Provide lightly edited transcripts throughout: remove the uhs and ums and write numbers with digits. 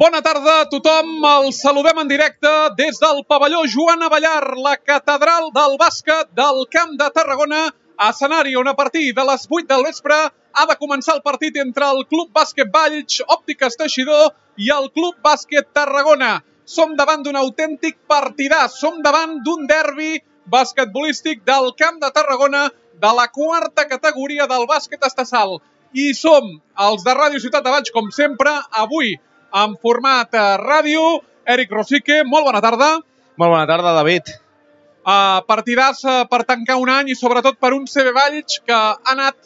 Bona tarda a tothom, els saludem en directe des del pavelló Joan Abellar, la catedral del bàsquet del Camp de Tarragona, escenari on a partir de les 8 del vespre ha de començar el partit entre el Club Bàsquet Valls, Òptiques Teixidor i el Club Bàsquet Tarragona. Som davant d'un autèntic partidàs, som davant d'un derbi basquetbolístic del Camp de Tarragona de la quarta categoria del bàsquet estatal. I som els de Ràdio Ciutat de Valls, com sempre, avui en format ràdio. Eric Rosique, molt bona tarda. Molt bona tarda, David. Partidàs per tancar un any i sobretot per un CB Valls que ha anat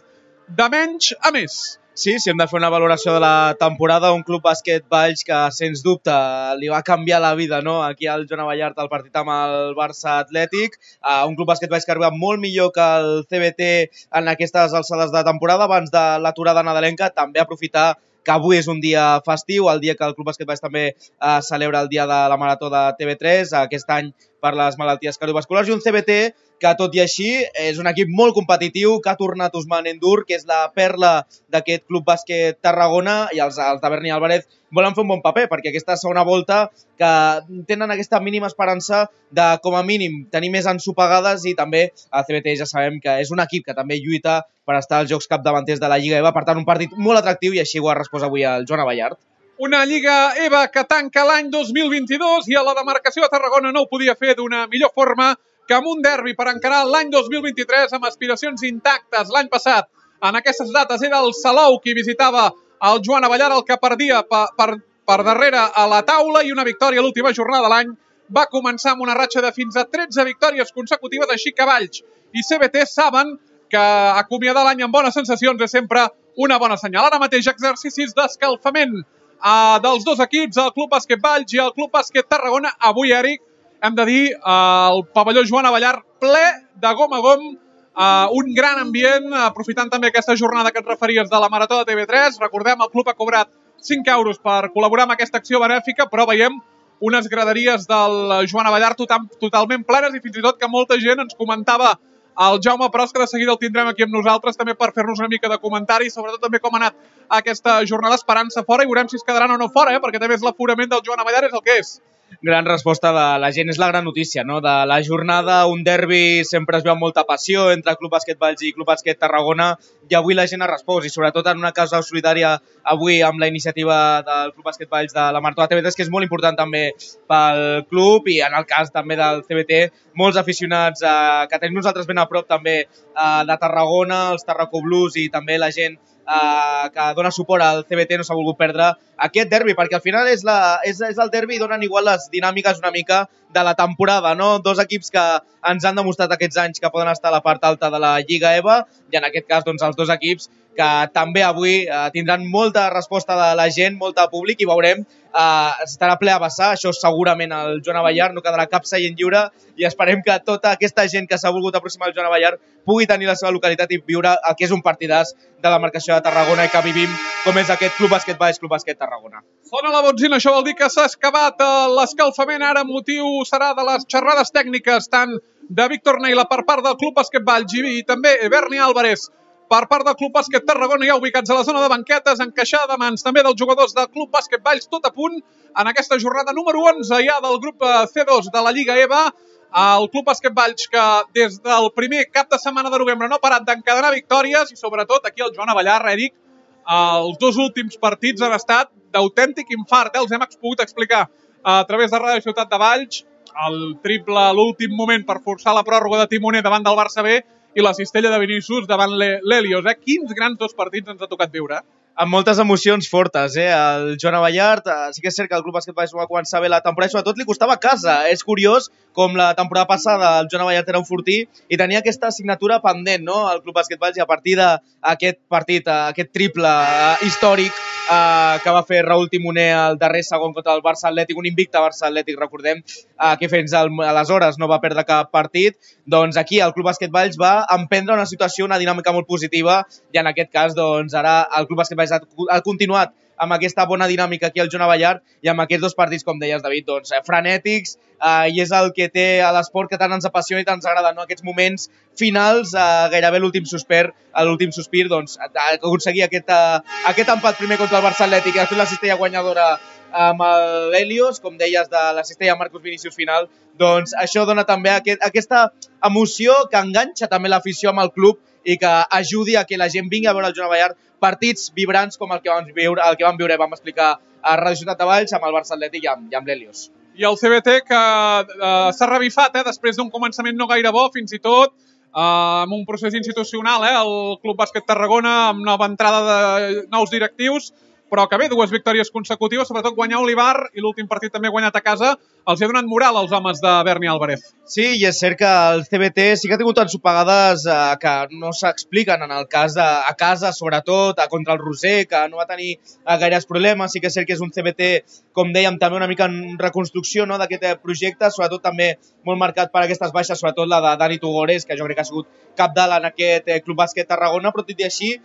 de menys a més. Sí, si hem de fer una valoració de la temporada, un Club Bàsquet Valls que, sens dubte, li va canviar la vida, no? Aquí al Joan Abellar, el partit amb el Barça Atlètic. Un Club Bàsquet Valls que ha arribat molt millor que el CBT en aquestes alçades de temporada, abans de l'aturada nadalenca. També aprofitar que avui és un dia festiu, el dia que el Club Bàsquet Valls també celebra el dia de la Marató de TV3, aquest any per les malalties cardiovasculars, i un CBT que, tot i així, és un equip molt competitiu, que ha tornat Ousmane N'Dour, que és la perla d'aquest Club Bàsquet Tarragona, i els de Berni Álvarez volen fer un bon paper, perquè aquesta segona volta que tenen aquesta mínima esperança de, com a mínim, tenir més ensopegades, i també el CBT ja sabem que és un equip que també lluita per estar als jocs capdavanters de la Lliga EVA, per tant, un partit molt atractiu, i així ho ha respost avui el Joan Abellar. Una Lliga EVA que tanca l'any 2022 i a la demarcació de Tarragona no ho podia fer d'una millor forma que amb un derbi per encarar l'any 2023 amb aspiracions intactes. L'any passat, en aquestes dates, era el Salou qui visitava el Joan Abellar, el que perdia per darrere a la taula, i una victòria a l'última jornada de l'any va començar amb una ratxa de fins a 13 victòries consecutives, així que Valls i CBT saben que acomiadar l'any amb bones sensacions és sempre una bona senyal. Ara mateix exercicis d'escalfament dels dos equips, el Club Bàsquet Valls i el Club Bàsquet Tarragona. Avui, Eric, hem de dir, el pavelló Joan Abellar ple de gom a gom, un gran ambient, aprofitant també aquesta jornada que et referies de la Marató de TV3. Recordem, el club ha cobrat 5 euros per col·laborar amb aquesta acció benèfica, però veiem unes graderies del Joan Abellar totalment plenes, i fins i tot que molta gent ens comentava el Jaume Pros, que de seguida el tindrem aquí amb nosaltres també per fer-nos una mica de comentari, sobretot també com ha anat aquesta jornada, esperant-se fora, i veurem si es quedaran o no fora, perquè també és l'aforament del Joan Abellar, és el que és. Gran resposta de la gent, és la gran notícia, no? De la jornada, un derbi sempre es veu amb molta passió entre Club Bàsquet Valls i Club Bàsquet Tarragona, i avui la gent ha respost, i sobretot en una causa solidària avui amb la iniciativa del Club Bàsquet Valls de la Marató de TV3, que és molt important també pel club, i en el cas també del CBT, molts aficionats que tenim nosaltres ben a prop també de Tarragona, els Tarraco Blues, i també la gent que dona suport al CBT no s'ha volgut perdre aquest derbi, perquè al final és el derbi i donen igual les dinàmiques una mica de la temporada, no? Dos equips que ens han demostrat aquests anys que poden estar a la part alta de la Lliga EVA, i en aquest cas doncs, els dos equips que també avui tindran molta resposta de la gent, molta públic, i veurem, estarà ple a vessar, això segurament al Joan Abellar, no quedarà cap seient lliure, i esperem que tota aquesta gent que s'ha volgut aproximar al Joan Abellar pugui tenir la seva localitat i viure el que és un partidàs de la marcació de Tarragona i que vivim, com és aquest Club Bàsquet Valls, Club Bàsquet Tarragona. Sona la botzina, això vol dir que s'ha excavat l'escalfament. Ara motiu serà de les xerrades tècniques, tant de Víctor Neila per part del Club Bàsquet Valls i també Berni Álvarez per part del Club Bàsquet Tarragona, ja ubicats a la zona de banquetes, encaixada de mans també dels jugadors del Club Bàsquet Valls, tot a punt en aquesta jornada número 11 ja del grup C2 de la Lliga EVA. El Club Bàsquet Valls, que des del primer cap de setmana de novembre no ha parat d'encadenar victòries, i sobretot aquí el Joan Abellar, Eric, els dos últims partits han estat d'autèntic infart, els hem pogut explicar a través de Ràdio Ciutat de Valls, el triple a l'últim moment per forçar la pròrroga de timoner davant del Barça B i la cistella de Vinícius davant l'Helios. Quins grans dos partits ens ha tocat viure. Amb moltes emocions fortes, el Joan Abellar, sí que és cert que el Club Bàsquet Valls va començar bé la temporada, i sobretot li costava a casa. És curiós com la temporada passada el Joan Abellar era un fortí i tenia aquesta assignatura pendent, no? El Club Bàsquet Valls, i a partir d'aquest partit, aquest triple històric que va fer Raúl Timoner al darrer segon contra el Barça Atlètic, un invicte Barça Atlètic, recordem, que fins aleshores no va perdre cap partit, doncs aquí el Club Bàsquet Valls va emprendre una situació, una dinàmica molt positiva, i en aquest cas doncs ara el Club Bàsquet Valls ha continuat amb aquesta bona dinàmica aquí al Joan Abellar, i amb aquests dos partits, com deies, David, doncs frenètics, i és el que té a l'esport que tant ens apassiona i tant ens agrada, no? Aquests moments finals, gairebé l'últim sospir, doncs aconseguir aquest empat primer contra el Barça Atlètic i després la cistella guanyadora amb l'Helios, com deies, de la cistella de Marcus Vinícius final, doncs això dona també aquesta emoció que enganxa també l'afició amb el club i que ajudi a que la gent vingui a veure el Joan Abellar partits vibrants com el que vam viure, vam explicar a Ràdio Ciutat de Valls amb el Barça Atlètic i amb l'Helios. I el CBT que s'ha revifat després d'un començament no gaire bo, fins i tot amb un procés institucional, el Club Bàsquet Tarragona, amb nova entrada de nous directius, però que bé, 2 victòries consecutives, sobretot guanyar Olivar i l'últim partit també guanyat a casa, els ha donat moral als homes de Berni Álvarez. Sí, i és cert que el CBT sí que ha tingut ensopegades que no s'expliquen en el cas a casa, sobretot, contra el Roser, que no va tenir gaires problemes. Sí que és cert que és un CBT, com dèiem, també una mica en reconstrucció d'aquest projecte, sobretot també molt marcat per aquestes baixes, sobretot la de Dani Tugores, que jo crec que ha sigut cabdal en aquest Club Bàsquet Tarragona, però tot i així,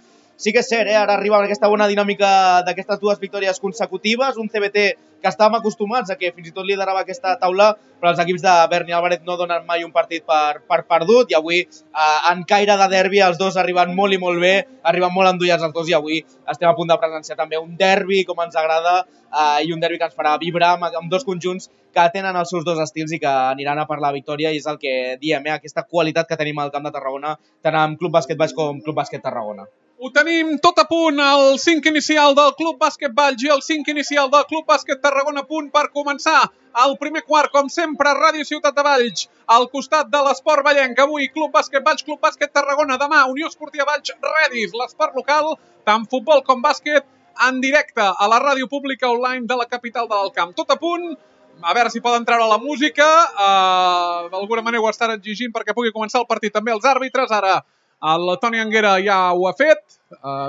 sí que és cert, ara arriba aquesta bona dinàmica d'aquestes 2 victòries consecutives, un CBT que estàvem acostumats a que fins i tot liderava aquesta taula, però els equips de Berni Álvarez no donen mai un partit per perdut, i avui en caire de derbi els dos arriben molt i molt bé, arriben molt endollats els dos, i avui estem a punt de presenciar també un derbi com ens agrada i un derbi que ens farà vibrar amb 2 conjunts que tenen els seus 2 estils i que aniran a per la victòria, i és el que diem, aquesta qualitat que tenim al camp de Tarragona, tant amb Club Bàsquet Valls com Club Bàsquet Tarragona. Ho tenim tot a punt, el 5 inicial del Club Bàsquet Valls i el 5 inicial del Club Bàsquet Tarragona a punt per començar el primer quart, com sempre, Ràdio Ciutat de Valls, al costat de l'Esport Vallenc. Avui, Club Bàsquet Valls, Club Bàsquet Tarragona. Demà, Unió Esportiva Valls, Redis, l'esport local, tant futbol com bàsquet, en directe a la ràdio pública online de la capital del camp. Tot a punt, a veure si poden treure la música, d'alguna manera ho estan exigint perquè pugui començar el partit. També els àrbitres, ara el Toni Anguera ja ho ha fet.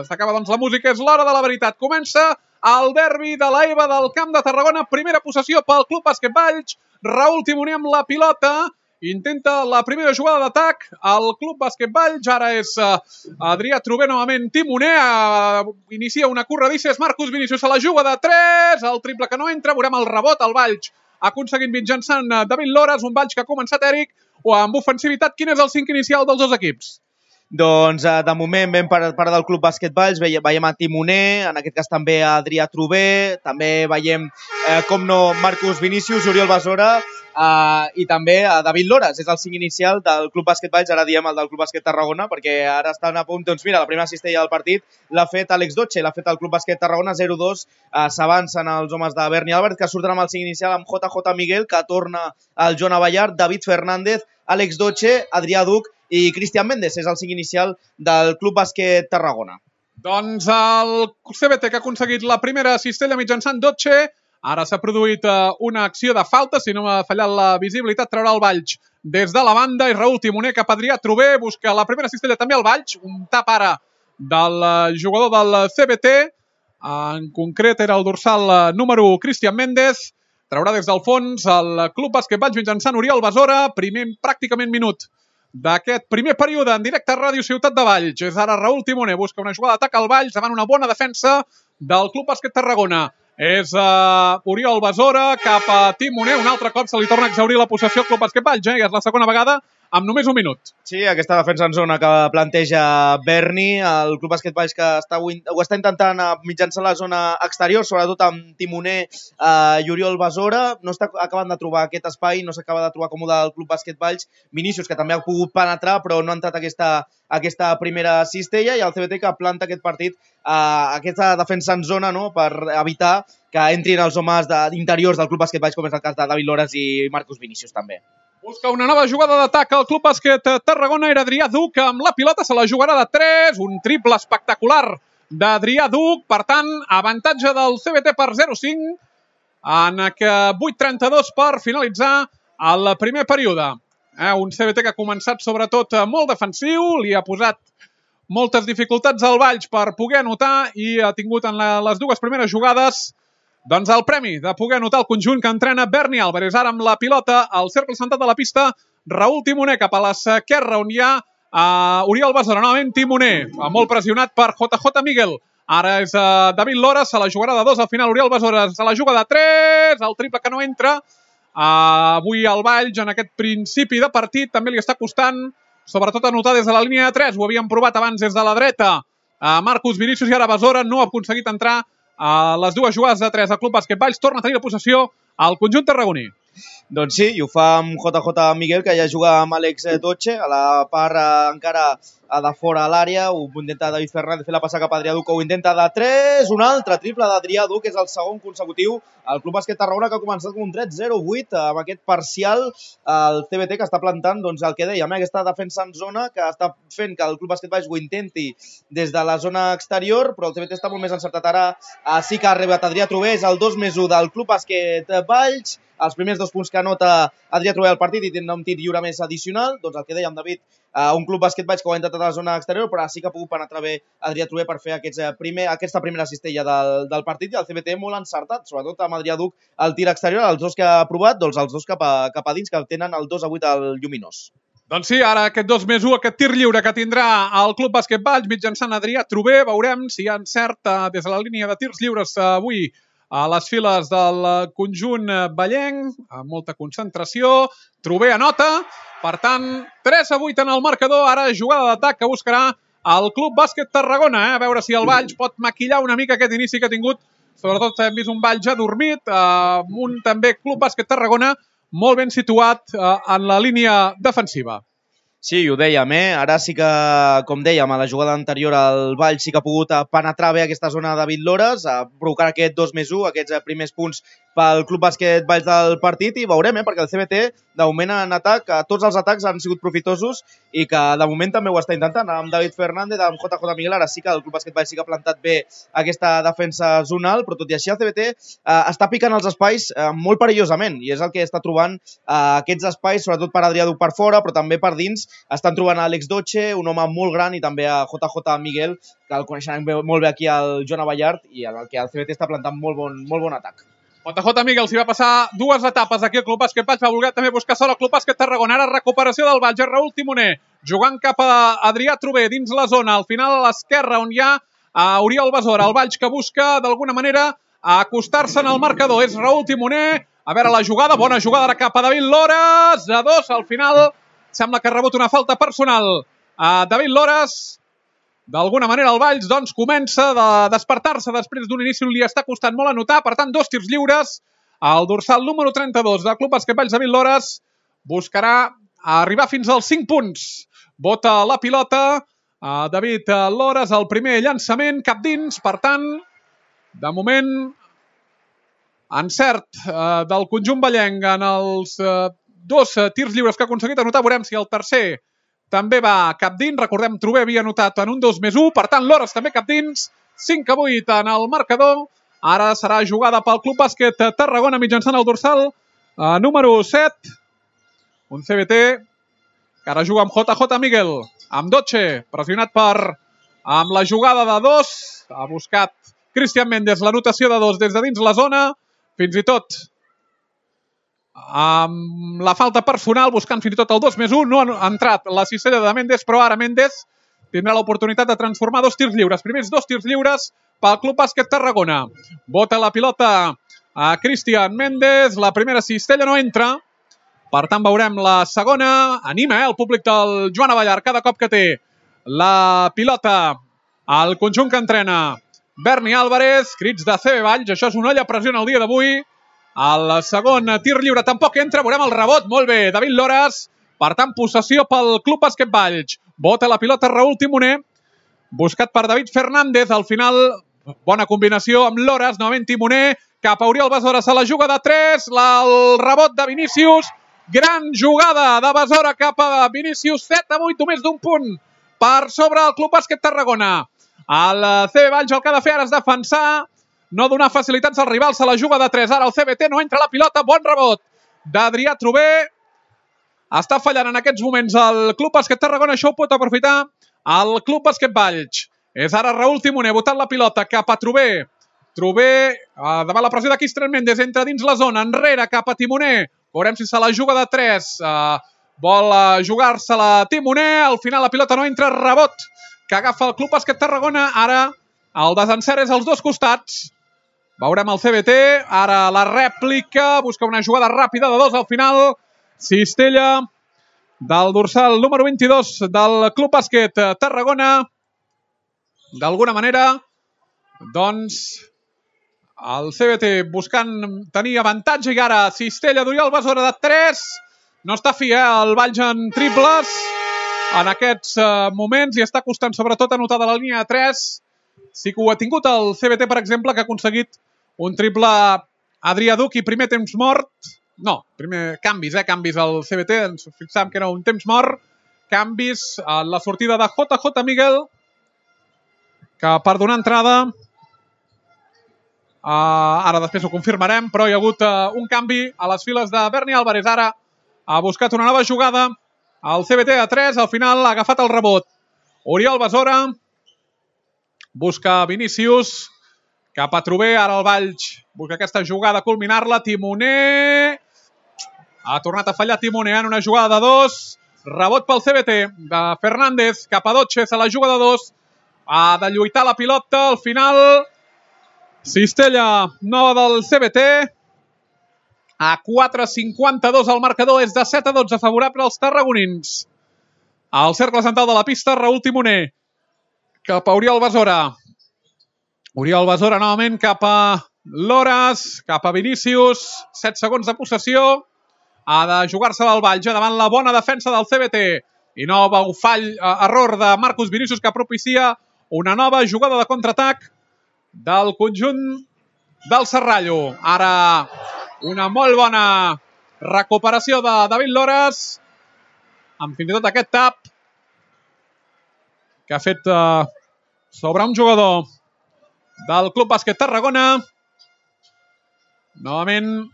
S'acaba doncs la música, és l'hora de la veritat. Comença el derbi de l'EVA del Camp de Tarragona. Primera possessió pel Club Bàsquet Valls. Raül Timoner amb la pilota. Intenta la primera jugada d'atac. El Club Bàsquet Valls, ara és Adrià Trober novament Timoner. Inicia una corredissa, és Marcus Vinícius, a la juga de 3. El triple que no entra, veurem el rebot. El Valls ha aconseguit mitjançant David Lores, un Valls que ha començat Eric, o amb ofensivitat. Quin és el 5 inicial dels 2 equips? Doncs de moment ben per part del Club Bàsquet Valls veiem a Timoner, en aquest cas també a Adrià Trober, també veiem com no Marcus Vinícius, Oriol Besora i també a David Lores, és el 5 inicial del Club Bàsquet Valls, ara diem el del Club Bàsquet Tarragona, perquè ara estan a punt, doncs mira, la primera cistella del partit l'ha fet Àlex Doche, l'ha fet el Club Bàsquet Tarragona, 0-2, s'avancen els homes de Berni Álvarez, que surten amb el 5 inicial amb JJ Miguel, que torna el Joan Abellar, David Fernández, Àlex Doche, Adrià Duc i Cristian Méndez, és el 5 inicial del Club Bàsquet Tarragona. Doncs el CBT que ha aconseguit la primera cistella mitjançant Doche. Ara s'ha produït una acció de falta, si no m'ha fallat la visibilitat, traurà el Valls des de la banda i Raül Timoner cap a Adrià Trober, busca la primera cistella també al Valls, un tap ara del jugador del CBT, en concret era el dorsal número 1, Cristian Méndez, traurà des del fons el Club Bàsquet Valls mitjançant Oriol Besora, primer pràcticament minut d'aquest primer període en directe a Ràdio Ciutat de Valls. És ara Raül Timoner, busca una jugada d'atac al Valls davant una bona defensa del Club Bàsquet Tarragona. És Oriol Besora cap a Timoner, un altre cop se li torna a exhaurir la possessió al Club Bàsquet Valls, és la segona vegada amb només un minut. Sí, aquesta defensa en zona que planteja Berni, el Club Bàsquet Valls que ho està intentant mitjançant la zona exterior, sobretot amb Timoner i Oriol Besora, no està acabant de trobar aquest espai, no s'acaba de trobar còmode el Club Bàsquet Valls, Vinícius que també ha pogut penetrar però no ha entrat aquesta primera cistella, i el CBT que planta aquest partit, aquesta defensa en zona, no?, per evitar que entrin els homes interiors del Club Bàsquet Valls, com és el cas de David Lores i Marcus Vinícius també. Busca una nova jugada d'atac al Club Bàsquet Tarragona, era Adrià Duc amb la pilota, se la jugarà de 3, un triple espectacular d'Adrià Duc, per tant, avantatge del CBT per 0-5, en 8:32 per finalitzar el primer període. Un CBT que ha començat sobretot molt defensiu, li ha posat moltes dificultats al Valls per poder anotar i ha tingut en les 2 primeres jugades doncs el premi de poder anotar el conjunt que entrena Berni Álvarez. Ara amb la pilota al cercle central de la pista, Raül Timoner cap a l'esquerra on hi ha Oriol Besora, novament Timoner, molt pressionat per JJ Miguel. Ara és David Lores, se la jugarà de 2 al final, Oriol Besora se la juga de 3, el triple que no entra. Avui el Valls en aquest principi de partit també li està costant, sobretot anotar des de la línia de 3, ho havíem provat abans des de la dreta. Marcus Vinícius i ara Besora no ha aconseguit entrar a les dues jugades de 3 al Club Bàsquet Valls, torna a tenir la possessió al conjunt tarragoní. Doncs sí, i ho fa amb JJ Miguel, que ja juga amb Àlex Doche, a la part encara de fora a l'àrea, ho intenta David Fernández fer la passa cap a Adrià Duc, ho intenta de 3, un altre triple d'Adrià Duc, és el segon consecutiu. El Club Bàsquet Tarragona, que ha començat com un 3-0-8 amb aquest parcial, el CBT, que està plantant doncs, el que dèiem, aquesta defensa en zona, que està fent que el Club Bàsquet Valls ho intenti des de la zona exterior, però el CBT està molt més encertat ara. Sí que ha arribat Adrià Trové, és el 2+1 del Club Bàsquet Valls, els primers 2 punts que anota Adrià Trové al partit i tindrà un tir lliure més addicional. Doncs el que dèiem, David, un Club Bàsquet Valls que ho ha intentat a la zona exterior, però sí que ha pogut penetrar bé Adrià Trové per fer aquesta primera cistella del partit, i el CBT molt encertat, sobretot amb Adrià Duc el tir exterior, els dos que ha provat, doncs els dos cap a dins, que tenen el 2-8 al Lluminós. Doncs sí, ara aquest 2+1, aquest tir lliure que tindrà el Club Bàsquet Valls mitjançant Adrià Trové, veurem si hi ha encert des de la línia de tirs lliures avui a les files del conjunt vallenc, amb molta concentració. Trové anota, per tant, 3-8 en el marcador. Ara jugada d'atac que buscarà el Club Bàsquet Tarragona, a veure si el Valls pot maquillar una mica aquest inici que ha tingut. Sobretot hem vist un Valls adormit, un també Club Bàsquet Tarragona molt ben situat en la línia defensiva. Sí, ho dèiem, Ara sí que, com dèiem, a la jugada anterior el Valls sí que ha pogut penetrar bé aquesta zona de David Lores, provocar aquest 2+1, aquests primers punts pel Club Bàsquet Valls del partit, i veurem, perquè el CBT, de moment en atac, tots els atacs han sigut profitosos i que de moment també ho està intentant, amb David Fernández, amb JJ Miguel. Ara sí que el Club Bàsquet Valls sí que ha plantat bé aquesta defensa zonal, però tot i així el CBT està picant els espais molt perillosament, i és el que està trobant aquests espais, sobretot per Adrià Duc per fora, però també per dins. Estan trobant a Àlex Doche, un home molt gran, i també a JJ Miguel, que el coneixen molt bé aquí al Joan Abellart, i en el que el CBT està plantant molt bon atac. JJ Miguel s'hi va passar dues etapes aquí al Club Bàsquet Valls, va voler també buscar sol al Club Bàsquet Tarragona. Ara recuperació del Valls, Raül Timoner jugant cap a Adrià Trové dins la zona, al final a l'esquerra on hi ha Oriol Besora. El Valls que busca d'alguna manera acostar-se en el marcador, és Raül Timoner. A veure la jugada, bona jugada ara cap a David Lores, a 2, al final sembla que ha rebut una falta personal a David Lores. D'alguna manera el Valls doncs, comença a despertar-se després d'un inici on li està costant molt anotar. Per tant, 2 tirs lliures. El dorsal número 32 del Club Bàsquet Valls, David Lores, buscarà arribar fins als 5 punts. Bota la pilota David Lores, el primer llançament, cap dins. Per tant, de moment, encert del conjunt vallenc en els 2 tirs lliures que ha aconseguit anotar. Veurem si el tercer també va cap dins. Recordem, Trové havia anotat en un 2+1. Per tant, Lores també cap dins. 5-8 en el marcador. Ara serà jugada pel Club Bàsquet Tarragona mitjançant el dorsal número 7. Un CBT que ara juga amb JJ Miguel. Amb Doche, pressionat amb la jugada de 2. Ha buscat Cristian Méndez l'anotació de 2 des de dins la zona. Fins i tot amb la falta personal, buscant fins i tot el 2+1, no ha entrat la cistella de Méndez, però ara Méndez tindrà l'oportunitat de transformar 2 tirs lliures. Primers 2 tirs lliures pel Club Bàsquet Tarragona. Bota la pilota a Cristian Méndez, la primera cistella no entra, per tant veurem la segona. Anima el públic del Joan Abellart cada cop que té la pilota al conjunt que entrena Berni Álvarez. Crits de CB Valls, això és una olla a pressió el dia d'avui. El segon tir lliure tampoc entra, veurem el rebot, molt bé, David Lores. Per tant, possessió pel Club Bàsquet Valls. Bota la pilota Raül Timoner, buscat per David Fernández. Al final, bona combinació amb Lores, novament Timoner, cap a Oriol Besora, se la juga de 3, el rebot de Vinícius. Gran jugada de Besora cap a Vinícius, 7-8, només d'un punt per sobre el Club Bàsquet Tarragona. El CB Valls el que ha de fer ara és defensar, no donar facilitats als rivals, se la juga de 3. Ara el CBT no entra la pilota, bon rebot d'Adrià Trové. Està fallant en aquests moments el Club Bàsquet Tarragona, això ho pot aprofitar el Club Bàsquet Valls. És ara Raül Timoner botant la pilota cap a Trové. Trové, davant la pressió de Cristian Méndez, entra dins la zona, enrere cap a Timoner. Veurem si se la juga de 3. Vol jugar-se-la Timoner, al final la pilota no entra, rebot que agafa el Club Bàsquet Tarragona. Ara el desencert és als dos costats. Veurem el CBT, ara la rèplica, busca una jugada ràpida de 2 al final. Cistella del dorsal número 22 del Club Bàsquet Tarragona. D'alguna manera, doncs, El CBT buscant tenir avantatge i ara cistella d'Oriol Besora de 3. No està fi, el Valls en triples en aquests moments i està costant sobretot anotar de la línia de 3. Sí que ho ha tingut el CBT, per exemple, que ha aconseguit un triple Adrià Duc i primer temps mort. No, primer canvis al CBT. Ens fixàvem que era un temps mort. Canvis a la sortida de JJ Miguel, que per donar entrada, ara després ho confirmarem, però hi ha hagut un canvi a les files de Berni Álvarez. Ara ha buscat una nova jugada. El CBT a 3, al final ha agafat el rebot Oriol Besora. Busca Vinícius. Cap a Trober, ara el Valls busca aquesta jugada, culminar-la. Timoner. Ha tornat a fallar Timoner en una jugada de 2. Rebot pel CBT de Fernández. Cap a Dotxes a la jugada de 2. Ha de lluitar la pilota. Al final, cistella nova del CBT. A 4,52 el marcador, és de 7-12 favorable als tarragonins. Al cercle central de la pista, Raül Timoner. Cap a Oriol Besora. Oriol Besora novament cap a Loras, cap a Vinícius. 7 segons de possessió. Ha de jugar-se del Valls davant la bona defensa del CBT. I nou error de Marcus Vinícius que propicia una nova jugada de contraatac del conjunt del Serrallo. Ara una molt bona recuperació de David Loras, amb fins i tot aquest tap que ha fet sobre un jugador del Club Bàsquet Tarragona. Novament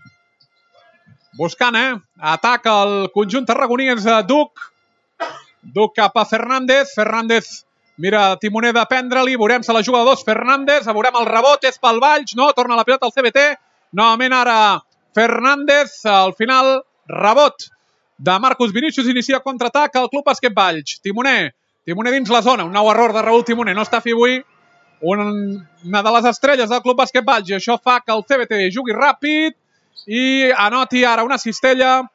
buscant, atac al conjunt tarragoní és Duc. Duc cap a Fernández. Fernández mira Timoner de prendre-li. Veurem-se la jugada 2. Fernández. Veurem el rebot. És pel Valls. No, torna la pilota al CBT. Novament ara Fernández. Al final, rebot de Marcus Vinícius. Inicia contraatac al Club Bàsquet Valls. Timoner dins la zona. Un nou error de Raül Timoner. No està fi avui una de les estrelles del Club Bàsquet Valls. I això fa que el CBT jugui ràpid i anoti ara una cistella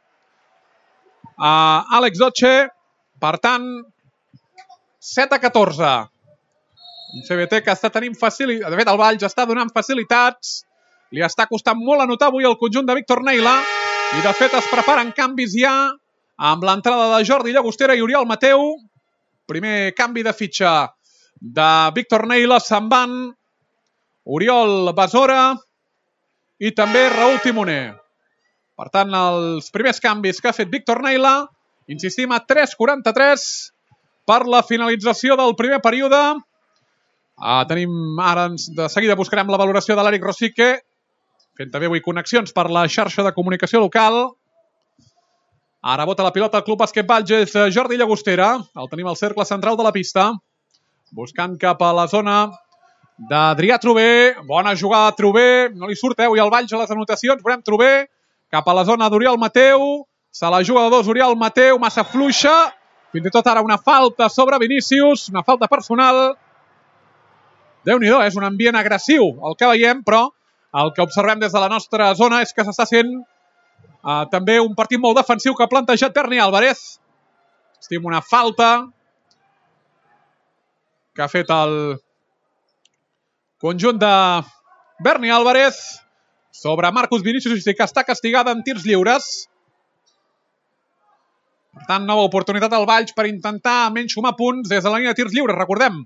a Àlex Dotxe. Per tant, 7-14. Un CBT que està tenint facilitats. De fet, el Valls està donant facilitats. Li està costant molt anotar avui el conjunt de Víctor Neila. I, de fet, es preparen canvis ja amb l'entrada de Jordi Llagostera i Oriol Mateu. Primer canvi de fitxa de Víctor Neila. Se'n van Oriol Besora i també Raül Timoner. Per tant, els primers canvis que ha fet Víctor Neila. Insistim, a 3:43 per la finalització del primer període. Tenim ara, de seguida buscarem la valoració de l'Eric Rosique, fent també avui connexions per la xarxa de comunicació local. Ara bota la pilota al Club Bàsquet Valls, és Jordi Llagostera. El tenim al cercle central de la pista. Buscant cap a la zona d'Adrià Trober. Bona jugada de Trober. No li surt avui al Valls a les anotacions. Veurem Trober cap a la zona d'Oriol Mateu. Se la juga de 2 Oriol Mateu, massa fluixa. Fins i tot ara una falta sobre Vinícius, una falta personal. Déu-n'hi-do, és un ambient agressiu el que veiem, però el que observem des de la nostra zona és que s'està sent també un partit molt defensiu que ha plantejat Berni Álvarez. Estim una falta que ha fet el conjunt de Berni Álvarez sobre Marcus Vinícius, que està castigada en tirs lliures. Per tant, nova oportunitat al Valls per intentar menys sumar punts des de la línia de tirs lliures. Recordem,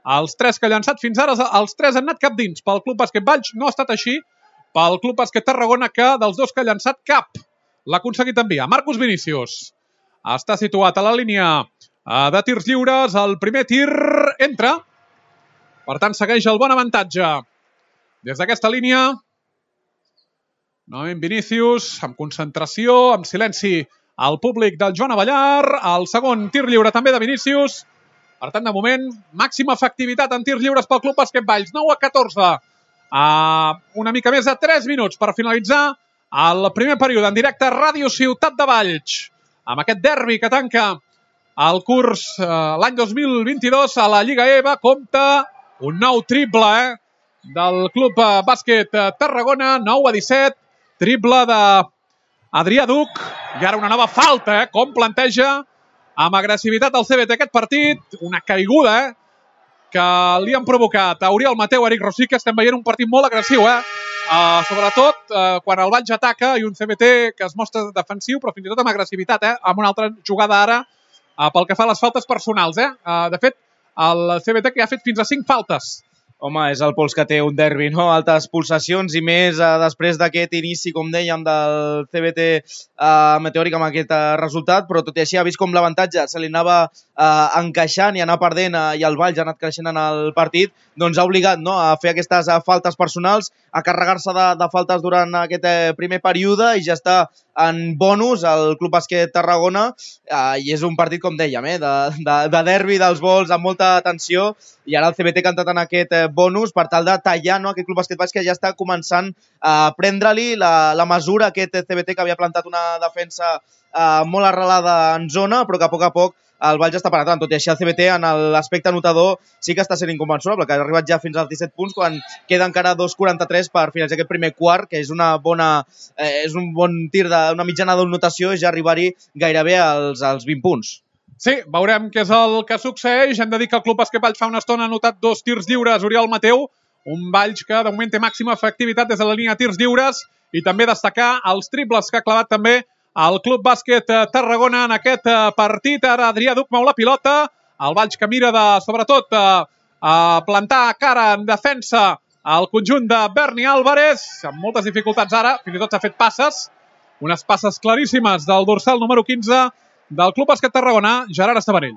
els 3 que ha llançat fins ara, els 3 han anat cap dins. Pel Club Bàsquet Valls no ha estat així. Pel Club Bàsquet Tarragona, que dels 2 que ha llançat, cap l'ha aconseguit enviar. Marcus Vinícius està situat a la línia de tirs lliures. El primer tir entra. Per tant, segueix el bon avantatge des d'aquesta línia. Novament Vinícius, amb concentració, amb silenci al públic del Joan Avellar. El segon tir lliure també de Vinícius. Per tant, de moment, màxima efectivitat en tirs lliures pel Club Bàsquet Valls. 9-14. Una mica més de 3 minuts per finalitzar el primer període en directe a Ràdio Ciutat de Valls. Amb aquest derbi que tanca el curs l'any 2022 a la Lliga EVA, compta un nou triple del Club Bàsquet Tarragona. 9-17. Triple d'Adrià Duc. I ara una nova falta, com planteja amb agressivitat el CBT aquest partit. Una caiguda que li han provocat a Oriol Mateu, Eric Rosique. Estem veient un partit molt agressiu, sobretot quan el Valls ataca i un CBT que es mostra defensiu, però fins i tot amb agressivitat, amb una altra jugada ara pel que fa a les faltes personals. De fet, el CBT que ha fet fins a 5 faltes. Home, és el pols que té un derbi, no? Altes pulsacions i més després d'aquest inici, com dèiem, del CBT meteòric amb aquest resultat, però tot i així ha vist com l'avantatge se li anava encaixant i anar perdent i el Valls ha anat creixent en el partit, doncs ha obligat a fer aquestes faltes personals, a carregar-se de faltes durant aquest primer període i ja està en bonus al Club Bàsquet Tarragona i és un partit, com dèiem, de derbi dels vols amb molta tensió i ara el CBT que ha entrat en aquest bonus per tal de tallar aquest Club Bàsquet Valls que ja està començant a prendre-li la mesura a aquest CBT que havia plantat una defensa molt arrelada en zona però que a poc el Valls està penetrant. Tot i així el CBT en l'aspecte anotador sí que està sent inconmensurable, que ha arribat ja fins als 17 punts quan queda encara 2,43 per finalitzar aquest primer quart, que és un bon tir d'una mitjana d'anotació i ja arribar-hi gairebé als 20 punts. Sí, veurem què és el que succeeix. Hem de dir que el Club Bàsquet Valls fa una estona ha anotat 2 tirs lliures, Oriol Mateu, un Valls que de moment té màxima efectivitat des de la línia de tirs lliures i també destacar els triples que ha clavat també el Club Bàsquet Tarragona en aquest partit. Ara Adrià Duc mou la pilota, el Valls que mira sobretot a plantar cara en defensa al conjunt de Berni Álvarez, amb moltes dificultats ara, fins i tot s'ha fet passes, unes passes claríssimes del dorsal número 15 del Club Bàsquet Tarragona, Gerard Estavanell.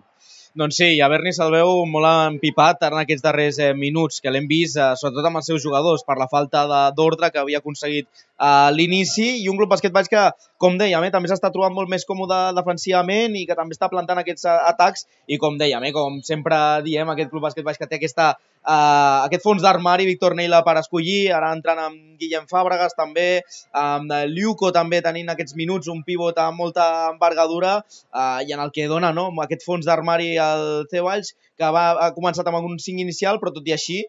Doncs sí, a Berni se'l veu molt empipat en aquests darrers minuts, que l'hem vist sobretot amb els seus jugadors per la falta d'ordre que havia aconseguit a l'inici i un Club Bàsquet Valls que, com dèiem, també s'està trobant molt més còmode defensivament i que també està plantant aquests atacs i com dèiem, com sempre diem, aquest Club Bàsquet Valls que té aquest fons d'armari, Víctor Neila per escollir, ara entrant amb Guillem Fàbregas també, amb Liuco també tenint aquests minuts, un pivot amb molta envergadura i en el que dona aquest fons d'armari al C Valls, que ha començat amb un 5 inicial, però tot i així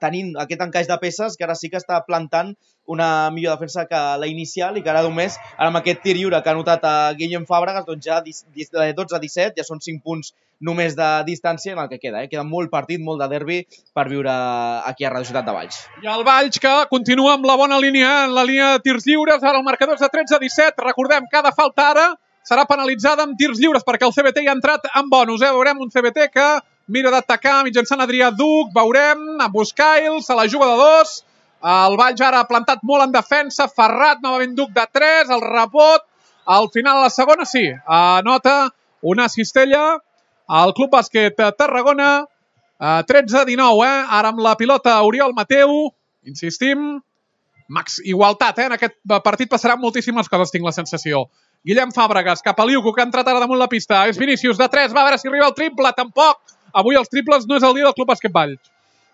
tenint aquest encaix de peces que ara sí que està plantant una millor defensa que la inicial i que ara només, ara amb aquest tir lliure que ha notat a Guillem Fàbregas, doncs ja 12-17, ja són 5 punts només de distància en el que queda. Queda molt partit, molt de derbi per viure aquí a Radio Ciutat de Valls. I el Valls que continua amb la bona línia, en la línia de tirs lliures, ara el marcador és de 13-17, recordem, cada falta ara serà penalitzada amb tirs lliures perquè el CBT ja ha entrat en bonus. Veurem un CBT que mira d'atacar mitjançant Adrià Duc, veurem amb Buscail, se la juga de 2, el Valls ara ha plantat molt en defensa, Ferrat, novament Duc de 3, el rebot, al final a la segona sí, anota una cistella al Club Bàsquet Tarragona, 13-19, ara amb la pilota Oriol Mateu, insistim, igualtat, en aquest partit passaran moltíssimes coses, tinc la sensació. Guillem Fàbregas, cap a Liuco, que ha entrat ara damunt la pista, és Vinícius de 3, va a veure si arriba el triple, tampoc, avui els triples no és el dia del Club Bàsquet Valls.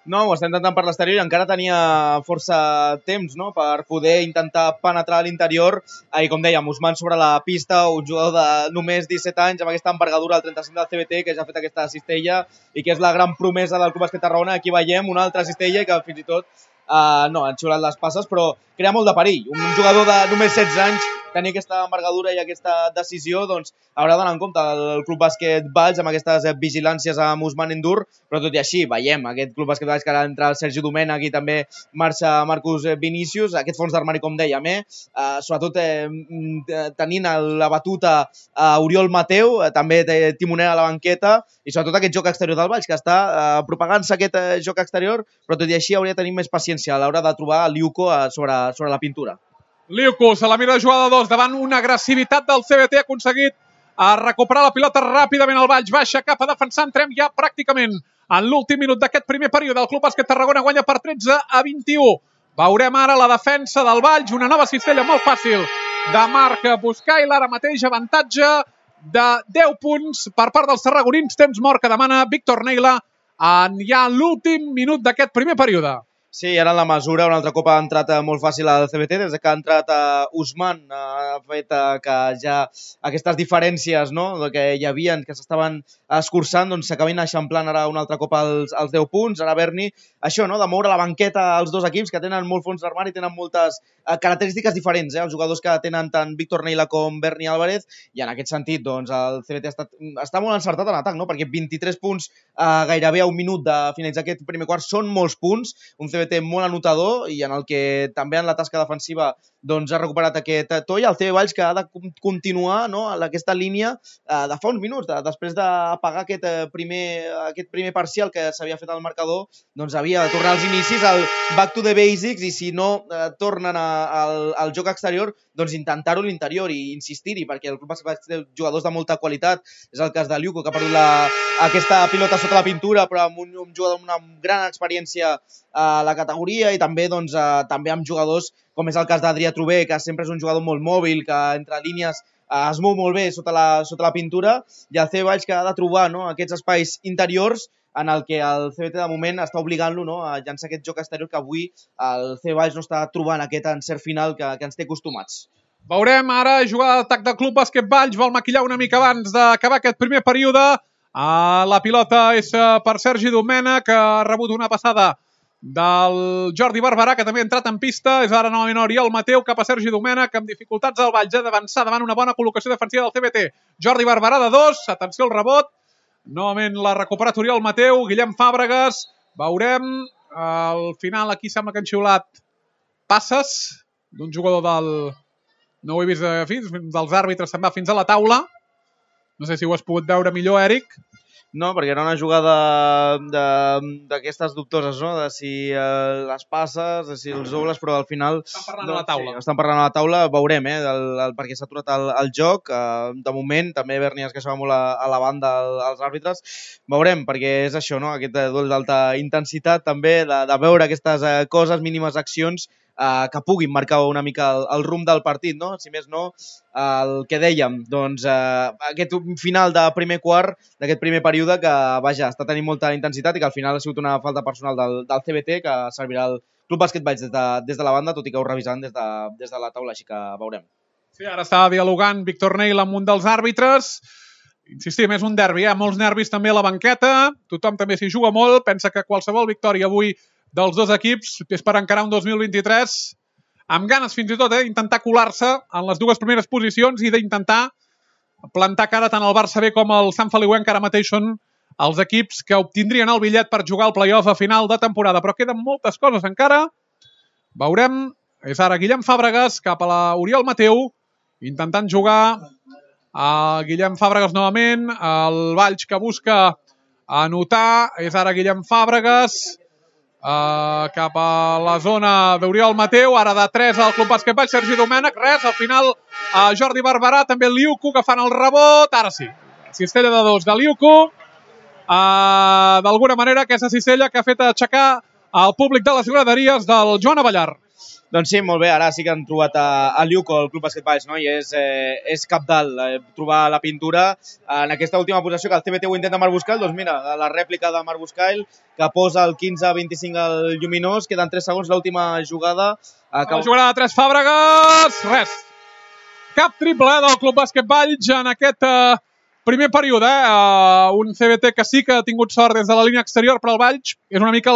No, ho està intentant per l'exterior i encara tenia força temps per poder intentar penetrar a l'interior. I com dèiem, Usman sobre la pista, un jugador de només 17 anys amb aquesta envergadura al 35 del CBT que ja ha fet aquesta cistella i que és la gran promesa del Club Bàsquet Tarragona. Aquí veiem una altra cistella i que fins i tot han xiulat les passes, però crea molt de perill. Un jugador de només 16 anys tenir aquesta envergadura i aquesta decisió, doncs haurà d'anar en compte el Club Bàsquet Valls amb aquestes vigilàncies amb Usman Endur, però tot i així veiem aquest Club Bàsquet Valls que ara entra el Sergi Domènech i també marxa Marcus Vinícius, aquest fons d'armari com dèiem, sobretot tenint la batuta Oriol Mateu, també té timoner a la banqueta i sobretot aquest joc exterior del Valls que està propagant-se aquest joc exterior, però tot i així hauria de tenir més paciència a l'hora de trobar Liuco sobre la pintura. Liuco se la mira de jugada 2 davant una agressivitat del CBT, ha aconseguit recuperar la pilota ràpidament al Valls, baixa cap a defensar, entrem ja pràcticament en l'últim minut d'aquest primer període. El Club Bàsquet Tarragona guanya per 13-21. Veurem ara la defensa del Valls, una nova cistella molt fàcil de Marc Buscail, ara mateix avantatge de 10 punts per part dels tarragonins, temps mort que demana Víctor Neila en ja l'últim minut d'aquest primer període. Sí, ara en la mesura, un altre cop ha entrat molt fàcil al CBT, des que ha entrat Usman, ha fet que ja aquestes diferències, no?, que hi havia, que s'estaven escurçant, doncs s'acabin eixamplant ara un altre cop als 10 punts. Ara Berni, això, no?, de moure la banqueta als dos equips que tenen molt fons d'armari, tenen moltes característiques diferents, els jugadors que tenen tant Víctor Neila com Berni Álvarez, i en aquest sentit, doncs, el CBT està molt encertat en atac, no?, perquè 23 punts gairebé a un minut de finalitzar aquest primer quart són molts punts, un CBT molt anotador i en el que també en la tasca defensiva doncs ha recuperat aquest to, i el CB Valls que ha de continuar, no?, en aquesta línia de fa uns minuts, després d'apagar aquest primer parcial que s'havia fet al marcador, doncs havia de tornar als inicis, al back to the basics, i si no tornen al joc exterior, doncs intentar-ho a l'interior i insistir-hi, perquè el club té jugadors de molta qualitat. És el cas de Liuco, que ha perdut aquesta pilota sota la pintura, però amb un jugador amb una gran experiència a la categoria, i també, doncs, també amb jugadors com és el cas d'Adrià Trubé, que sempre és un jugador molt mòbil, que entre línies es mou molt bé sota la pintura, i el CB Valls que ha de trobar, no?, aquests espais interiors en el que el CBT de moment està obligant-lo, no?, a llançar aquest joc exterior que avui el CB Valls no està trobant aquest encert final que ens té acostumats. Veurem ara jugada d'atac del Club Bàsquet Valls, vol maquillar una mica abans d'acabar aquest primer període. La pilota és per Sergi Domènech, que ha rebut una passada del Jordi Barberà, que també ha entrat en pista. És ara novament Oriol Mateu cap a Sergi Domènech, amb dificultats al Valls, d'avançar davant una bona col·locació defensiva del CBT. Jordi Barberà de 2, atenció al rebot. Novament l'ha recuperat Oriol Mateu, Guillem Fàbregas. Veurem, al final aquí sembla que han xiulat passes d'un jugador del... No ho he vist dels àrbitres, se'n va fins a la taula. No sé si ho has pogut veure millor, Eric. No, perquè era una jugada d'aquestes dubtoses, no?, de si les passes, de si els dobles, però al final... Estan parlant a la taula. Sí, estan parlant a la taula, veurem, perquè s'ha aturat el joc. De moment, també Berni es queixava molt a la banda als àrbitres. Veurem, perquè és això, no?, aquest duel d'alta intensitat, també, de veure aquestes coses, mínimes accions, que puguin marcar una mica el rumb del partit, no? Si més no, el que dèiem, doncs aquest final de primer quart, d'aquest primer període, que vaja, està tenint molta intensitat i que al final ha sigut una falta personal del CBT, que servirà al Club Bàsquet Valls des de la banda, tot i que ho revisant des de la taula, així que veurem. Sí, ara està dialogant Víctor Neila amb un dels àrbitres. Insistim, és un derbi, molts nervis també a la banqueta, tothom també s'hi juga molt, pensa que qualsevol victòria avui dels dos equips és per encarar un 2023 amb ganes fins i tot d'intentar colar-se en les dues primeres posicions i d'intentar plantar cara tant al Barça B com al Sant Feliuenc, que ara mateix són els equips que obtindrien el bitllet per jugar al play-off a final de temporada. Però queden moltes coses encara. Veurem, és ara Guillem Fàbregas cap a l'Oriol Mateu, intentant jugar a Guillem Fàbregas novament, el Valls que busca anotar, és ara Guillem Fàbregas, cap a la zona d'Oriol Mateu, ara de 3 al Club Bàsquet Valls, Sergi Domènech, res, al final Jordi Barberà, també Liuco que fan el rebot, ara sí, cistella de 2 de Liuco, d'alguna manera aquesta cistella que ha fet aixecar el públic de les graderies del Joan Avellar. Doncs sí, molt bé, ara sí que han trobat a Liuco, el Club Bàsquet Valls, no? I és cabdal trobar la pintura en aquesta última posició que el CBT ho intenta amb Arbuscail. Doncs mira, la rèplica de Arbuscail, que posa el 15-25 al Lluminós, queden 3 segons, l'última jugada. La jugada de 3 Fàbregas, res. Cap triple del Club Bàsquet Valls en aquest primer període. Un CBT que sí que ha tingut sort des de la línia exterior, però el Valls és una mica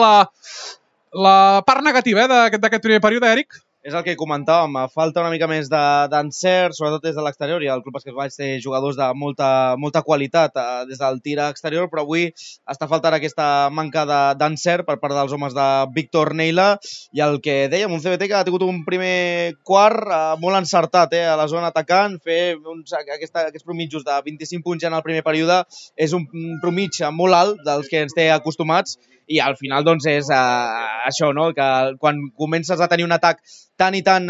la part negativa d'aquest primer període, Eric. És el que comentàvem, falta una mica més d'encert, sobretot des de l'exterior, i el Club Bàsquet Valls té jugadors de molta qualitat des del tir exterior, però avui està faltant aquesta manca d'encert per part dels homes de Víctor Neila, i el que dèiem, un CBT que ha tingut un primer quart molt encertat a la zona atacant, fer aquests promitjos de 25 punts ja en el primer període és un promig molt alt dels que ens té acostumats, i al final doncs és això, no? Que quan comences a tenir un atac tan i tan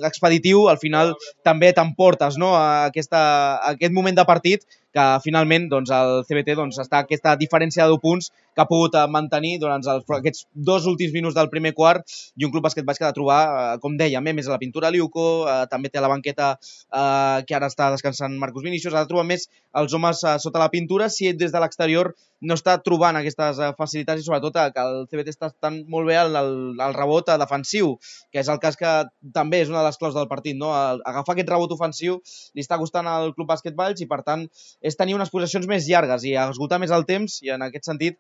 expeditiu, al final també t'emportes, no? Aquest moment de partit que finalment doncs, el CBT està aquesta diferència de 2 punts que ha pogut mantenir durant aquests 2 últims minuts del primer quart, i un Club Bàsquet Valls que ha de trobar, com dèiem, més a la pintura Liuco, també té a la banqueta que ara està descansant Marcus Vinícius, ha de trobar més els homes sota la pintura, si des de l'exterior no està trobant aquestes facilitats i sobretot que el CBT està estant molt bé al rebot defensiu, que és el cas que també és una de les claus del partit, no? Agafar aquest rebot ofensiu li està costant al Club Bàsquet Valls i per tant és tenir unes possessions més llargues i esgotar més el temps i en aquest sentit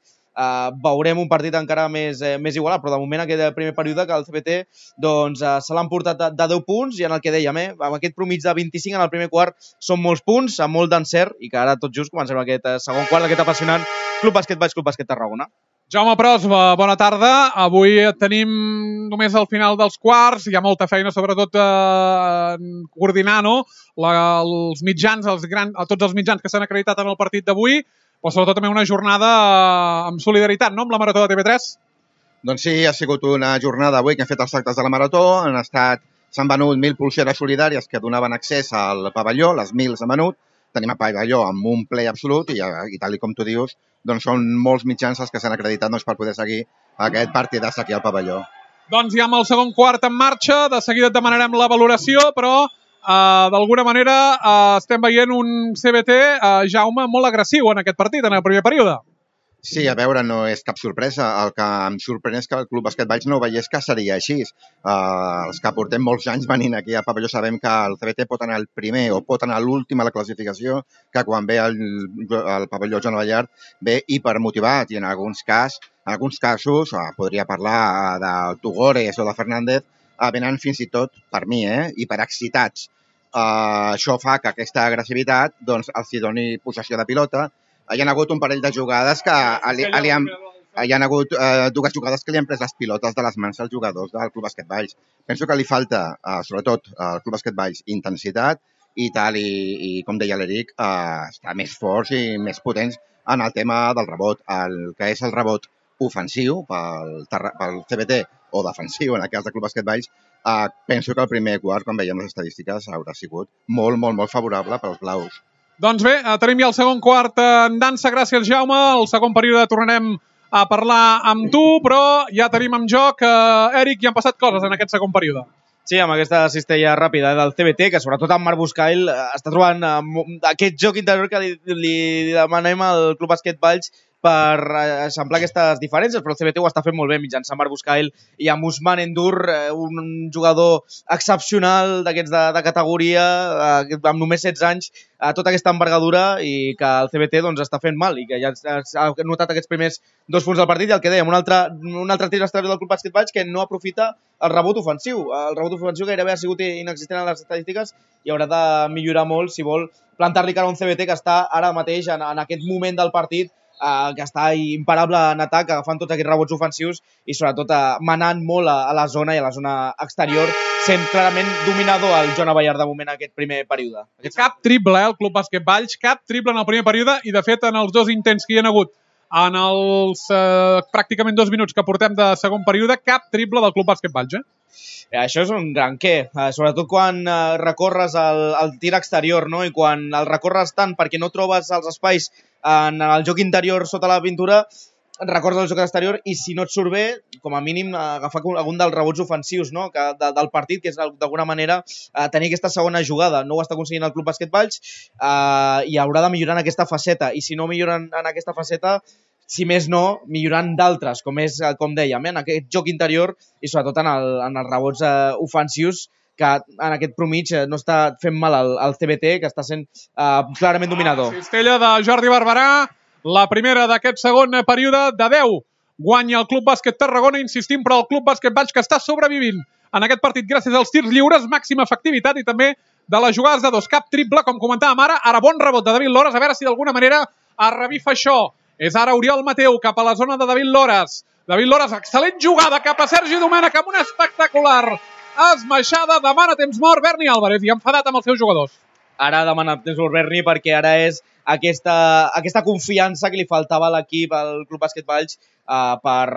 veurem un partit encara més igualat, però de moment aquest primer període que el CBT doncs, se l'han portat de 10 punts i en el que dèiem, amb aquest promig de 25 en el primer quart són molts punts, amb molt d'encert i que ara tot just comencem aquest segon quart d'aquest apassionant Club Bàsquet Valls, Club Bàsquet Tarragona. Jaume Pros, bona tarda. Avui tenim només al final dels quarts, hi ha molta feina, sobretot coordinar els mitjans, tots els mitjans que s'han acreditat en el partit d'avui, però sobretot també una jornada amb solidaritat, no?, amb la Marató de TV3. Doncs sí, ha sigut una jornada avui que hem fet els actes de la Marató, s'han venut 1.000 pulseres solidàries que donaven accés al pavelló, les 1.000 s'han venut, tenim el pavelló amb un ple absolut i tal com tu dius, doncs són molts mitjans els que s'han acreditat per poder seguir aquest partidàs aquí al pavelló. Doncs ja amb el segon quart en marxa, de seguida et demanarem la valoració, però d'alguna manera estem veient un CBT, Jaume, molt agressiu en aquest partit, en el primer període. Sí, a veure, no és cap sorpresa. El que em sorprèn és que el Club Bàsquet Valls no veiés que seria així. Els que portem molts anys venint aquí a pavelló sabem que el CBT pot anar al primer o pot anar a l'últim a la classificació, que quan ve al pavelló Joan Ballard ve hipermotivat i en alguns casos, podria parlar de Tugores o de Fernández, venen fins i tot, per mi, hiperexcitats. Això fa que aquesta agressivitat els doni possessió de pilota. Hi ha hagut un parell de jugades que hi ha hagut dues jugades que li han pres les pilotes de les mans als jugadors del Club Bàsquet Valls. Penso que li falta, sobretot al Club Bàsquet Valls, intensitat i com deia l'Eric, estar més forts i més potents en el tema del rebot. El que és el rebot ofensiu pel CBT o defensiu, en el cas del Club Bàsquet Valls, penso que el primer quart, quan veiem les estadístiques, haurà sigut molt, molt, molt favorable pels blaus. Doncs bé, tenim ja el segon quart en dansa, gràcies Jaume. El segon període tornarem a parlar amb tu, però ja tenim en joc, Eric, ja han passat coses en aquest segon període. Sí, amb aquesta cistella ràpida del CBT, que sobretot en Marc Buscail està trobant aquest joc interior que li demanem al Club Bàsquet Valls per eixamplar aquestes diferències, però el CBT ho està fent molt bé mitjançant Marc Buscail i amb Ousmane N'Dour, un jugador excepcional d'aquests de categoria, amb només 16 anys, tota aquesta envergadura i que el CBT està fent mal i que ja ha notat aquests primers 2 punts del partit i el que dèiem, un altre tir exterior del Club Bàsquet Valls que no aprofita el rebot ofensiu. El rebot ofensiu gairebé ha sigut inexistent en les estadístiques i haurà de millorar molt si vol plantar-li cara a un CBT que està ara mateix en aquest moment del partit que està imparable en atac, agafant tots aquests rebots ofensius i sobretot manant molt a la zona i a la zona exterior, sent clarament dominador el Joan Ballard de moment en aquest primer període. Cap triple, el Club Bàsquet Valls, cap triple en el primer període i de fet en els 2 intents que hi ha hagut en els pràcticament 2 minuts que portem de segon període, cap triple del Club Bàsquet Valls, Això és un gran què, sobretot quan recorres el tir exterior, no? I quan el recorres tant perquè no trobes els espais en el joc interior sota la pintura, recordes el joc exterior i si no et surt bé, com a mínim agafar algun dels rebots ofensius del partit, que és d'alguna manera tenir aquesta segona jugada. No ho està aconseguint el Club Bàsquet Valls i haurà de millorar en aquesta faceta. I si no milloren en aquesta faceta, si més no, millorant d'altres, com dèiem, en aquest joc interior i sobretot en els rebots ofensius, que en aquest promig no està fent mal al CBT, que està sent clarament dominador. Cistella de Jordi Barberà, la primera d'aquest segon període de 10. Guanya el Club Bàsquet Tarragona, insistim, però el Club Bàsquet Valls que està sobrevivint en aquest partit gràcies als tirs lliures, màxima efectivitat i també de les jugades de 2. Cap triple, com comentàvem ara bon rebot de David Lores, a veure si d'alguna manera es revifa això. És ara Oriol Mateu cap a la zona de David Lores. David Lores, excel·lent jugada cap a Sergi Domènech amb una espectacular esmaixada. Demana temps mort Berni Álvarez i enfadat amb els seus jugadors. Ara demana temps mort Berni perquè ara és aquesta confiança que li faltava a l'equip, al Club Bàsquet Valls, per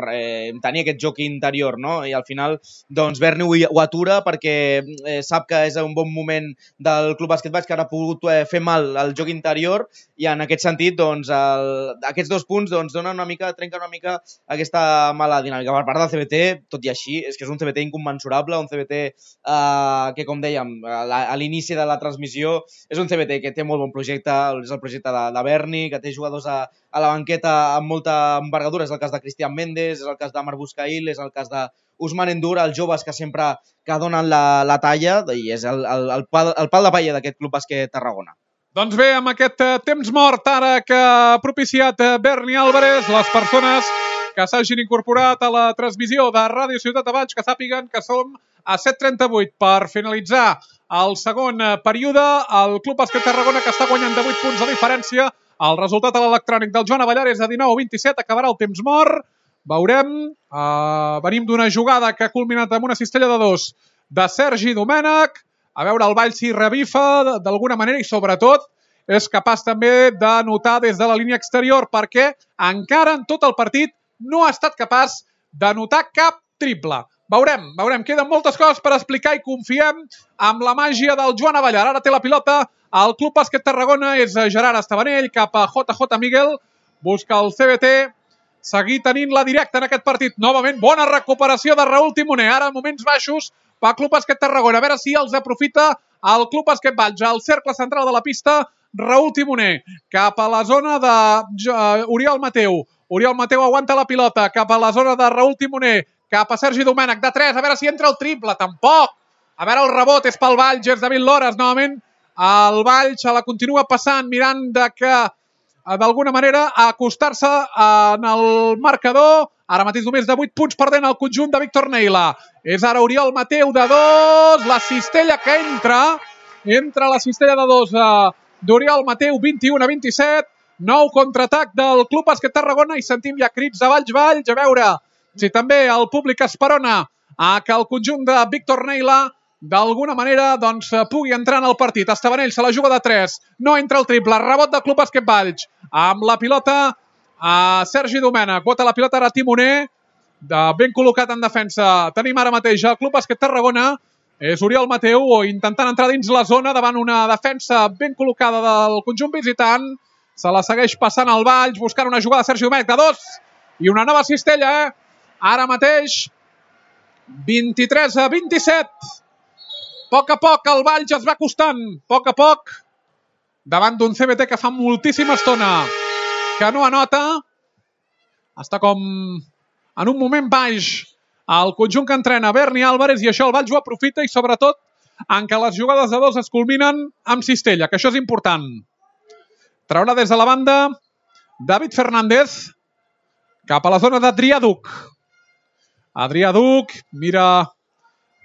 tenir aquest joc interior, no? I al final, doncs, Berni ho atura perquè sap que és un bon moment del Club Bàsquet Valls, que ara ha pogut fer mal al joc interior i en aquest sentit, doncs, aquests 2 punts trenquen una mica aquesta mala dinàmica. Per part del CBT, tot i així, és que és un CBT incommensurable, un CBT que, com dèiem, a l'inici de la transmissió, és un CBT que té molt bon projecte, és el projecte projecte de Berni, que té jugadors a la banqueta amb molta envergadura. És el cas de Cristian Méndez, és el cas de Marc Buscail, és el cas d'Ousmane Endura, els joves que sempre que donen la talla, i és el pal de paella d'aquest Club Bàsquet Tarragona. Doncs bé, amb aquest temps mort ara que ha propiciat Berni Álvarez, les persones que s'hagin incorporat a la transmissió de Ràdio Ciutat de Valls, que sàpiguen que som a 7:38 per finalitzar el segon període. El Club Bàsquet Tarragona, que està guanyant de 8 punts de diferència. El resultat a l'electrònic del Joan Avellar és de 19-27, acabarà el temps mort. Veurem, venim d'una jugada que ha culminat amb una cistella de 2 de Sergi Domènech. A veure el Valls si revifa d'alguna manera i sobretot és capaç també de notar des de la línia exterior, perquè encara en tot el partit no ha estat capaç de notar cap triple. Veurem. Queden moltes coses per explicar i confiem amb la màgia del Joan Avellar. Ara té la pilota el Club Bàsquet Tarragona, és Gerard Estabanell cap a JJ Miguel. Busca el CBT, seguir tenint la directa en aquest partit. Novament, bona recuperació de Raúl Timoner. Ara, moments baixos, pel Club Bàsquet Tarragona. A veure si els aprofita el Club Bàsquet Valls. Al cercle central de la pista, Raúl Timoner. Cap a la zona d'Oriol Mateu. Oriol Mateu aguanta la pilota. Cap a la zona de Raúl Timoner. Cap a Sergi Domènech, de 3. A veure si entra el triple. Tampoc. A veure el rebot. És pel Valls. És David Lores. Novament, el Valls se la continua passant, mirant de que d'alguna manera acostar-se en el marcador. Ara mateix només de 8 punts perdent el conjunt de Víctor Neila. És ara Oriol Mateu de 2. La cistella que entra la cistella de 2 d'Oriol Mateu, 21-27. Nou contraatac del Club Bàsquet Tarragona i sentim ja crits de Valls. A veure si també el públic esperona que el conjunt de Víctor Neila d'alguna manera pugui entrar en el partit. Estabanell se la juga de 3. No entra el triple. Rebot del Club Bàsquet Valls. Amb la pilota a Sergi Domènech. Bota la pilota ara Timoner. Ben col·locat en defensa. Tenim ara mateix el Club Bàsquet Tarragona. És Oriol Mateu intentant entrar dins la zona davant una defensa ben col·locada del conjunt visitant. Se la segueix passant al Valls, buscant una jugada de Sergi Domènech de 2. I una nova cistella, Ara mateix 23-27. A poc el Valls es va acostant. A poc. Davant d'un CBT que fa moltíssima estona que no anota. Està com en un moment baix el conjunt que entrena Berni Álvarez i això el Valls ho aprofita i sobretot en què les jugades de 2 es culminen amb cistella, que això és important. Traurà des de la banda David Fernández cap a la zona d'Adrià Duc. Adrià Duc mira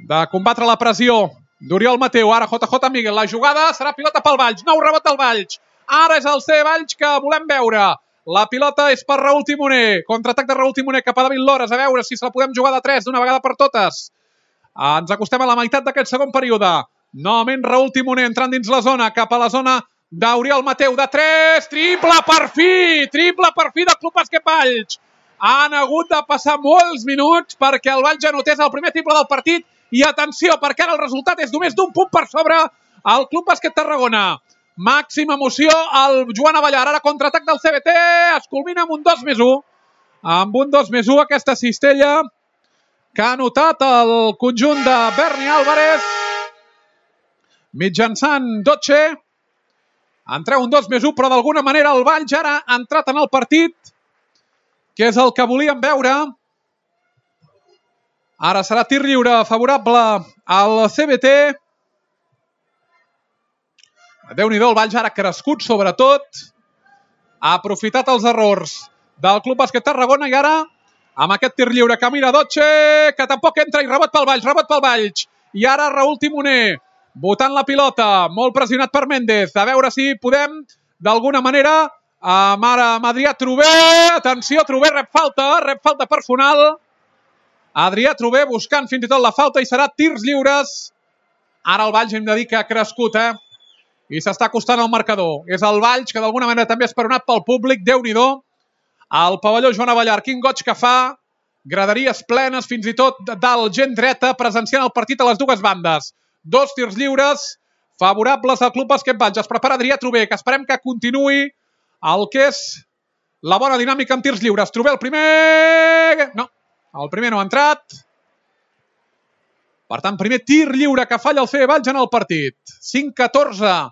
de combatre la pressió d'Oriol Mateu. Ara JJ Miguel. La jugada serà pilota pel Valls. Nou rebot del Valls. Ara és el C Valls que volem veure. La pilota és per Raúl Timoner. Contraatac de Raúl Timoner cap a David Lores. A veure si se la podem jugar de 3 d'una vegada per totes. Ens acostem a la meitat d'aquest segon període. Novament Raúl Timoner entrant dins la zona. Cap a la zona d'Oriol Mateu. De 3. Triple per fi. Triple per fi del Club Bàsquet Valls. Han hagut de passar molts minuts perquè el Valls anotés el primer triple del partit. I atenció, perquè ara el resultat és només d'un punt per sobre el Club Bàsquet Tarragona. Màxima emoció al Joan Avellar. Ara contraatac del CBT. Es culmina amb un 2+1. Amb un 2+1 aquesta cistella que ha anotat el conjunt de Berni Álvarez mitjançant Dotxe. En treu un 2+1, però d'alguna manera el Valls ara ha entrat en el partit, que és el que volíem veure. Ara serà tir lliure favorable al CBT. Déu-n'hi-do, el Valls ara ha crescut, sobretot. Ha aprofitat els errors del Club Bàsquet Tarragona i ara, amb aquest tir lliure que mira Dotxe, que tampoc entra, i rebot pel Valls. I ara Raúl Timoner, botant la pilota, molt pressionat per Méndez. A veure si podem, d'alguna manera, amb Adrià Trober. Atenció, Trober rep falta personal. Adrià Trober buscant fins i tot la falta i serà tirs lliures. Ara el Valls hem de dir que ha crescut, i s'està acostant al marcador. És el Valls que d'alguna manera també ha esperonat pel públic. Déu-n'hi-do. El pavelló Joan Avellar, quin goig que fa. Graderies plenes, fins i tot dalt gent dreta, presenciant el partit a les dues bandes. 2 tirs lliures favorables al Club Bàsquet Valls. Es prepara Adrià Trober, que esperem que continuï el que és la bona dinàmica amb tirs lliures. Trober el primer... No, el primer no ha entrat. Per tant, primer tir lliure que falla el CB Valls en el partit. 5-14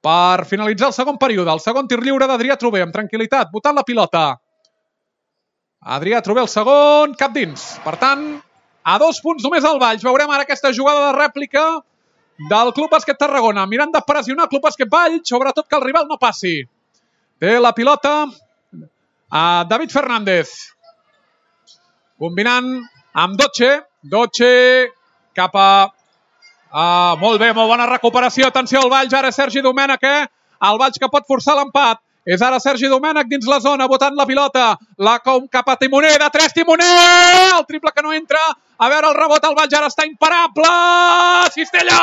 per finalitzar el segon període. El segon tir lliure d'Adrià Trober, amb tranquil·litat, botant la pilota. Adrià Trober el segon, cap dins. Per tant, a 2 punts només el Valls. Veurem ara aquesta jugada de rèplica del Club Bàsquet Tarragona. Mirant de pressionar el Club Bàsquet Valls, sobretot que el rival no passi. Té la pilota a David Fernández. Combinant amb Doche. Doche cap a... molt bé, molt bona recuperació. Atenció al Valls, ara Sergi Domènech, el Valls que pot forçar l'empat. És ara Sergi Domènech dins la zona, botant la pilota. Cap a Timoner, de 3, Timoner! El triple que no entra. A veure el rebot, el Valls ara està imparable. Cistella!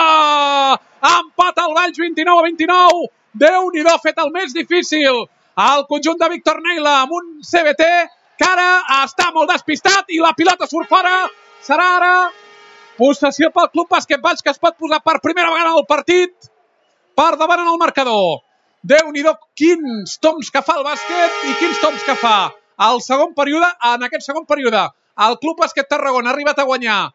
Empat al Valls, 29-29. Déu-n'hi-do, ha fet el més difícil. El conjunt de Víctor Neila amb un CBT que ara està molt despistat i la pilota surt fora. Serà ara possessió pel Club Bàsquet Valls, que es pot posar per primera vegada al partit per davant en el marcador. Déu-n'hi-do, quins toms que fa el bàsquet i quins toms que fa. En aquest segon període, el Club Bàsquet Tarragona ha arribat a guanyar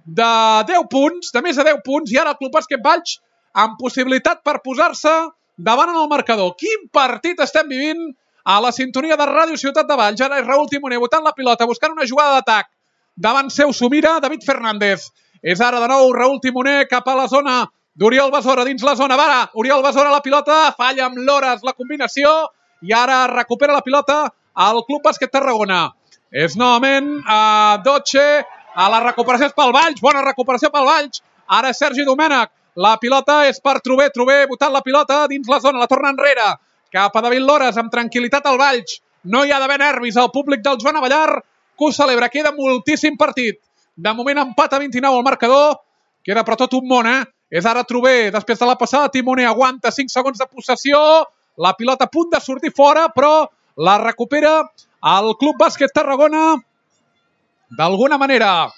de 10 punts, de més de 10 punts, i ara el Club Bàsquet Valls amb possibilitat per posar-se davant en el marcador. Quin partit estem vivint a la sintonia de Ràdio Ciutat de Valls. Ara és Raúl Timoner botant la pilota, buscant una jugada d'atac. Davant seu s'ho mira David Fernández. És ara de nou Raúl Timoner cap a la zona d'Oriol Besora, dins la zona. Va, Oriol Besora la pilota, falla amb l'Hores la combinació i ara recupera la pilota al Club Bàsquet Tarragona. És novament Doche, a la recuperació és pel Valls, bona recuperació pel Valls. Ara és Sergi Domènech, la pilota és per Trober, Trober botant la pilota dins la zona, la torna enrere, cap a David Lores, amb tranquil·litat al Valls. No hi ha d'haver nervis al públic del Joan Avellar, que ho celebra. Queda moltíssim partit. De moment empat a 29 al marcador. Queda per tot un món, És ara Trober, després de la passada, Timoner aguanta 5 segons de possessió. La pilota a punt de sortir fora, però la recupera el Club Bàsquet Tarragona. D'alguna manera,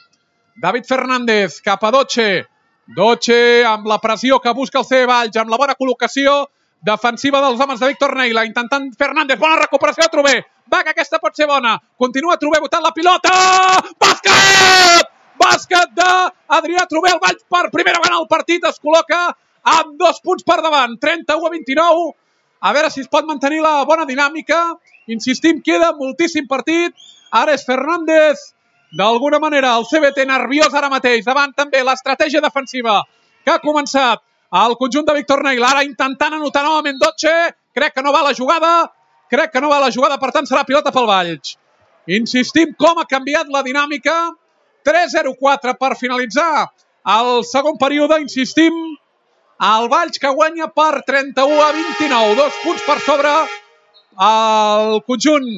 David Fernández cap a Doche. Doche amb la pressió que busca el CB Valls, amb la bona col·locació defensiva dels homes de Víctor Neila, intentant Fernández, bona recuperació a Trober. Va, que aquesta pot ser bona. Continua Trober botant la pilota. Bàsquet! Bàsquet d'Adrià Trober. El Valls per primera vegada al partit es col·loca amb 2 punts per davant. 31-29. A veure si es pot mantenir la bona dinàmica. Insistim, queda moltíssim partit. Ara és Fernández. D'alguna manera, el CBT nerviós ara mateix. Davant també l'estratègia defensiva que ha començat el conjunt de Víctor Neila. Ara intentant anotar novament Doche. Crec que no va la jugada. Per tant serà pilota pel Valls. Insistim com ha canviat la dinàmica. 3-0-4 per finalitzar el segon període. Insistim, el Valls que guanya per 31-29. 2 punts per sobre el conjunt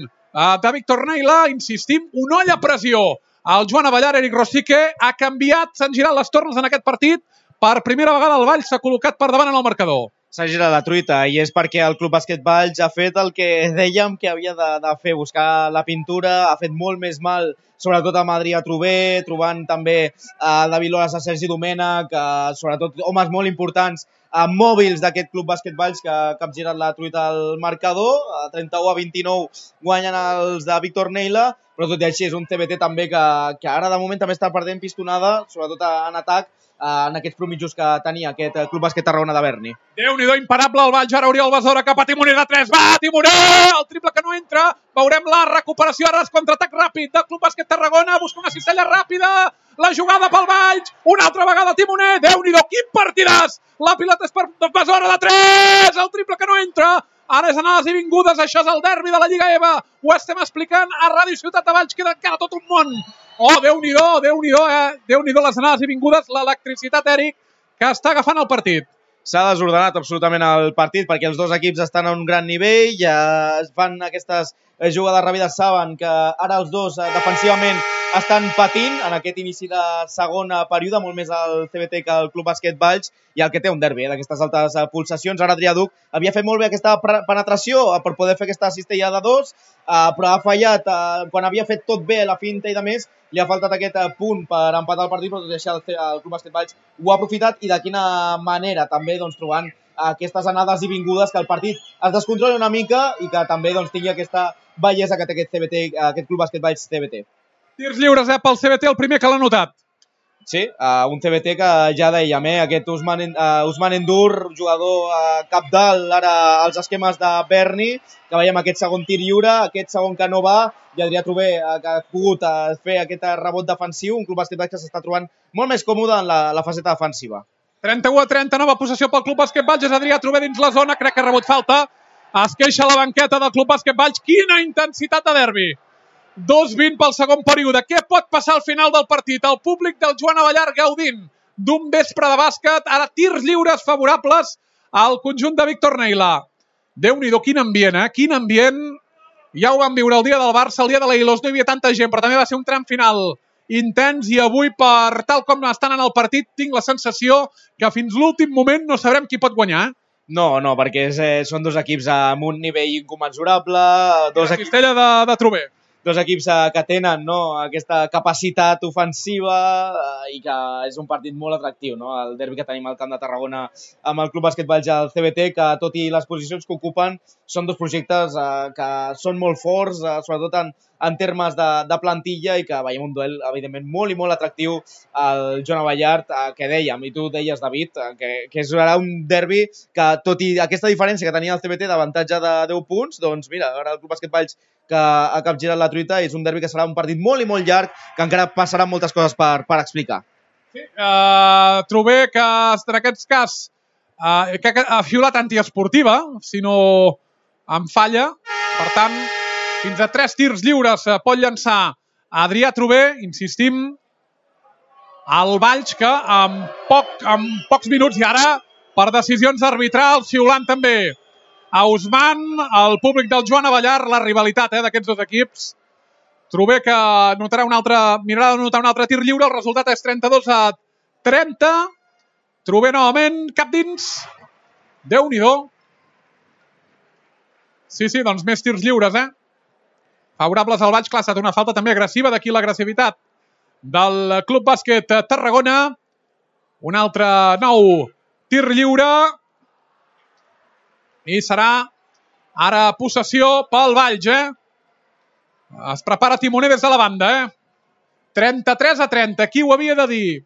de Víctor Neila. Insistim, una olla pressió. El Joan Avellar, Eric Rosique, ha canviat, s'han girat les tornes en aquest partit. Per primera vegada el Valls s'ha col·locat per davant en el marcador. S'ha girat la truita i és perquè el Club Bàsquet Valls ha fet el que dèiem que havia de fer, buscar la pintura, ha fet molt més mal, sobretot amb Adrià Trober, trobant també David Lores, a Sergi Domènech, sobretot homes molt importants, mòbils d'aquest Club Bàsquet Valls que ha capgirat la truita al marcador. 31-29 guanyen els de Víctor Neila, però tot i així és un CBT també que ara de moment també està perdent pistonada, sobretot en atac, en aquests promitjos que tenia aquest Club Bàsquet Tarragona de Berni. Déu-n'hi-do, imparable el Valls, ara Oriol Besora cap a Timoner de 3, va, Timoner! El triple que no entra, veurem la recuperació, ara és contraatac ràpid del Club Bàsquet Tarragona, busca una cistella ràpida, la jugada pel Valls, una altra vegada Timoner, Déu-n'hi-do, quin partidàs! La pilota és per Besora de 3, el triple que no entra, ara és anades i vingudes, això és el derbi de la Lliga EVA, ho estem explicant a Ràdio Ciutat de Valls, queda encara tot un món. Oh, Déu-n'hi-do, Déu-n'hi-do les anades i vingudes, l'electricitat, Eric, que està agafant el partit. S'ha desordenat absolutament el partit perquè els dos equips estan a un gran nivell, ja es fan aquestes jugades ràpides, saben que ara els dos defensivament estan patint en aquest inici de segona període, molt més el CBT que el Club Bàsquet Valls, i el que té un derbi d'aquestes altes pulsacions. Ara Adrià Duc havia fet molt bé aquesta penetració per poder fer aquesta cistella de 2, però ha fallat quan havia fet tot bé la finta i de més, li ha faltat aquest punt per empatar el partit, però tot i així el Club Bàsquet Valls ho ha aprofitat, i de quina manera també trobant aquestes anades i vingudes que el partit es descontroli una mica i que també tingui aquesta bellesa que té aquest CBT, aquest Club Bàsquet Valls CBT. Tirs lliures pel CBT, el primer que l'ha notat. Sí, un CBT que ja dèiem, aquest Ousmane N'Dour, jugador capdalt ara als esquemes de Berni, que veiem aquest segon tir lliure, aquest segon que no va, i Adrià Trubé, que ha pogut fer aquest rebot defensiu, un Club Bàsquet Valls que s'està trobant molt més còmode en la faceta defensiva. 31-30, nova possessió pel Club Bàsquet Valls, és Adrià Trubé dins la zona, crec que ha rebut falta, es queixa la banqueta del Club Bàsquet Valls, quina intensitat de derbi! 2-20 pel segon període. Què pot passar al final del partit? El públic del Joan Abellar gaudint d'un vespre de bàsquet. Ara tirs lliures favorables al conjunt de Víctor Neila. Déu-n'hi-do, quin ambient, Quin ambient. Ja ho vam viure el dia del Barça, el dia de l'Eilos. No hi havia tanta gent, però també va ser un tram final intens i avui, per tal com estan en el partit, tinc la sensació que fins l'últim moment no sabrem qui pot guanyar. No, perquè són dos equips amb un nivell incommensurable. La cistella de Trubé. Dos equips que tenen aquesta capacitat ofensiva i que és un partit molt atractiu, el derbi que tenim al Camp de Tarragona amb el Club Bàsquet Valls i el CBT, que tot i les posicions que ocupen són dos projectes que són molt forts, sobretot en termes de plantilla, i que veiem un duel evidentment molt i molt atractiu al Joan Abellar, que dèiem, i tu deies, David, que serà un derbi que, tot i aquesta diferència que tenia el CBT d'avantatge de 10 punts, doncs mira, ara el Club Bàsquet Valls que ha capgirat la truita, és un derbi que serà un partit molt i molt llarg, que encara passaran moltes coses per explicar. Sí, Trubé, que en aquest cas que ha fiolat antiesportiva, si no em falla, per tant, fins a 3 tirs lliures pot llançar Adrià Trubé, insistim, el Valls, que en pocs minuts, i ara per decisions arbitrals, xiulant també a Ousmane, el públic del Joan Abellar, la rivalitat d'aquests dos equips. Trubé, que mirarà d'anotar un altre tir lliure, el resultat és 32-30. Trubé novament, cap dins. Déu-n'hi-do. Sí, doncs més tirs lliures, favorables al Valls. Clar, ha estat una falta també agressiva, d'aquí l'agressivitat del Club Bàsquet Tarragona. Un altre nou tir lliure. I serà ara possessió pel Valls, Es prepara Timoner des de la banda, 33-30, qui ho havia de dir?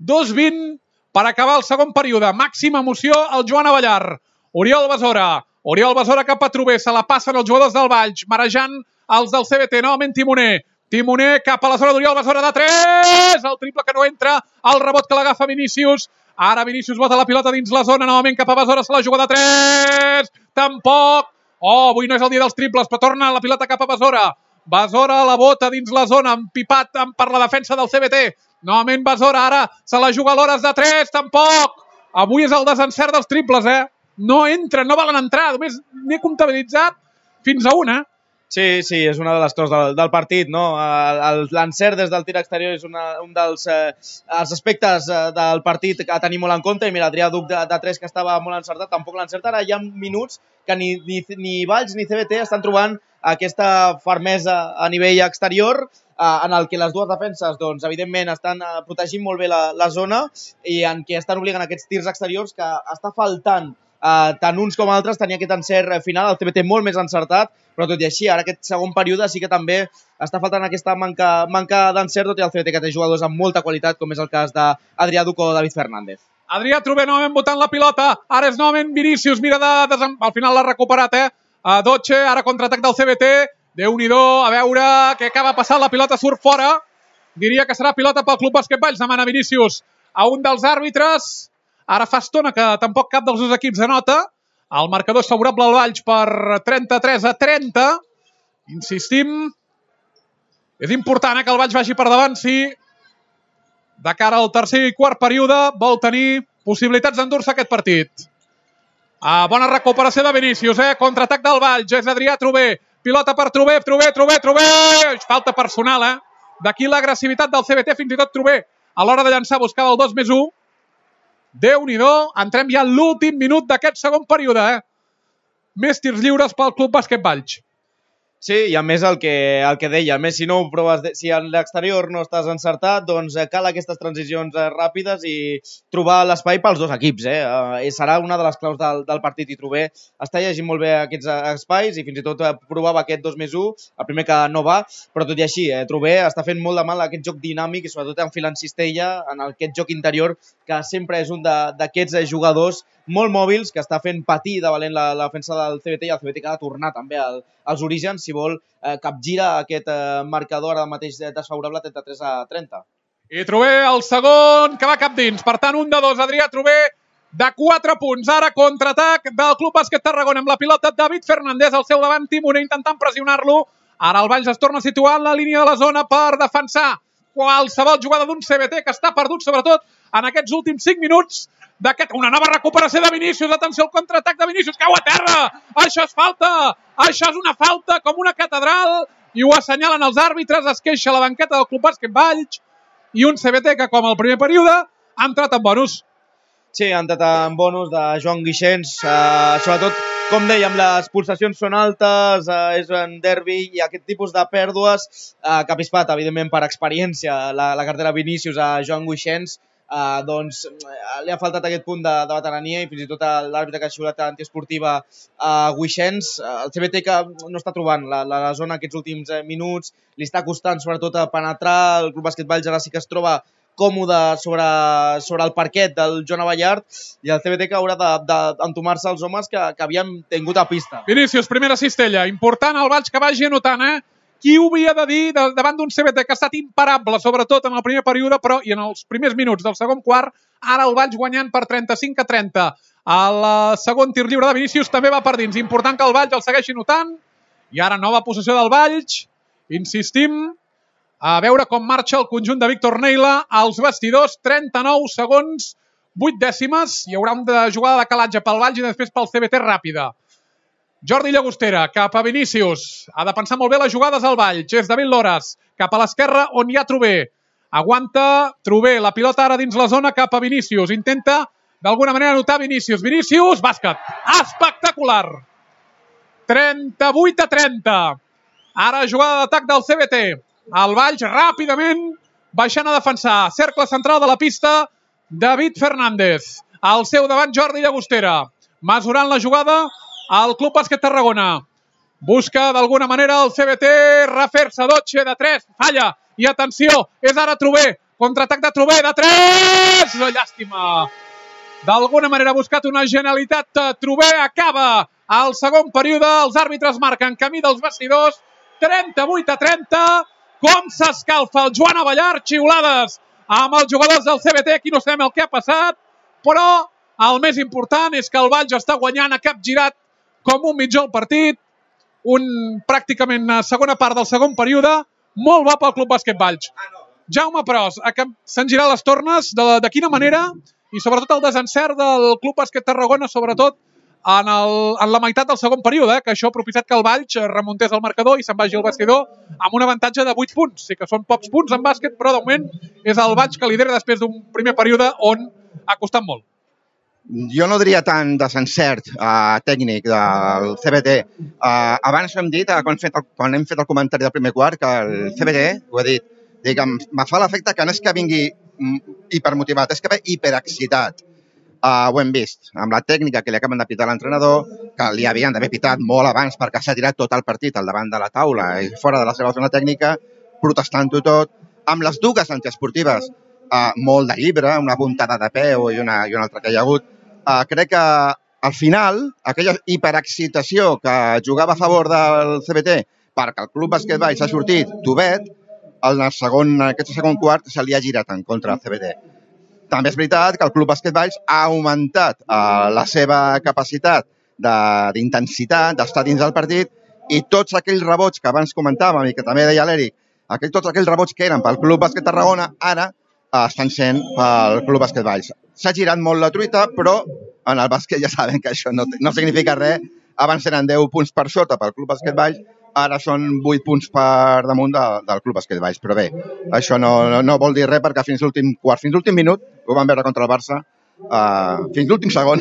2-20 per acabar el segon període. Màxima emoció al Joan Abellar. Oriol Besora cap a Trubé, se la passen els jugadors del Valls, marejant els del CBT, novament Timoner cap a la zona d'Oriol Besora de 3, el triple que no entra, el rebot que l'agafa Vinícius. Ara Vinícius bota la pilota dins la zona, novament cap a Besora, se la juga de 3, tampoc. Avui no és el dia dels triples, però torna la pilota cap a Besora. Besora la bota dins la zona, empipat per la defensa del CBT. Novament Besora, ara se la juga a l'hores de 3, tampoc. Avui és el desencert dels triples, No entren, no volen entrar, només n'he comptabilitzat fins a una. Sí, és una de les coses del partit, L'encert des del tir exterior és un dels aspectes del partit a tenir molt en compte, i mira, Adrià Duc de 3, que estava molt encertat, tampoc l'encerta. Ara hi ha minuts que ni Valls ni CBT estan trobant aquesta fermesa a nivell exterior, en el que les dues defenses, doncs, evidentment, estan protegint molt bé la zona, i en què estan obligant aquests tirs exteriors, que està faltant tant uns com altres tenir aquest encert final. El CBT molt més encertat, però tot i així, ara aquest segon període sí que també està faltant aquesta manca d'encert, tot i el CBT que té jugadors amb molta qualitat, com és el cas d'Adrià Duc o David Fernández. Adrià Trubé novament botant la pilota, ara és novament Vinícius, mira al final l'ha recuperat, Doche, ara contraatac del CBT, Déu-n'hi-do, a veure què acaba passant, la pilota surt fora, diria que serà pilota pel Club Bàsquet Valls, demana Vinícius a un dels àrbitres. Ara fa estona que tampoc cap dels dos equips anota. El marcador és favorable al Valls per 33-30. Insistim, és important que el Valls vagi per davant si de cara al tercer i quart període vol tenir possibilitats d'endur-se aquest partit. Bona recuperació de Vinícius, contraatac del Valls, és Adrià Trubé, pilota per Trubé, falta personal, d'aquí l'agressivitat del CBT, fins i tot Trubé a l'hora de llançar buscava el 2+1. Déu-n'hi-do, entrem ja a l'últim minut d'aquest segon període, Més tirs lliures pel Club Bàsquet Valls. Sí, i a més el que deia, a més si no ho proves, si a l'exterior no estàs encertat, doncs cal aquestes transicions ràpides i trobar l'espai pels dos equips. Serà una de les claus del partit i Trové està llegint molt bé aquests espais i fins i tot provava aquest 2+1, el primer que no va, però tot i així, Trové està fent molt de mal aquest joc dinàmic i sobretot enfilant cistella en aquest joc interior que sempre és un d'aquests jugadors molt mòbils que està fent patir de valent la defensa del CBT i el CBT que ha de tornar també als orígens si vol capgirar aquest marcador ara mateix desfavorable 33-30. I Trové el segon que va cap dins. Per tant, 1-2, Adrià Trové de 4 punts. Ara contraatac del Club Bàsquet Tarragona amb la pilota David Fernández al seu davant. Timoner intentant pressionar-lo. Ara el Valls es torna a situar en la línia de la zona per defensar qualsevol jugada d'un CBT que està perdut, sobretot en aquests últims 5 minuts. Una nova recuperació de Vinícius, atenció al contraatac de Vinícius, cau a terra, això és falta, això és una falta com una catedral, i ho assenyalen els àrbitres, es queixa la banqueta del Club Bàsquet Valls, i un CBT que com el primer període ha entrat en bonus. Sí, ha entrat en bonus de Joan Guixens, sobretot, com dèiem, les pulsacions són altes, és un derbi i aquest tipus de pèrdues que ha pispat, evidentment, per experiència, la cartera Vinícius a Joan Guixens, doncs li ha faltat aquest punt de veterania i fins i tot l'àrbitre que ha xiulat antiesportiva a Guixens, el CBT que no està trobant la zona aquests últims minuts, li està costant sobretot a penetrar, el Club Bàsquet Valls ara sí que es troba còmode sobre el parquet del Joan Abellart i el CBT que haurà d'entomar-se els homes que havien tingut a pista. Vinícius, primera cistella, important el Valls que vagi anotant, Qui ho havia de dir davant d'un CBT que ha estat imparable, sobretot en el primer període, però i en els primers minuts del segon quart, ara el Valls guanyant per 35-30. El segon tir lliure de Vinícius també va per dins. Important que el Valls el segueixi notant. I ara nova possessió del Valls. Insistim a veure com marxa el conjunt de Víctor Neila als vestidors. 39 segons, 8 dècimes. Hi haurà una jugada de calatge pel Valls i després pel CBT ràpida. Jordi Llagostera, cap a Vinícius. Ha de pensar molt bé les jugades al Valls. És David Loras, cap a l'esquerra on hi ha Trové. Aguanta Trové, la pilota ara dins la zona cap a Vinícius. Intenta d'alguna manera anotar Vinícius. Vinícius, bàsquet. Espectacular. 38-30. Ara jugada d'atac del CBT. El Valls ràpidament baixant a defensar. Cercle central de la pista, David Fernández. Al seu davant Jordi Llagostera. Mesurant la jugada el Club Bàsquet Tarragona. Busca d'alguna manera el CBT refer-se, Dotxe de 3, falla. I atenció, és ara Trové. Contraatac de Trové, de 3! Llàstima. D'alguna manera ha buscat una genialitat. Trové acaba el segon període. Els àrbitres marquen camí dels vestidors. 38-30. Com s'escalfa el Joan Abellart. Xiulades amb els jugadors del CBT. Aquí no sabem el que ha passat. Però el més important és que el Valls està guanyant, ha capgirat com un mitjà al partit, pràcticament segona part del segon període, molt bo pel Club Bàsquet Valls. Jaume Pros, s'han girat les tornes, de quina manera, i sobretot el desencert del Club Bàsquet Tarragona, sobretot en la meitat del segon període, que això ha propiciat que el Valls remuntés el marcador i se'n vagi al vestidor amb un avantatge de 8 punts. Sí que són pocs punts en bàsquet, però de moment és el Valls que lidera després d'un primer període on ha costat molt. Jo no diria tant desencert tècnic del CBT. Abans hem dit, quan hem fet el comentari del primer quart, que el CBT, ho he dit, me fa l'efecte que no és que vingui hipermotivat, és que ve hiperexcitat. Ho hem vist amb la tècnica que li acaben de pitar l'entrenador, que li havien d'haver pitat molt abans perquè s'ha tirat tot el partit al davant de la taula i fora de la seva zona tècnica, protestant-ho tot, amb les dues antiesportives, molt de llibre, una puntada de peu i una altra que hi ha hagut. Crec que al final, aquella hiperexcitació que jugava a favor del CBT perquè el Club Bàsquet Valls ha sortit tovet, en aquest segon quart se li ha girat en contra del CBT. També és veritat que el Club Bàsquet Valls ha augmentat la seva capacitat d'intensitat, d'estar dins del partit, i tots aquells rebots que abans comentàvem i que també deia l'Eric, tots aquells rebots que eren pel Club Bàsquet Tarragona, ara estan sent pel Club Bàsquet Valls. S'ha girat molt la truita, però en el bàsquet ja saben que això no significa res. Abans eren 10 punts per sota pel Club Bàsquet Valls, ara són 8 punts per damunt del Club Bàsquet Valls. Però bé, això no vol dir res perquè fins l'últim quart, fins l'últim minut, ho vam veure contra el Barça, fins l'últim segon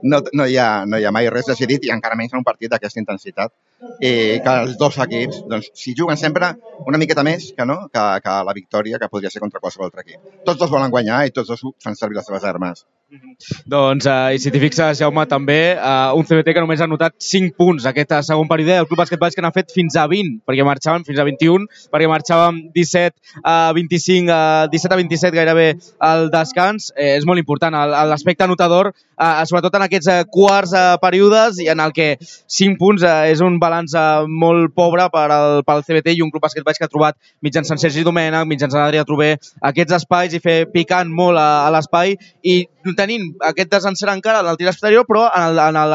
no hi ha mai res decidit i encara menys en un partit d'aquesta intensitat. I que els dos equips, doncs, si juguen sempre una miqueta més que la victòria que podria ser contra qualsevol altre equip. Tots dos volen guanyar i tots dos fan servir les seves armes. Doncs, i si t'hi fixes, Jaume, també, un CBT que només ha anotat 5 punts aquest segon període, el Club Bàsquet Valls que n'ha fet fins a 20, perquè marxàvem fins a 21, perquè marxàvem 17 a 27 gairebé al descans. És molt important l'aspecte anotador, sobretot en aquests quarts períodes i en el que 5 punts és un balanç molt pobre pel CBT i un Club Bàsquet Valls que ha trobat mitjançant Sergi Domènech, mitjançant Adrià Trober, aquests espais i fer picant molt a l'espai i tenint aquest desencert encara en el tir exterior, però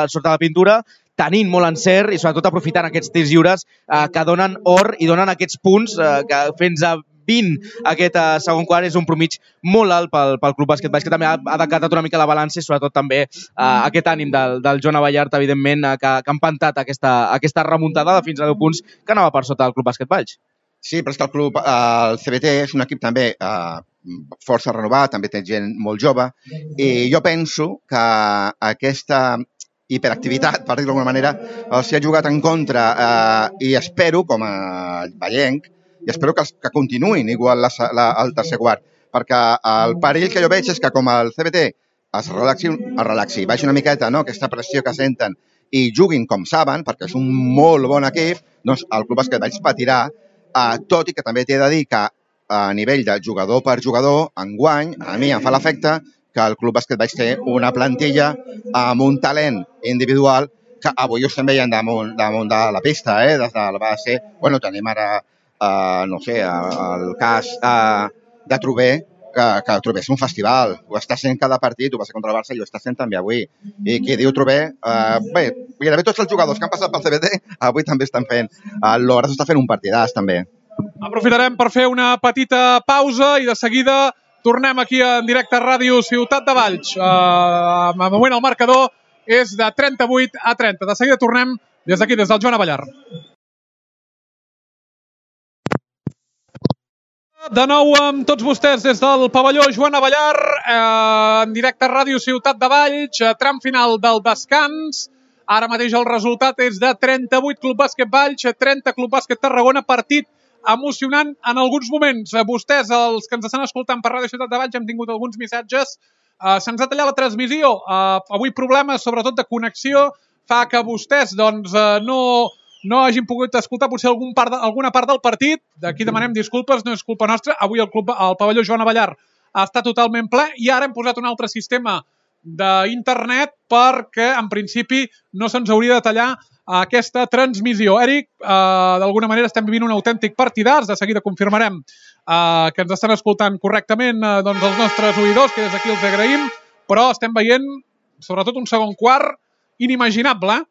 sota la pintura tenint molt encert i sobretot aprofitant aquests tirs lliures que donen or i donen aquests punts que fins a 20 aquest segon quart és un promig molt alt pel Club Bàsquet Valls, que també ha decatat una mica la balança i sobretot també aquest ànim del Joan Abellart, evidentment, que ha empantat aquesta remuntada de fins a 10 punts que anava per sota del Club Bàsquet Valls. Sí, però és que el CBT és un equip també força renovat, també té gent molt jove, i jo penso que aquesta hiperactivitat, per dir-ho d'alguna manera, els ha jugat en contra i espero, com a vallenc, i espero que continuïn igual al tercer quart, perquè el perill que jo veig és que com el CBT es relaxi, baixi una miqueta aquesta pressió que senten i juguin com saben, perquè és un molt bon equip, doncs el Club Bàsquet Valls patirà, tot i que també t'he de dir que a nivell de jugador per jugador, enguany, a mi em fa l'efecte que el Club Bàsquet Valls té una plantilla amb un talent individual que avui ho estem veient damunt de la pista, des de la base. Bueno, tenim ara, no sé, el cas de Trober, que Trober és un festival, ho està sent cada partit, ho va ser contra el Barça i ho està sent també avui. I qui diu Trober, bé, gairebé tots els jugadors que han passat pel CBT avui també estan fent, l'Hores està fent un partidàs també. Aprofitarem per fer una petita pausa i de seguida tornem aquí en directe a Ràdio Ciutat de Valls. De moment el marcador és de 38 a 30. De seguida tornem des d'aquí, des del Joan Abellart. De nou amb tots vostès des del pavelló Joan Abellart, en directe a Ràdio Ciutat de Valls, tram final del descans. Ara mateix el resultat és de 38 Club Bàsquet Valls, 30 Club Bàsquet Tarragona, partit emocionant en alguns moments. Vostès, els que ens estan escoltant per Ràdio Ciutat de Valls, hem tingut alguns missatges. Se'ns ha tallat la transmissió. Avui problemes, sobretot de connexió, fa que vostès no hagin pogut escoltar potser alguna part del partit. D'aquí demanem disculpes, no és culpa nostra. Avui el pavelló Joan Abellart està totalment ple i ara hem posat un altre sistema d'internet perquè, en principi, no se'ns hauria de tallar aquesta transmissió. Eric, d'alguna manera estem vivint un autèntic partidàs, de seguida confirmarem que ens estan escoltant correctament els nostres oïdors, que des d'aquí els agraïm, però estem veient, sobretot, un segon quart inimaginable.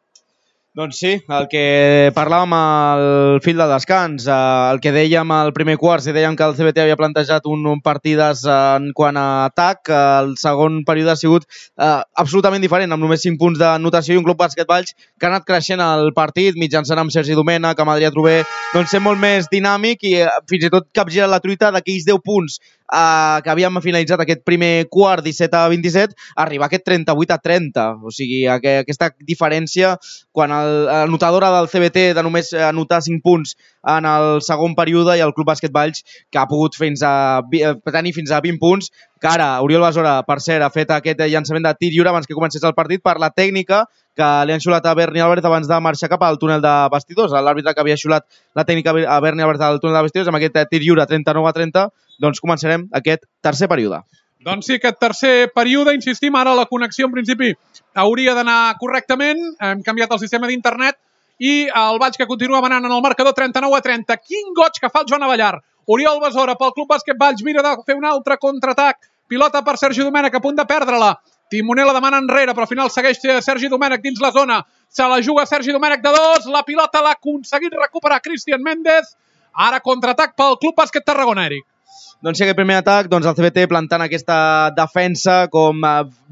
Doncs sí, el que parlàvem al fil de descans, el que dèiem al primer quart, si dèiem que el CBT havia plantejat un partidàs en quant a atac, el segon període ha sigut absolutament diferent, amb només 5 punts de notació i un Club Bàsquet Valls que ha anat creixent el partit, mitjançant amb Sergi Domènech, amb Adrià Trober, doncs ser molt més dinàmic i fins i tot capgirar la truita d'aquells 10 punts que havíem finalitzat aquest primer quart 17 a 27, arribar a aquest 38 a 30. O sigui, aquesta diferència quan l'anotadora del CBT de només anotar 5 punts en el segon període i el Club Bàsquet Valls que ha pogut tenir fins a 20 punts, que ara Oriol Besora, per cert, ha fet aquest llançament de tir lliure abans que comencés el partit per la tècnica que li han xulat a Berni Álvarez abans de marxar cap al túnel de vestidors. L'àrbitre que havia xulat la tècnica a Berni Álvarez al túnel de vestidors amb aquest tir lliure 39 a 30, doncs començarem aquest tercer període. Doncs sí, aquest tercer període, insistim, ara la connexió en principi hauria d'anar correctament, hem canviat el sistema d'internet i el Valls que continua manant en el marcador 39 a 30. Quin goig que fa el Joan Abellart. Oriol Besora pel Club Bàsquet Valls mira de fer un altre contraatac. Pilota per Sergi Domènech, a punt de perdre-la. Timoner la demana enrere, però al final segueix Sergi Domènech dins la zona. Se la juga Sergi Domènech de 2. La pilota l'ha aconseguit recuperar Cristian Méndez. Ara contraatac pel Club Bàsquet Tarragona, Eric. Doncs sí, aquest primer atac, el CBT plantant aquesta defensa com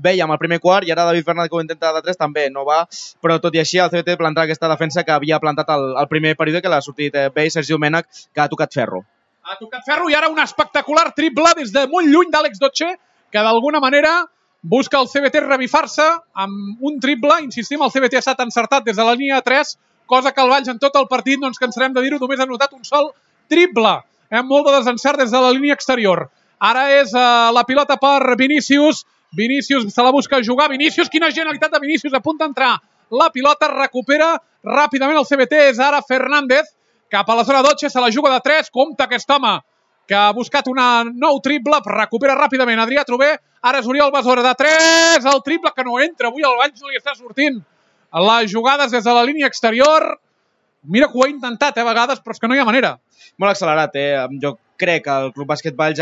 vèiem al primer quart, i ara David Fernández que ho intenta de 3 també no va, però tot i així el CBT plantant aquesta defensa que havia plantat el primer període, que l'ha sortit bé Sergi Domènech, que ha tocat ferro. Ha tocat ferro i ara un espectacular triple des de molt lluny d'Àlex Dotxe, que d'alguna manera busca el CBT revifar-se amb un triple. Insistim, el CBT ha estat encertat des de la línia de 3, cosa que el Valls en tot el partit, no ens cansarem de dir-ho, només ha notat un sol triple. Molt de desencert des de la línia exterior. Ara és la pilota per Vinícius. Vinícius se la busca jugar. Vinícius, quina genialitat de Vinícius, a punt d'entrar. La pilota recupera ràpidament el CBT. És ara Fernández, cap a la zona 12, se la juga de 3. Compte aquest home, que ha buscat un nou triple. Recupera ràpidament Adrià Trové. Ara és Oriol Besora de 3. El triple que no entra. Avui el Valls no li està sortint les jugades des de la línia exterior. Mira que ho ha intentat a vegades, però és que no hi ha manera. Molt accelerat, Jo crec que el Club Bàsquet Valls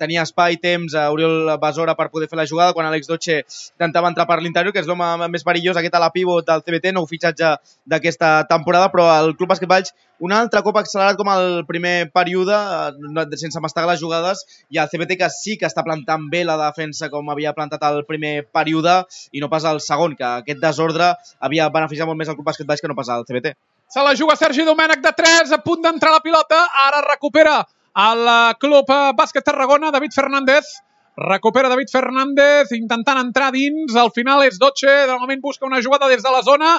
tenia espai, temps, a Oriol Besora per poder fer la jugada, quan Àlex Doche intentava entrar per l'interior, que és l'home més perillós, aquest a la pivot del CBT, nou fitxatge d'aquesta temporada, però el Club Bàsquet Valls un altre cop accelerat com el primer període, sense mastegar les jugades, i el CBT que sí que està plantant bé la defensa com havia plantat el primer període, i no pas el segon, que aquest desordre havia beneficiat molt més el Club Bàsquet Valls que no pas el CBT. Se la juga Sergi Domènech de 3, a punt d'entrar la pilota. Ara recupera el Club Bàsquet Tarragona, David Fernández. Recupera David Fernández, intentant entrar dins. Al final és Doche, de moment busca una jugada des de la zona.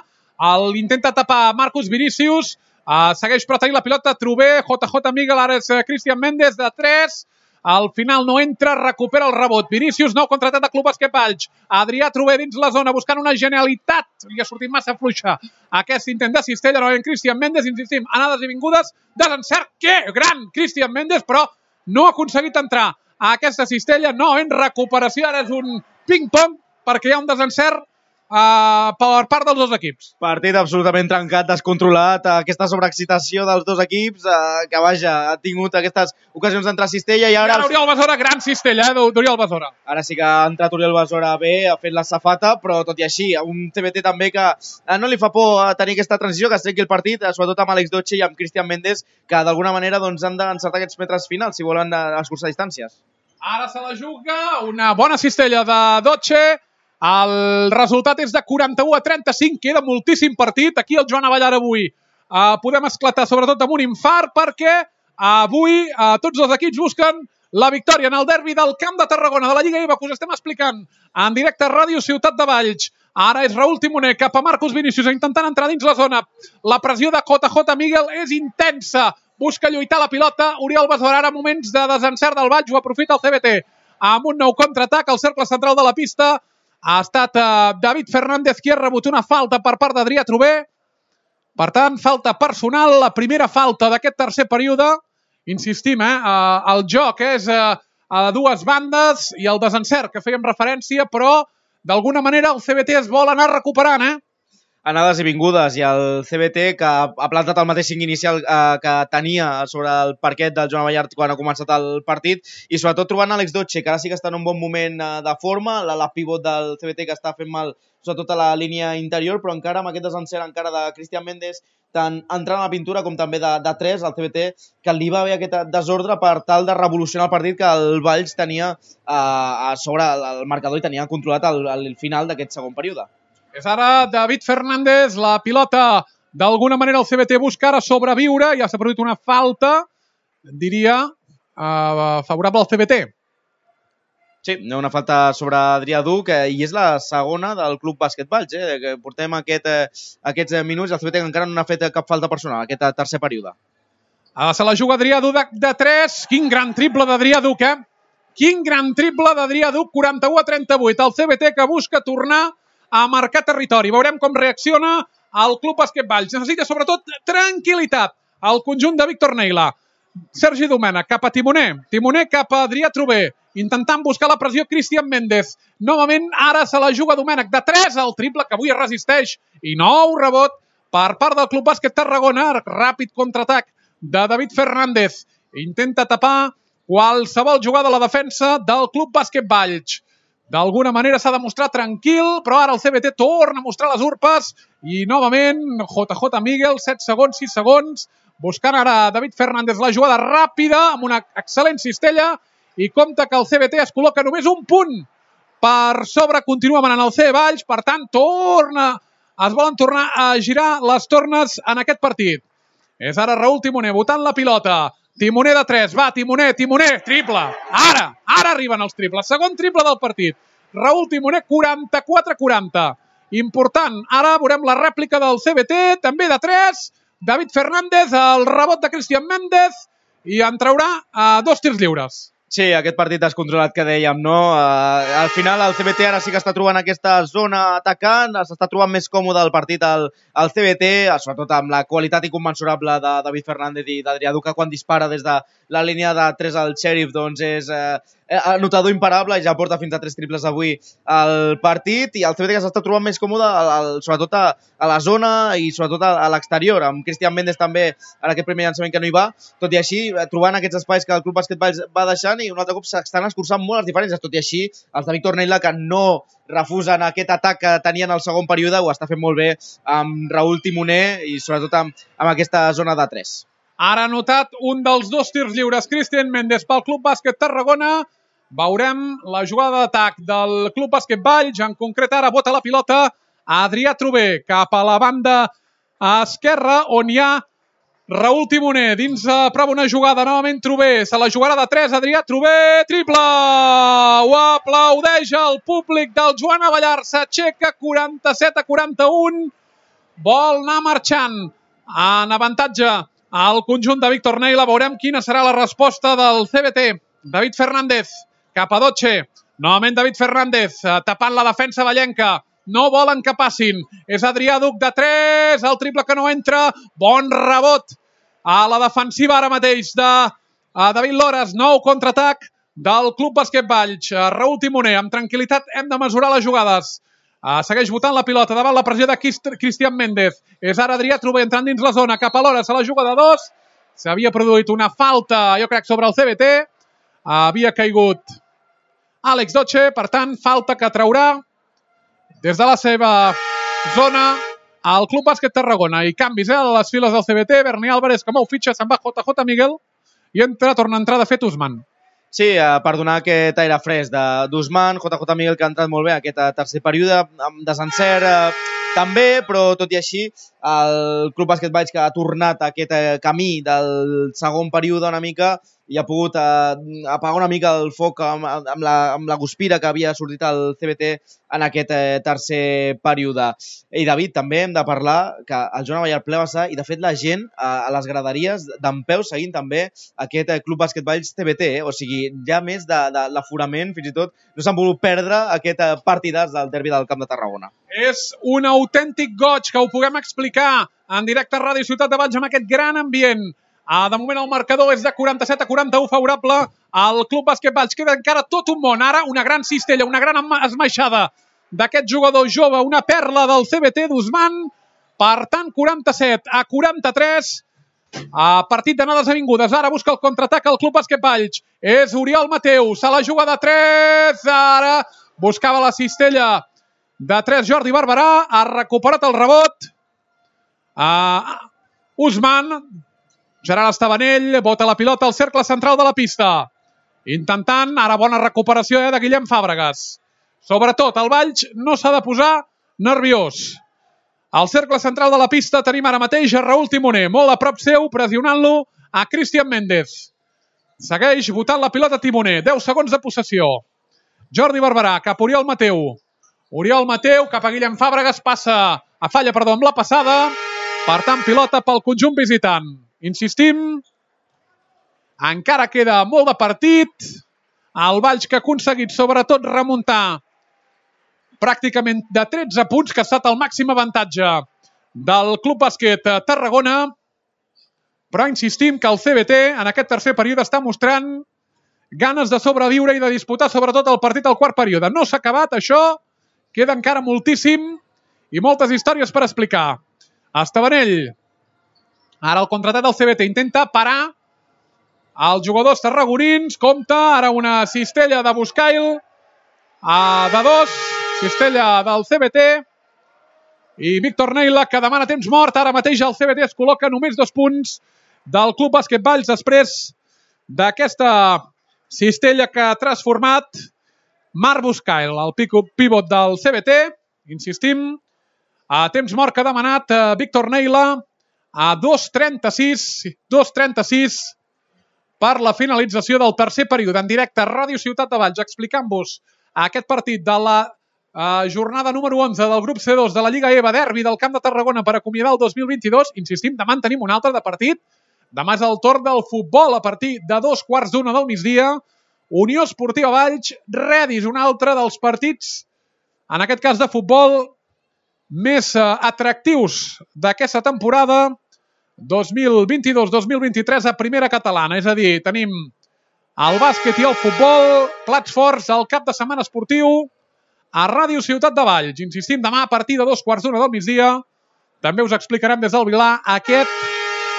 L'intenta tapar Marcus Vinícius. Segueix però tenir la pilota Trové, JJ Miguel, ara és Cristian Méndez de 3. Al final no entra, recupera el rebot. Vinícius, nou contratat de Club Bàsquet Valls. Adrià Trové dins la zona, buscant una genialitat. Li ha sortit massa fluixa aquest intent de cistella. Novament Cristian Méndez, insistim, anades i vingudes. Desencert, que gran Cristian Méndez, però no ha aconseguit entrar a aquesta cistella. No, en recuperació, ara és un ping-pong, perquè hi ha un desencert per part dels dos equips. Partit absolutament trencat, descontrolat, aquesta sobreexcitació dels dos equips, que vaja, ha tingut aquestes ocasions d'entrar a cistella i ara... Oriol Besora, gran cistella d'Oriol Besora. Ara sí que ha entrat Oriol Besora bé, ha fet la safata, però tot i així, un CBT també que no li fa por tenir aquesta transició, que es trenqui el partit, sobretot amb Àlex Doche i amb Cristian Méndez, que d'alguna manera han d'encertar aquests metres finals si volen escurçar distàncies. Ara se la juga, una bona cistella de Doche. El resultat és de 41-35, queda moltíssim partit. Aquí el Joan Avellar avui podem esclatar sobretot amb un infart, perquè avui tots els equips busquen la victòria en el derbi del Camp de Tarragona de la Lliga IBA, que us estem explicant en directe a Ràdio Ciutat de Valls. Ara és Raúl Timoner cap a Marcus Vinícius, intentant entrar dins la zona. La pressió de JJ Miguel és intensa, busca lluitar la pilota. Oriol Besora, ara moments de desencert del Valls, ho aprofita el CBT amb un nou contraatac al cercle central de la pista. Ha estat David Fernández qui ha rebut una falta per part d'Adrià Trové. Per tant, falta personal, la primera falta d'aquest tercer període. Insistim, el joc és a dues bandes i el desencert que fèiem referència, però d'alguna manera el CBT es vol anar recuperant, Anades i vingudes, i el CBT, que ha plantat el mateix 5 inicial que tenia sobre el parquet del Joan Avellar quan ha començat el partit, i sobretot trobant Àlex Doche, que ara sí que està en un bon moment de forma, la pivot del CBT que està fent mal sobretot a la línia interior, però encara amb aquest desencert encara de Cristian Méndez, tant entrant a la pintura com també de 3, al CBT, que li va haver aquest desordre per tal de revolucionar el partit que el Valls tenia a sobre el marcador i tenia controlat al final d'aquest segon període. És ara David Fernández, la pilota d'alguna manera el CBT busca ara sobreviure, ja s'ha produït una falta, diria, favorable al CBT. Sí, una falta sobre Adrià Duc, i és la segona del Club Bàsquet Valls, que portem aquests minuts, el CBT encara no ha fet cap falta personal, aquest tercer període. Se la juga Adrià Duc de 3, quin gran triple d'Adrià Duc, Quin gran triple d'Adrià Duc, 41-38, el CBT que busca tornar a marcar territori. Veurem com reacciona el Club Bàsquet Valls. Necessita sobretot tranquil·litat al conjunt de Víctor Neila. Sergi Domènech cap a Timoner. Timoner cap a Adrià Trové. Intentant buscar la pressió Cristian Méndez. Novament ara se la juga Domènech de 3, el triple que avui es resisteix. I nou rebot per part del Club Bàsquet Tarragona. Ràpid contraatac de David Fernández. Intenta tapar qualsevol jugada a la defensa del Club Bàsquet Valls. D'alguna manera s'ha de mostrar tranquil, però ara el CBT torna a mostrar les urpes i novament JJ Miguel, 7 segons, 6 segons, buscant ara David Fernández la jugada ràpida amb una excel·lent cistella i compta que el CBT es col·loca només un punt per sobre, continua manant el C Valls, per tant es volen tornar a girar les tornes en aquest partit. És ara Raúl Timoner botant la pilota. Timoner de 3, va, Timoner, triple. Ara arriben els triples. Segon triple del partit Raúl Timoner 44-40. Important. Ara veurem la rèplica del CBT, també de 3. David Fernández, el rebot de Cristian Méndez, i en traurà 2 tirs lliures. Sí, aquest partit descontrolat que dèiem, no? Al final el CBT ara sí que està trobant aquesta zona atacant, s'està trobant més còmode el partit al CBT, sobretot amb la qualitat inconmensurable de David Fernández i d'Adrià Duca quan dispara des de la línia de 3 al Sheriff, doncs és anotador imparable, ja porta fins a 3 triples avui al partit, i el CBT que s'està trobant més còmode sobretot a la zona i sobretot a l'exterior, amb Cristian Méndez també en aquest primer llançament que no hi va, tot i així trobant aquests espais que el Club Bàsquet Valls va deixant, i un altre cop s'estan escurçant molt les diferències, tot i així els de Víctor Neila, que no refusen aquest atac que tenien al segon període, ho està fent molt bé amb Raúl Timoner i sobretot amb aquesta zona de 3. Ara ha anotat un dels 2 tirs lliures Cristian Méndez pel Club Bàsquet Tarragona. Veurem la jugada d'atac del Club Bàsquet Valls. En concret ara bota la pilota a Adrià Trober cap a la banda esquerra, on hi ha Raúl Timoner. Dins prova una jugada, novament Trober. Se la jugarà de 3, Adrià Trober. Triple! Ho aplaudeix el públic del Joan Avellar. S'aixeca 47-41. Vol anar marxant en avantatge al conjunt de Víctor Neila. Veurem quina serà la resposta del CBT. David Fernández cap a Doche. Novament David Fernández tapant la defensa vallenca. No volen que passin. És Adrià Duc de 3. El triple que no entra. Bon rebot a la defensiva ara mateix de David Lores. Nou contraatac del Club Bàsquet Valls. Raúl Timoner, amb tranquil·litat hem de mesurar les jugades. Segueix botant la pilota davant la pressió de Cristian Méndez. És ara Adrià Trober entrant dins la zona. Cap a Lores, a la juga de 2. S'havia produït una falta, jo crec, sobre el CBT. Havia caigut Àlex Doche, per tant, falta que traurà des de la seva zona al Club Bàsquet Tarragona. I canvis a les files del CBT. Berni Álvarez, que mou fitxa, se'n va JJ Miguel i torna a entrar de fet Usman. Sí, per donar aquest aire fresc d'Usman, JJ Miguel, que ha entrat molt bé aquest tercer període, amb desencert també, però tot i així el Club Bàsquet Valls, que ha tornat a aquest camí del segon període una mica, i ha pogut apagar una mica el foc amb la guspira que havia sortit al CBT en aquest tercer període. I David, també hem de parlar que el Joan Avellar ple vessar, i de fet la gent a les graderies dempeus seguint també aquest Club Bàsquet Valls CBT, o sigui, ja més de l'aforament, fins i tot no s'han volgut perdre aquest partidàs del derbi del Camp de Tarragona. És un autèntic goig que ho puguem explicar en directe a Ràdio Ciutat de Valls amb aquest gran ambient. De moment el marcador és de 47-41 favorable al Club Bàsquet Valls. Queda encara tot un món. Ara una gran cistella, una gran esmaixada d'aquest jugador jove, una perla del CBT d'Usman. Per tant, 47-43. Partit d'anades avingudes. Ara busca el contraatac al Club Bàsquet Valls. És Oriol Mateu. Se la juga de 3. Ara buscava la cistella de 3 Jordi Barberà. Ha recuperat el rebot. Usman. Gerard Estabanell bota la pilota al cercle central de la pista. Intentant, ara bona recuperació de Guillem Fàbregas. Sobretot, el Valls no s'ha de posar nerviós. Al cercle central de la pista tenim ara mateix a Raúl Timoner, molt a prop seu, pressionant-lo a Cristian Méndez. Segueix botant la pilota Timoner, 10 segons de possessió. Jordi Barberà, cap a Oriol Mateu. Oriol Mateu, cap a Guillem Fàbregas, falla amb la passada. Per tant, pilota pel conjunt visitant. Insistim, encara queda molt de partit. El Valls que ha aconseguit sobretot remuntar pràcticament de 13 punts, que ha estat el màxim avantatge del Club Bàsquet Tarragona. Però insistim que el CBT en aquest tercer període està mostrant ganes de sobreviure i de disputar sobretot el partit al quart període. No s'ha acabat això, queda encara moltíssim i moltes històries per explicar. Estabanell. Ara el contratat del CBT intenta parar els jugadors tarragonins. Compta, ara una cistella de Buscail de 2, cistella del CBT, i Víctor Neila, que demana temps mort. Ara mateix el CBT es col·loca només 2 punts del Club Bàsquet Valls després d'aquesta cistella que ha transformat Marc Buscail, el pivot del CBT. Insistim, a temps mort que ha demanat Víctor Neila a 2:36 per la finalització del tercer període en directe a Ràdio Ciutat de Valls, explicant-vos aquest partit de la jornada número 11 del grup C2 de la Lliga EVA, derbi del Camp de Tarragona per acomiadar el 2022. Insistim, demà en tenim un altre de partit. Demà és el torn del futbol a partir de 2:15 del migdia. Unió Esportiva Valls, Redis, un altre dels partits, en aquest cas de futbol, més atractius d'aquesta temporada 2022-2023 a primera catalana. És a dir, tenim el bàsquet i el futbol, plats forts, al cap de setmana esportiu, a Ràdio Ciutat de Valls. Insistim, demà a partir de 2:15 del migdia. També us explicarem des del Vilar aquest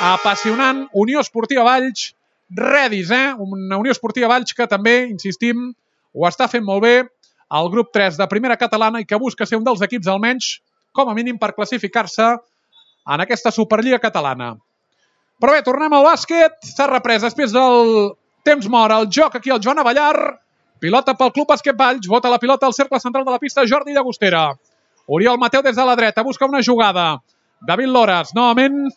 apassionant Unió Esportiva Valls, Redis, una Unió Esportiva Valls que també, insistim, ho està fent molt bé al grup 3 de primera catalana i que busca ser un dels equips almenys, com a mínim, per classificar-se en aquesta Superliga catalana. Però bé, tornem al bàsquet. S'ha reprès després del temps mort el joc aquí al Joan Avellar. Pilota pel Club Bàsquet Valls. Bota la pilota al cercle central de la pista Jordi Llagostera. Oriol Mateu des de la dreta. Busca una jugada. David Lores. Novament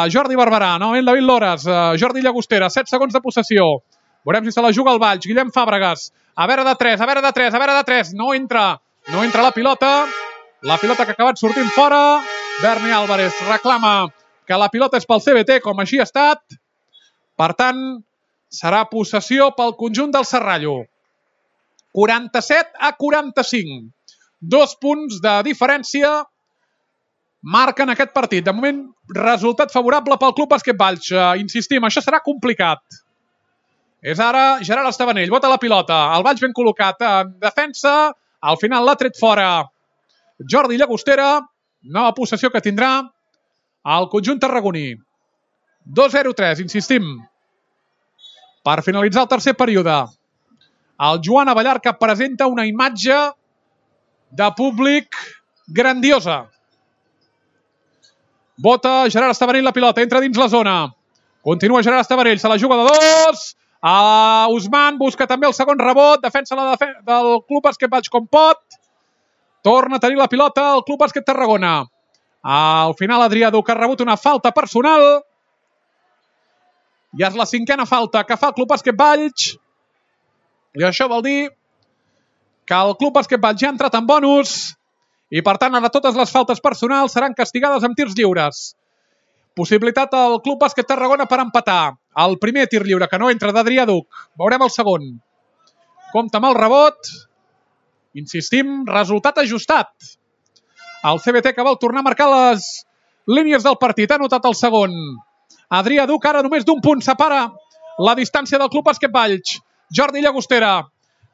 Jordi Barberà. Novament David Lores. Jordi Llagostera. 7 segons de possessió. Veurem si se la juga el Valls. Guillem Fàbregas. A veure de 3. No entra la pilota. La pilota que ha acabat sortint fora. Berni Álvarez reclama que la pilota és pel CBT, com així ha estat. Per tant, serà possessió pel conjunt del Serrallo. 47-45. 2 punts de diferència marquen aquest partit. De moment, resultat favorable pel Club Bàsquet Valls. Insistim, això serà complicat. És ara Gerard Estabanell. Bota la pilota. El Valls ben col·locat en defensa. Al final l'ha tret fora Jordi Llagostera. Nova possessió que tindrà el conjunt tarragoní. 2-0-3, insistim. Per finalitzar el tercer període, el Joan Avellar, que presenta una imatge de públic grandiosa. Bota Gerard Estabanell la pilota, entra dins la zona. Continua Gerard Estabanell, se la juga de 2. Usman busca també el segon rebot, defensa del Club Bàsquet Valls com pot. Torna a tenir la pilota el Club Bàsquet Tarragona. Al final Adrià Duc ha rebut una falta personal. Ja és la 5a falta que fa el Club Bàsquet Valls. I això vol dir que el Club Bàsquet Valls ja ha entrat en bonus i, per tant, ara totes les faltes personals seran castigades amb tirs lliures. Possibilitat al Club Bàsquet Tarragona per empatar. El primer tir lliure, que no entra, d'Adrià Duc. Veurem el segon. Compte amb el rebot. Insistim, resultat ajustat. El CBT que vol tornar a marcar les línies del partit. Ha notat el segon. Adrià Duc ara només d'un punt separa la distància del Club Bàsquet Valls. Jordi Llagostera.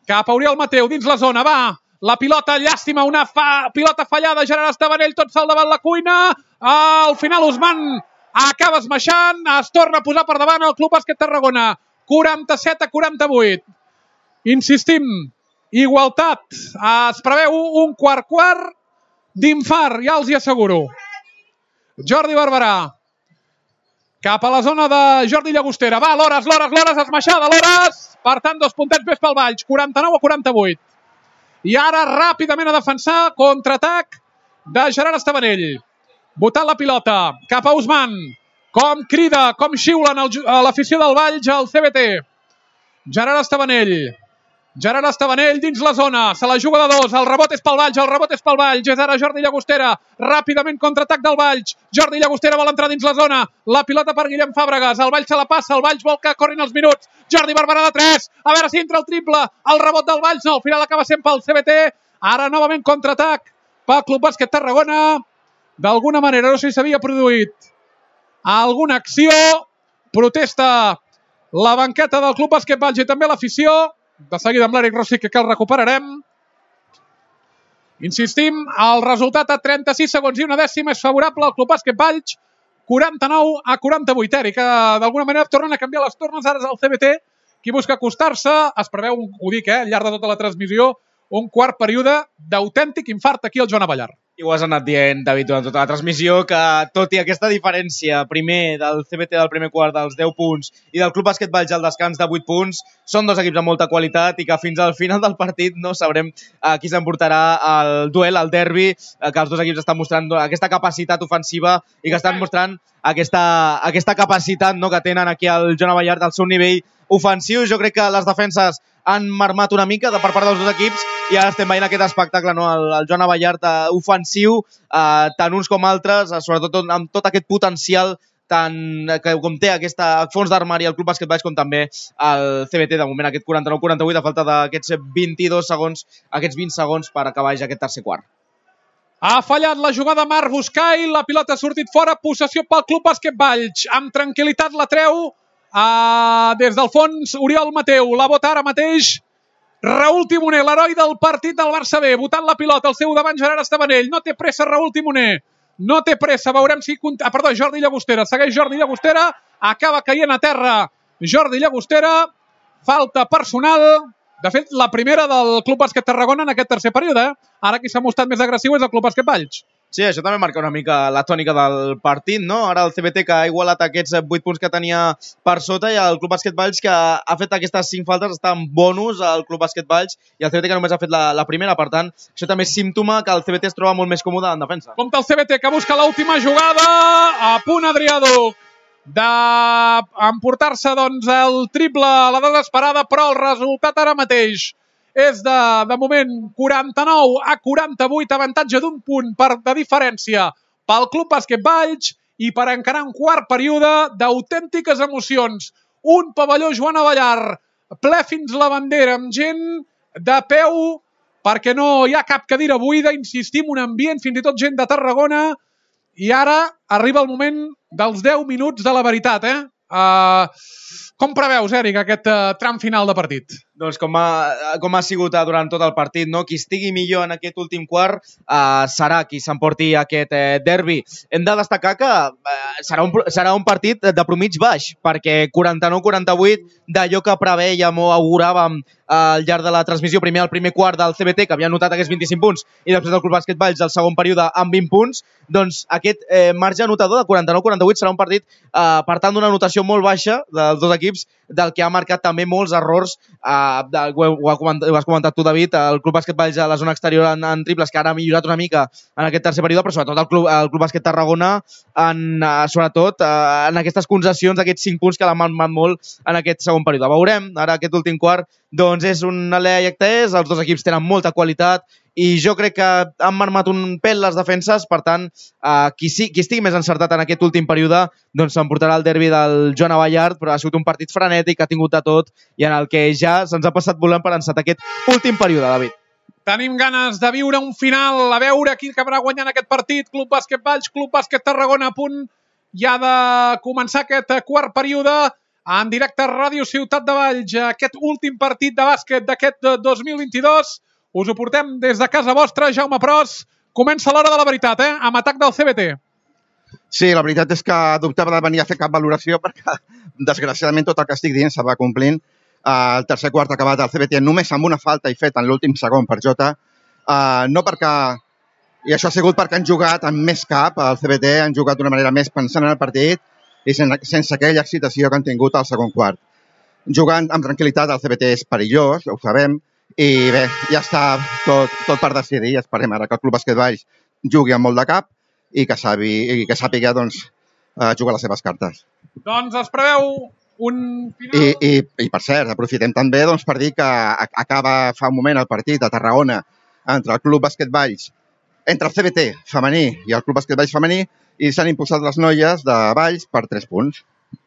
Cap a Oriol Mateu dins la zona. Va. La pilota, llàstima. Una pilota fallada. Gerard Estabanell tot sol davant la cuina. Al final Usman acaba esmaixant. Es torna a posar per davant el Club Bàsquet Tarragona. 47-48. Insistim. Igualtat. Es preveu un quart d'infart, ja els hi asseguro. Jordi Barberà. Cap a la zona de Jordi Llagostera. Va, Lores, esmaixada, Lores. Per tant, 2 puntets més pel Valls. 49-48. I ara ràpidament a defensar, contraatac de Gerard Estabanell. Botant la pilota cap a Usman. Com crida, com xiulen a l'afició del Valls al CBT. Gerard Estabanell dins la zona. Se la juga de 2. El rebot és pel Valls. És ara Jordi Llagostera. Ràpidament contraatac del Valls. Jordi Llagostera vol entrar dins la zona. La pilota per Guillem Fàbregas. El Valls se la passa. El Valls vol que corrin els minuts. Jordi Barberà de 3. A veure si entra el triple. El rebot del Valls. No, al final acaba sent pel CBT. Ara novament contraatac pel Club Bàsquet Tarragona. D'alguna manera, no sé si s'havia produït alguna acció. Protesta la banqueta del Club Bàsquet Valls i també l'afició. De seguida amb l'Eric Rossi, que el recuperarem. Insistim, el resultat a 36 segons i una dècima és favorable al Club Bàsquet Valls. 49-48. Eric, que d'alguna manera tornen a canviar les tornes. Ara és el CBT qui busca acostar-se. Es preveu, ho dic, al llarg de tota la transmissió, un quart període d'autèntic infart aquí al Joan Avellar. I ho has anat dient, David, durant tota la transmissió, que tot i aquesta diferència primer del CBT del primer quart dels 10 punts i del Club Bàsquet Valls al descans de 8 punts, són dos equips amb molta qualitat i que fins al final del partit no sabrem qui s'emportarà el duel, el derbi, que els dos equips estan mostrant aquesta capacitat ofensiva i que estan mostrant aquesta capacitat, no, que tenen aquí al Joan Avellar del seu nivell ofensius. Jo crec que les defenses han marmat una mica per part dels dos equips i ara estem veient aquest espectacle, no? El Joan Abellart ofensiu, tant uns com altres, sobretot amb tot aquest potencial que com té aquest fons d'armari el Club Bàsquet Valls com també el CBT, de moment aquest 49-48 a falta d'aquests 22 segons, aquests 20 segons per acabar ja aquest tercer quart. Ha fallat la jugada Marc Buscai, la pilota ha sortit fora, possessió pel Club Bàsquet Valls. Amb tranquil·litat la treu des del fons Oriol Mateu. La bota ara mateix Raül Timoner, l'heroi del partit del Barça B, botant la pilota al seu davant Gerard Estabanell. No té pressa Raül Timoner. No té pressa, veurem si... Jordi Llagostera, segueix Jordi Llagostera, acaba caient a terra Jordi Llagostera, falta personal, de fet la primera del Club Bàsquet Tarragona en aquest tercer període. Ara qui s'ha mostrat més agressiu és el Club Bàsquet Valls. Sí, això també marca una mica la tònica del partit, no? Ara el CBT que ha igualat aquests 8 punts que tenia per sota i el Club Bàsquet Valls que ha fet aquestes 5 faltes, està en bonus al Club Bàsquet Valls i el CBT que només ha fet la primera, per tant, això també és símptoma que el CBT es troba molt més còmode en defensa. Compte el CBT que busca l'última jugada, a punt Adrià Duc d'emportar-se doncs el triple a la desesperada, però el resultat ara mateix és de moment 49-48, avantatge d'un punt de diferència pel Club Bàsquet Valls i per encarar un quart període d'autèntiques emocions. Un pavelló Joan Abellart ple fins la bandera amb gent de peu perquè no hi ha cap cadira buida, insistim, un ambient, fins i tot gent de Tarragona, i ara arriba el moment dels 10 minuts de la veritat, Com preveus, Eric, aquest tram final de partit? Doncs com ha sigut durant tot el partit, no? Qui estigui millor en aquest últim quart serà qui s'emporti aquest derbi. Hem de destacar que serà un partit de promig baix, perquè 49-48 d'allò que prevèiem o auguràvem al llarg de la transmissió, primer el primer quart del CBT, que havia anotat aquests 25 punts, i després del Club Bàsquet Valls el segon període amb 20 punts, doncs aquest marge anotador de 49-48 serà un partit, per tant, d'una anotació molt baixa dels dos equips, del que ha marcat també molts errors, ho has comentat tu, David, el Club Bàsquet Valls a la zona exterior en triples, que ara ha millorat una mica en aquest tercer període, però sobretot el Club Bàsquet Tarragona, sobretot en aquestes concessions, aquests 5 punts que l'han marcat molt en aquest segon període. Veurem, ara aquest últim quart, doncs és un alè i actès, els dos equips tenen molta qualitat, i jo crec que han marmat un pèl les defenses, per tant, qui estigui més encertat en aquest últim període, doncs s'emportarà el derbi del Joan Abellart, però ha sigut un partit frenètic, ha tingut de tot, i en el que ja se'ns ha passat volant per encetar aquest últim període, David. Tenim ganes de viure un final, a veure qui acabarà guanyant aquest partit. Club Bàsquet Valls, Club Bàsquet Tarragona, a punt ja de començar aquest quart període en directe a Ràdio Ciutat de Valls. Aquest últim partit de bàsquet d'aquest 2022 us ho portem des de casa vostra. Jaume Pros, comença l'hora de la veritat, amb atac del CBT. Sí, la veritat és que dubtava de venir a fer cap valoració perquè, desgraciadament, tot el que estic dient se va complint. El tercer quart ha acabat el CBT només amb una falta i fet en l'últim segon per Jota. No perquè... I això ha sigut perquè han jugat amb més cap. El CBT han jugat d'una manera més pensant en el partit i sense aquella excitació que han tingut al segon quart. Jugant amb tranquil·litat, el CBT és perillós, ho sabem, i bé, ja està tot per decidir. Esperem ara que el Club Bàsquet Valls jugui amb molt de cap i que sàpiga jugar les seves cartes. Doncs es preveu un final... I per cert, aprofitem també per dir que acaba fa un moment el partit a Tarragona entre el Club Bàsquet Valls, entre el CBT femení i el Club Bàsquet Valls femení, i s'han imposat les noies de Valls per 3 punts.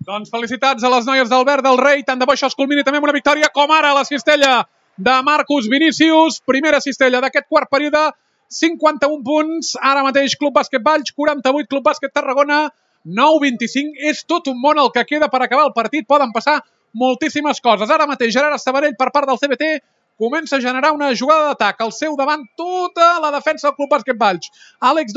Doncs felicitats a les noies d'Albert del Rei. Tant de bo això es culmini també amb una victòria, com ara la cistella de Marcus Vinícius. Primera cistella d'aquest quart període, 51 punts. Ara mateix Club Bàsquet Valls, 48, Club Bàsquet Tarragona, 9-25. És tot un món el que queda per acabar el partit. Poden passar moltíssimes coses. Ara mateix Gerard Estabanell per part del CBT comença a generar una jugada d'atac. Al seu davant tota la defensa del Club Bàsquet Valls. Àlex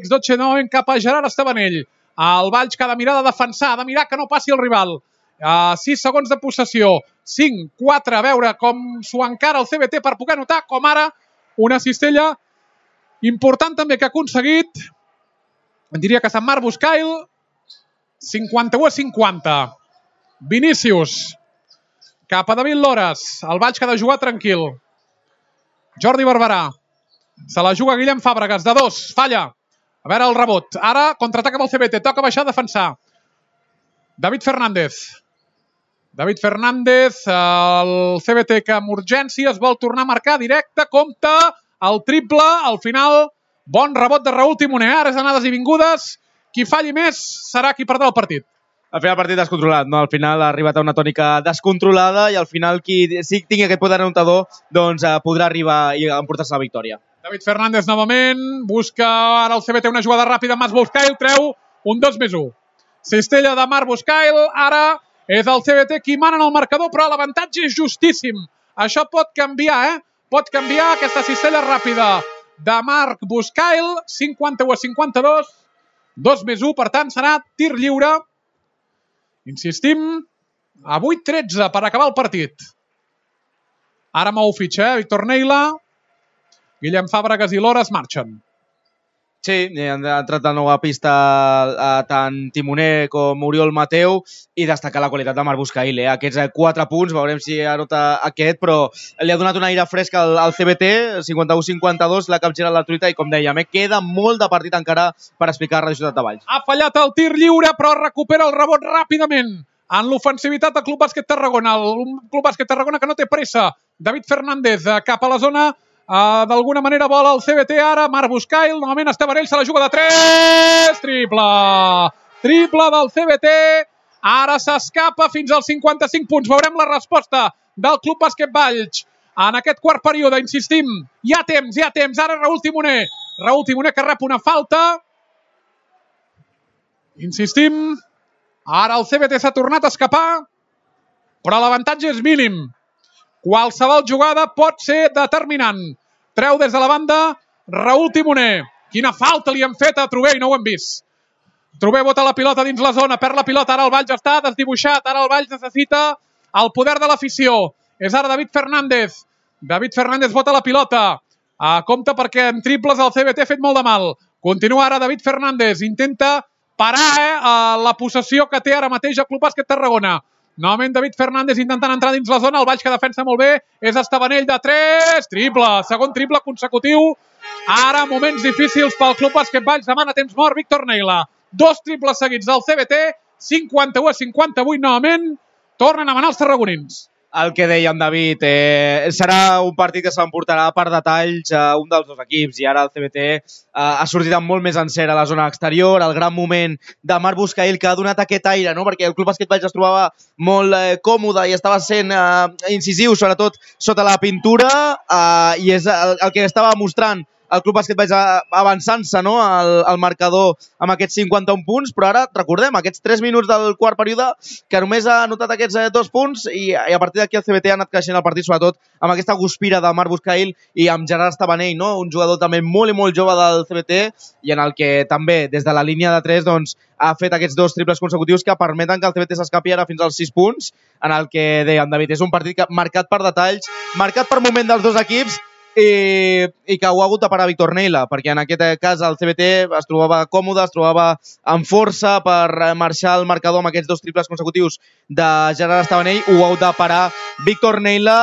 Dotxe novament cap a Gerard Estabanell. El Valls que ha de mirar de defensar, ha de mirar que no passi el rival. 6 segons de possessió, 5, 4, a veure com s'ho encara el CBT per poder anotar, com ara una cistella important també que ha aconseguit, diria que Sant Marc Buscail, 51-50. Vinícius, cap a David Lores, el Valls que ha de jugar tranquil. Jordi Barberà, se la juga Guillem Fàbregas, de 2, falla. A veure el rebot, ara contraataca amb el CBT, toca baixar a defensar. David Fernández. David Fernández, el CBT que amb urgència es vol tornar a marcar directe, compta el triple, al final bon rebot de Raúl Timoner, ara és anades i vingudes, qui falli més serà qui perdrà el partit. Al final el partit descontrolat, no? Al final ha arribat a una tònica descontrolada i al final qui sí tingui aquest poder anotador doncs podrà arribar i emportar-se la victòria. David Fernández novament, busca ara el CBT una jugada ràpida, Marc Buscail treu un 2+1. Cistella de Marc Buscail, ara és el CBT qui mana en el marcador, però l'avantatge és justíssim. Això pot canviar, Pot canviar aquesta cistella ràpida de Marc Buscail, 51-52, 2+1, per tant serà tir lliure. Insistim, a 8-13 per acabar el partit. Ara mou fitxa, Víctor Neila, Guillem Fàbregas i Lora es marxen. Sí, han entrat de nou a pista tant Timoner com Oriol Mateu i destacar la qualitat de Marc Buscail. Aquests 4 punts, veurem si anota aquest, però li ha donat un aire fresc al CBT, 51-52, la capgira la truita i com dèiem, queda molt de partit encara per explicar a Radio Ciutat de Valls. Ha fallat el tir lliure, però recupera el rebot ràpidament en l'ofensivitat del Club Bàsquet Tarragona. El Club Bàsquet Tarragona que no té pressa. David Fernández cap a la zona. D'alguna manera vol el CBT ara, Marc Buscail, novament Estebanell se la juga de 3, triple del CBT, ara s'escapa fins als 55 punts, veurem la resposta del Club Bàsquet Valls en aquest quart període, insistim, hi ha temps, ara Raúl Timoner que rep una falta, insistim, ara el CBT s'ha tornat a escapar, però l'avantatge és mínim. Qualsevol jugada pot ser determinant. Treu des de la banda Raúl Timoner. Quina falta li han fet a Trober i no ho hem vist. Trober bota la pilota dins la zona, perd la pilota, ara el Valls està desdibuixat, ara el Valls necessita el poder de l'afició. És ara David Fernández. David Fernández bota la pilota. Compte perquè en triples el CBT ha fet molt de mal. Continua ara David Fernández. Intenta parar la possessió que té ara mateix el Club Bàsquet Tarragona. Novament David Fernández intentant entrar dins la zona, el Valls que defensa molt bé, és Estebanell de 3, triple, segon triple consecutiu. Ara moments difícils pel Club Bàsquet Valls, demana temps mort Víctor Neila. 2 triples seguits del CBT, 51-58 novament, tornen a manar els tarragonins. El que deia en David, serà un partit que s'emportarà per detalls un dels dos equips i ara el CBT ha sortit amb molt més encert a la zona exterior, el gran moment de Marc Buscail que ha donat aquest aire, no? Perquè el Club Bàsquet Valls es trobava molt còmode i estava sent incisiu, sobretot sota la pintura, i és el que estava mostrant el Club Bàsquet Valls avançant-se, no? al marcador amb aquests 51 punts, però ara, recordem, aquests 3 minuts del quart període que només ha anotat aquests 2 punts i a partir d'aquí el CBT ha anat creixent el partit, sobretot amb aquesta guspira de Marc Buscail i amb Gerard Estebanell, no? Un jugador també molt i molt jove del CBT i en el que també des de la línia de 3 doncs, ha fet aquests 2 triples consecutius que permeten que el CBT s'escapi ara fins als 6 punts, en el que deia David, és un partit marcat per detalls, marcat per moment dels dos equips i que ho ha hagut de parar Víctor Neila, perquè en aquest cas el CBT es trobava còmode, es trobava amb força per marxar el marcador amb aquests 2 triples consecutius de Gerard Estebanell, ho ha hagut de parar Víctor Neila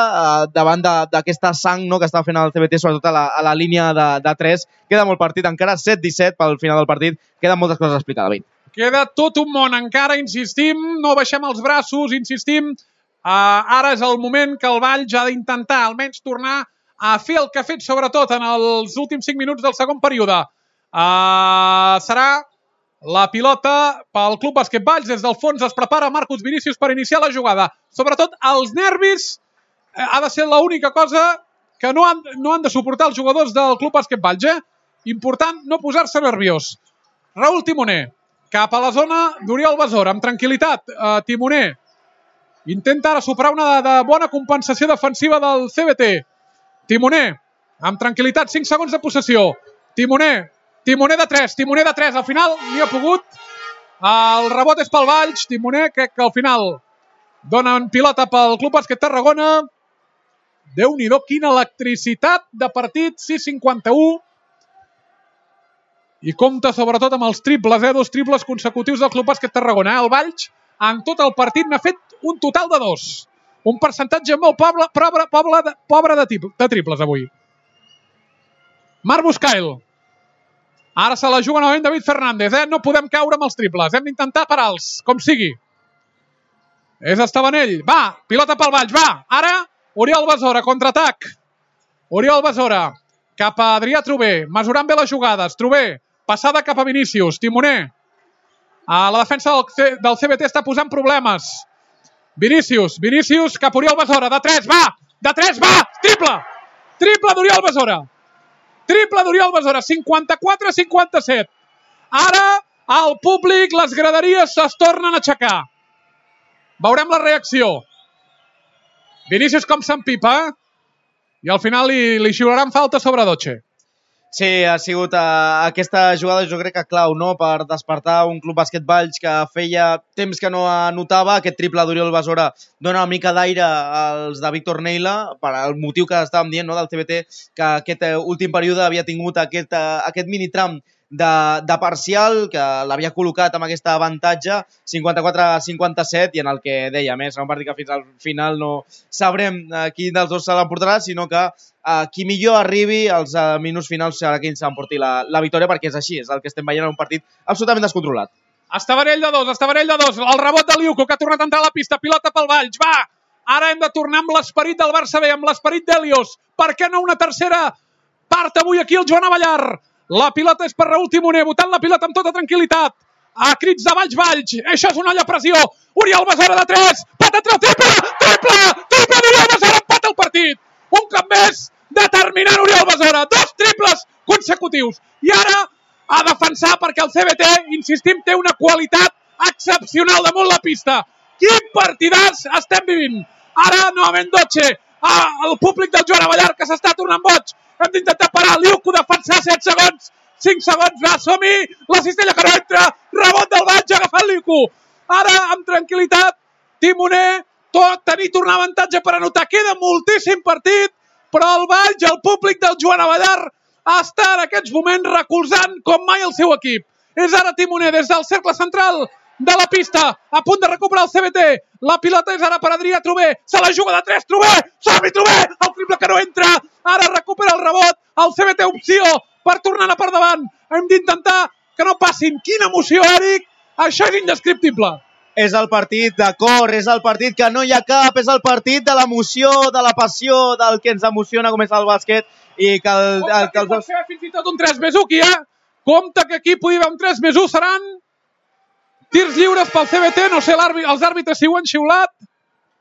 davant d'aquesta sang, no?, que està fent el CBT, sobretot a la línia de 3. Queda molt partit, encara 7-17 pel final del partit, queden moltes coses a explicar, David. Queda tot un món, encara insistim, no baixem els braços, insistim, ara és el moment que el Valls ha d'intentar almenys tornar a fer el que ha fet sobretot en els últims 5 minuts del segon període. Serà la pilota pel Club Bàsquet Valls, des del fons es prepara Marcus Vinícius per iniciar la jugada. Sobretot els nervis ha de ser l'única cosa que no han de suportar els jugadors del Club Bàsquet Valls. Important no posar-se nerviós. Raúl Timoner cap a la zona d'Oriol Besora, amb tranquil·litat. Timoner intenta ara superar una de bona compensació defensiva del CBT. Timoner, amb tranquil·litat, 5 segons de possessió. Timoner de 3, al final n'hi ha pogut. El rebot és pel Valls. Timoner, crec que al final donen pilota pel Club Bàsquet Tarragona. Déu-n'hi-do, quina electricitat de partit, 6-51. I compta sobretot amb els triples, 2 triples consecutius del Club Bàsquet Tarragona. El Valls, en tot el partit, n'ha fet un total de 2. Un percentatge molt pobre de triples avui. Marc Buscail. Ara se la juga novament David Fernández. No podem caure amb els triples. Hem d'intentar parar-los, com sigui. És Estebanell. Va, pilota pel Valls, va. Ara, Oriol Besora, contraatac. Oriol Besora, cap a Adrià Trober, mesurant bé les jugades. Trober, passada cap a Vinícius. Timoner. La defensa del CBT està posant problemes. Vinícius cap a Oriol Besora. De 3, va! De 3, va! Triple! Triple d'Oriol Besora. Triple d'Oriol Besora. 54-57. Ara, el públic, les graderies es tornen a aixecar. Veurem la reacció. Vinícius com s'empipa, i al final li xiularan falta sobre Doche. Sí, ha sigut aquesta jugada, jo crec que clau, no?, per despertar un Club Bàsquet Valls que feia temps que no anotava. Aquest triple d'Oriol Besora dona una mica d'aire als de Víctor Neila, per al motiu que estàvem dient, no?, del CBT, que aquest últim període havia tingut aquest minitram de parcial, que l'havia col·locat amb aquest avantatge 54-57, i en el que deia més, serà un partit que fins al final no sabrem quin dels dos se l'emportarà, sinó que qui millor arribi als minuts finals serà qui s'emporti la victòria, perquè és així, és el que estem veient en un partit absolutament descontrolat. Estebanell de 2, el rebot de Liuco, que ha tornat a entrar a la pista, pilota pel Valls, va! Ara hem de tornar amb l'esperit del Barça B, amb l'esperit d'Helios. Per què no una tercera part avui aquí el Joan Avellar? La pilota és per Raül Timoner, botant la pilota amb tota tranquil·litat. A crits de Valls. Això és una olla a pressió. Oriol Besora de 3. Patatrà, triple d'Oriol Besora, empata el partit. Un cop més, determinant Oriol Besora. 2 triples consecutius. I ara a defensar, perquè el CBT, insistim, té una qualitat excepcional damunt la pista. Quin partidàs estem vivint. Ara, novament Doche. El públic del Joan Avellar, que s'està tornant boig. Hem d'intentar parar, Liuco defensar 7 segons, 5 segons, va, som-hi, la cistella que no entra, rebot del Valls, agafant Liuco. Ara, amb tranquil·litat, Timoner, tornar avantatge per anotar. Queda moltíssim partit, però el Valls, el públic del Joan Avellar, està en aquests moments recolzant com mai el seu equip. És ara Timoner, des del cercle central de la pista, a punt de recuperar el CBT. La pilota és ara per Adrià Trober. Se la juga de 3, Trober! Som-hi, Trober! El triple que no entra. Ara recupera el rebot. El CBT opció per tornar per davant. Hem d'intentar que no passin. Quina emoció, Eric! Això és indescriptible. És el partit de cor, és el partit que no hi ha cap, és el partit de l'emoció, de la passió, del que ens emociona com és el bàsquet. I que el pot ser fins i tot un 3+1 aquí, Compte que aquí pugui haver un 3+1, seran tirs lliures pel CBT, no sé, els àrbitres si ho han xiulat.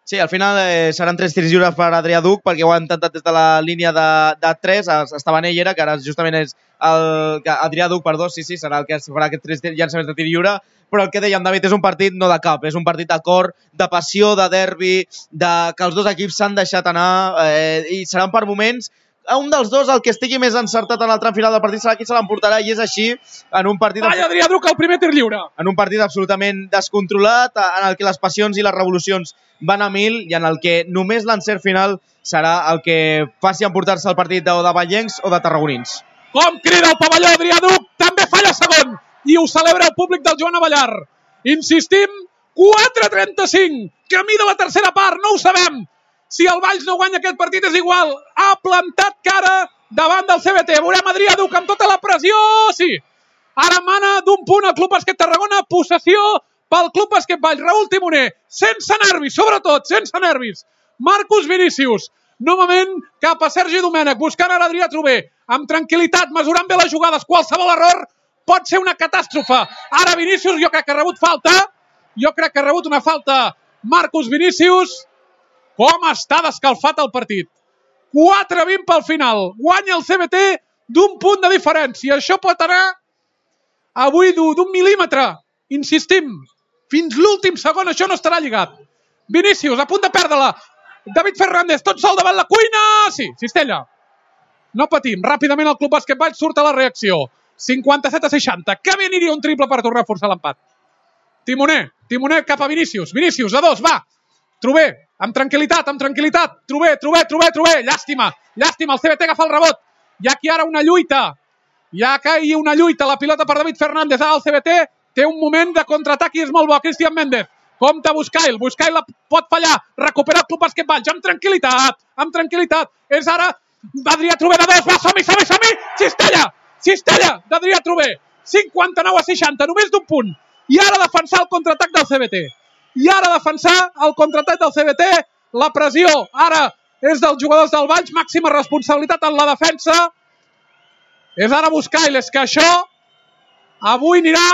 Sí, al final seran 3 tirs lliures per Adrià Duc, perquè ho ha intentat des de la línia de 3, Estebanell era, que ara justament és Adrià Duc, perdó, sí, serà el que farà aquests 3 llançaments de tir lliure, però el que dèiem, David, és un partit no de cap, és un partit de cor, de passió, de derbi, que els dos equips s'han deixat anar, i seran per moments. Un dels dos, el que estigui més encertat en el tram final del partit, serà qui se l'emportarà, i és així en un partit... Vaya, Adrià Duc, el primer tir lliure! En un partit absolutament descontrolat, en el que les passions i les revolucions van a 1000, i en el que només l'encert final serà el que faci emportar-se el partit de vallencs o de tarragonins. Com crida el pavelló, Adrià Duc! També falla segon! I ho celebra el públic del Joan Avellar. Insistim, 4:35, camí de la tercera part, no ho sabem! Si el Valls no guanya aquest partit és igual. Ha plantat cara davant del CBT. Veurem Adrià Duc amb tota la pressió. Sí. Ara mana d'un punt el Club Bàsquet Tarragona. Possessió pel Club Bàsquet Valls. Raül Timoner. Sense nervis, sobretot, sense nervis. Marcus Vinícius. Novament cap a Sergi Domènech. Buscant ara Adrià Trober. Amb tranquil·litat, mesurant bé les jugades. Qualsevol error pot ser una catàstrofe. Ara Vinícius, jo crec que ha rebut falta. Jo crec que ha rebut una falta Marcus Vinícius. Com està descalfat el partit. 4:20 pel final. Guanya el CBT d'un punt de diferència. Això pot anar avui d'un mil·límetre. Insistim, fins l'últim segon això no estarà lligat. Vinícius, a punt de perdre-la. David Fernández, tot sol davant la cuina. Sí, cistella. No patim. Ràpidament el Club Bàsquet Valls surt a la reacció. 57-60. Que bé aniria un triple per tornar a forçar l'empat. Timoner cap a Vinícius. Vinícius, a 2, va. Trober, amb tranquil·litat. Trober. Llàstima, el CBT agafa el rebot. Hi ha aquí ara una lluita. La pilota per David Fernández. Ara el CBT té un moment de contraatac i és molt bo. Cristian Méndez. Compte Buscail la pot fallar. Recupera el Club Bàsquet Valls amb tranquil·litat. És ara Adrià Trober de 2. Va, som-hi. Cistella d'Adrià Trober. 59-60, només d'un punt. I ara defensar el contraatac del CBT. i ara defensar el contraatac del CBT. La pressió ara és dels jugadors del Valls, màxima responsabilitat en la defensa. És ara Buscailes, que això avui anirà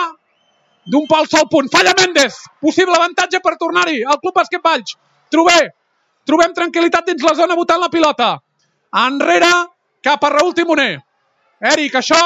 d'un pel sol punt. Falla Méndez, possible avantatge per tornar-hi al Club Bàsquet Valls. Trobem tranquil·litat dins la zona botant la pilota. Enrere, cap a Raül Timoner. Eric, això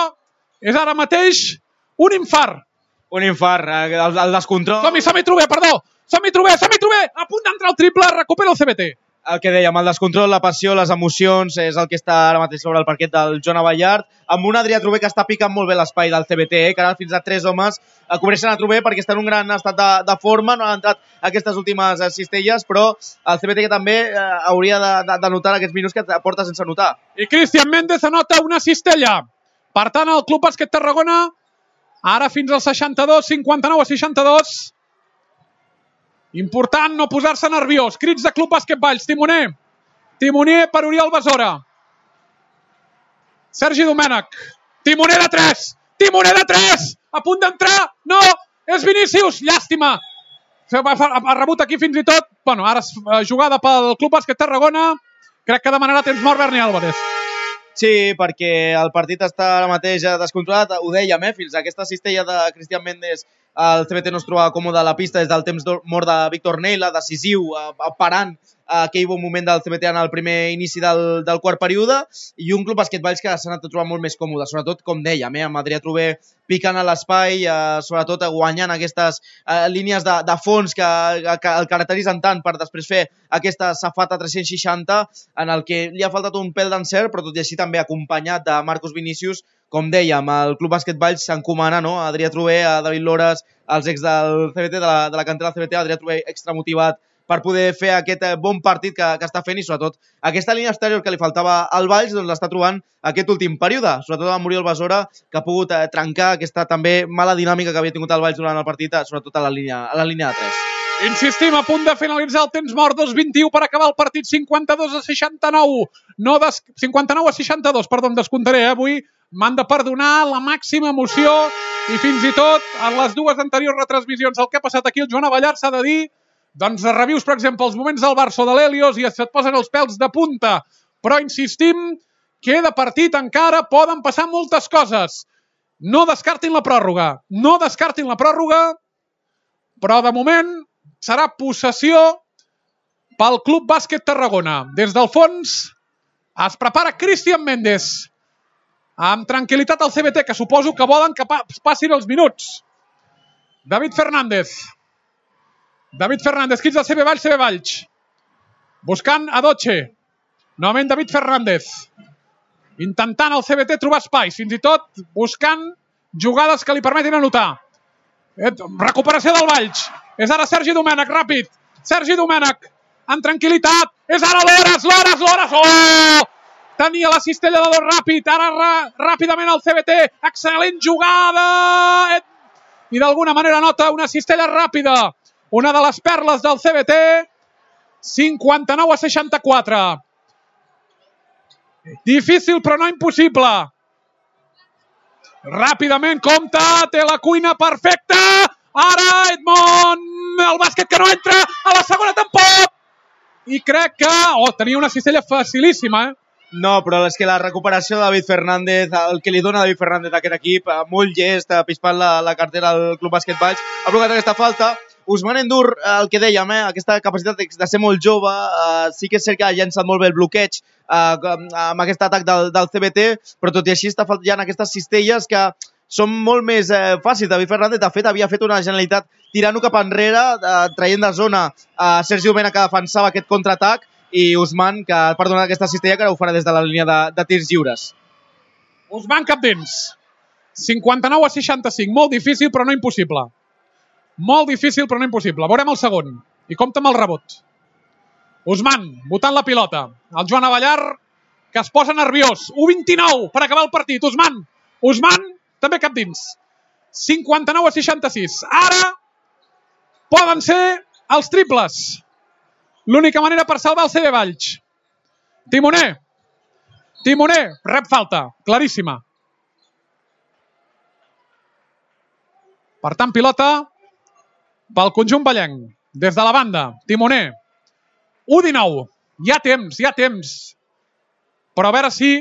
és ara mateix un infart. Un infart, el descontrol. Som-hi, Truber, perdó. Som-hi, Truber. A punt d'entrar el triple, recupera el CBT. El que dèiem, el descontrol, la passió, les emocions, és el que està ara mateix sobre el parquet del Joan Abellart, amb un Adrià Truber que està picant molt bé l'espai del CBT, que ara fins a 3 homes cobreixen a Truber perquè està en un gran estat de forma, no han entrat aquestes últimes cistelles, però el CBT que també hauria de notar aquests minuts que porta sense notar. I Cristian Méndez anota una cistella. Per tant, el Club Bàsquet Tarragona, ara fins al 62, 59-62. Important no posar-se nerviós. Crits de Club Bàsquet Valls. Timoner per Oriol Besora. Sergi Domènech. Timoner de 3. A punt d'entrar. No, és Vinícius. Llàstima. Ha rebut aquí fins i tot. Bueno, ara jugada pel Club Bàsquet Tarragona. Crec que demanarà temps mort Berni Álvarez. Sí, perquè el partit està ara mateix descontrolat. Ho dèiem, fins a aquesta cistella de Cristian Méndez el CBT no es trobava còmode a la pista des del temps mort de Víctor Neila, decisiu, parant aquell bon moment del CBT en el primer inici del quart període, i un Club Bàsquet Valls que s'ha anat a trobar molt més còmode, sobretot, com dèiem, amb Adrià Truber picant a l'espai, sobretot guanyant aquestes línies de fons que el caracteritzen tant per després fer aquesta safata 360 en el que li ha faltat un pèl d'encert, però tot i així també acompanyat de Marcos Vinícius. Com dèiem, el Club Bàsquet Valls s'encomana, no? A Adrià Truber, a David Lores, els ex del CBT, de la cantera del CBT, Adrià Truber extramotivat per poder fer aquest bon partit que està fent, i sobretot aquesta línia exterior que li faltava al Valls, doncs l'està trobant aquest últim període, sobretot amb Oriol Besora, que ha pogut trencar aquesta també mala dinàmica que havia tingut el Valls durant el partit, sobretot a la línia de 3. Insistim, a punt de finalitzar el temps mort, 2:21 per acabar el partit, 52-69. 59-62, perdó, em descomptaré, avui m'han de perdonar la màxima emoció i fins i tot en les dues anteriors retransmissions el que ha passat aquí al Joan Abellart s'ha de dir, doncs revius, per exemple, els moments del Barça o de l'Helios i et posen els pèls de punta. Però insistim, queda partit encara, poden passar moltes coses. No descartin la pròrroga, però de moment serà possessió pel Club Bàsquet Tarragona. Des del fons es prepara Cristian Méndez. Amb tranquil·litat al CBT, que suposo que volen que passin els minuts. David Fernández, quins del CB Valls. Buscant a Doche. Novament David Fernández. Intentant el CBT trobar espais, fins i tot buscant jugades que li permetin anotar. Recuperació del Valls. És ara Sergi Domènech, ràpid. Sergi Domènech, amb tranquil·litat. És ara Lores. Oh! Tenia la cistella de dos ràpid. Ara ràpidament el CBT. Excel·lent jugada. I d'alguna manera nota una cistella ràpida. Una de les perles del CBT. 59-64. Difícil però no impossible. Ràpidament compta, té la cuina perfecta. Ara Edmond, el bàsquet que no entra, a la segona tampoc. I crec que... tenia una cistella facilíssima, No, però és que la recuperació de David Fernández, el que li dona David Fernández a aquest equip, molt llest, pispant la cartera del Club Bàsquet Valls, ha provocat aquesta falta. Ousmane N'Dour, el que dèiem, aquesta capacitat de ser molt jove, sí que és cert que ha llançat molt bé el bloqueig amb aquest atac del CBT, però tot i així està fallant aquestes cistelles que són molt més fàcils. David Fernández, de fet, havia fet una genialitat tirant-ho cap enrere, traient de zona a Sergi Domènech, que defensava aquest contraatac, i Ousmane, que ha perdonat aquesta cistella, que ara ho farà des de la línia de tirs lliures. Ousmane cap dins. 59-65. Molt difícil, però no impossible. Veurem el segon. I compta amb el rebot. Ousmane, botant la pilota. El Joan Abellart, que es posa nerviós. 1:29 per acabar el partit. Ousmane, també cap dins. 59-66. Ara poden ser els triples. L'única manera per salvar el CB Valls. Timoner, rep falta, claríssima. Per tant, pilota pel conjunt vallenc. des de la banda, Timoner. 1-19. Hi ha temps. Però a veure si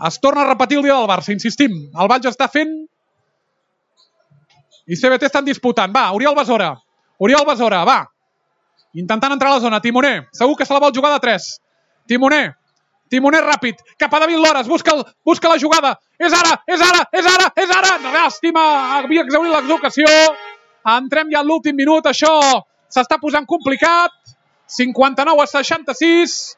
es torna a repetir el dia del Barça, insistim. El Valls està fent i CBT estan disputant. Va, Oriol Besora, va. Intentant entrar a la zona. Timoner, segur que se la vol jugar de 3. Timoner ràpid, cap a David Lores, busca la jugada. És ara! Llàstima, havia exhaurit l'exocasió. Entrem ja en l'últim minut, això s'està posant complicat. 59-66.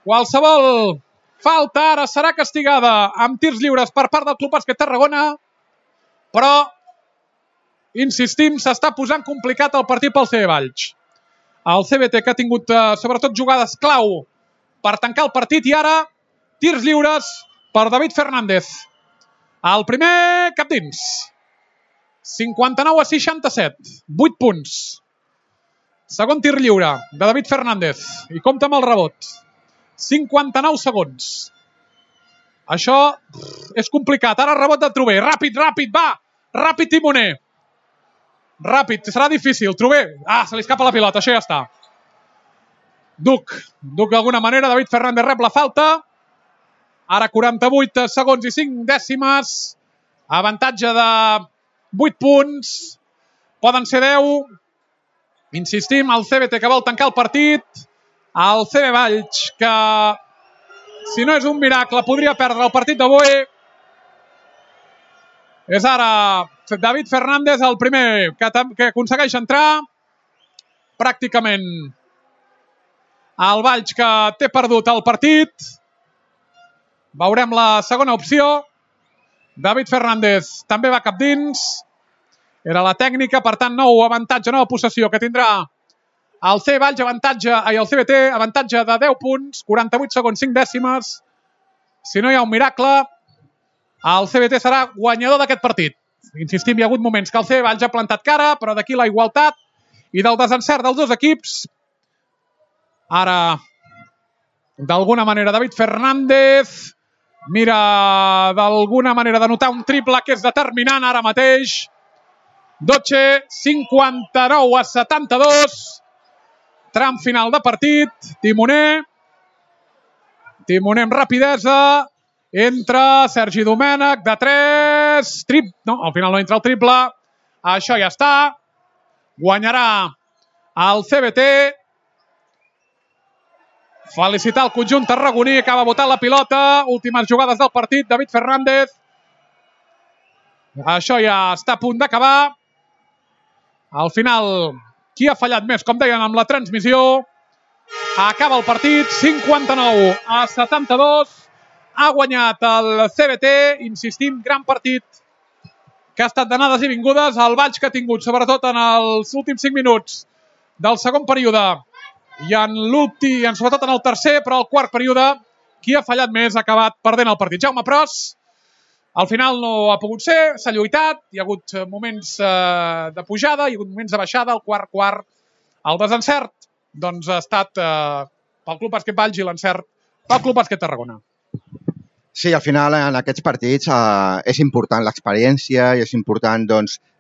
Qualsevol falta ara serà castigada amb tirs lliures per part del Club Bàsquet Tarragona, però, insistim, s'està posant complicat el partit pel CB Valls. El CBT, que ha tingut sobretot jugades clau per tancar el partit, i ara tirs lliures per David Fernández. El primer cap dins. 59-67. 8 punts. Segon tir lliure de David Fernández. I compta amb el rebot. 59 segons. Això és complicat. Ara rebot de Trober. Ràpid, va! Ràpid, Timoner. Ràpid, serà difícil. Trober. Se li escapa la pilota, això ja està. Duc d'alguna manera. David Fernández rep la falta. Ara 48 segons i 5 dècimes. Avantatge de 8 punts. Poden ser 10. Insistim, el CBT que vol tancar el partit. El CB Valls, que si no és un miracle podria perdre el partit d'avui. És ara David Fernández el primer que aconsegueix entrar. Pràcticament el Valls que té perdut el partit. Veurem la segona opció. David Fernández també va cap dins. Era la tècnica, per tant, nou avantatge, nova possessió que tindrà el CB Valls, el CBT, avantatge de 10 punts, 48 segons, 5 dècimes. Si no hi ha un miracle, el CBT serà guanyador d'aquest partit. Insistim, hi ha hagut moments que el CB Valls ha plantat cara, però d'aquí la igualtat i del desencert dels dos equips. Ara, d'alguna manera, David Fernández mira d'alguna manera d'anotar un triple que és determinant ara mateix. Doce, 59-72. Tram final de partit. Timoner amb rapidesa. Entra Sergi Domènech de 3. No, al final no entra el triple. Això ja està. Guanyarà el CBT. Felicitar el conjunt tarragoní. Acaba botant la pilota. Últimes jugades del partit. David Fernández. Això ja està a punt d'acabar. Al final, qui ha fallat més? Com deien amb la transmissió. Acaba el partit. 59-72. Ha guanyat el CBT. Insistim, gran partit que ha estat d'anades i vingudes. El Valls que ha tingut, sobretot en els últims 5 minuts del segon període i sobretot en el tercer, però el quart període, qui ha fallat més ha acabat perdent el partit. Jaume Pros, al final no ha pogut ser, s'ha lluitat, hi ha hagut moments de pujada, hi ha hagut moments de baixada, el quart, el desencert, doncs ha estat pel Club Bàsquet Valls i l'encert pel Club Bàsquet Tarragona. Sí, al final en aquests partits és important l'experiència i és important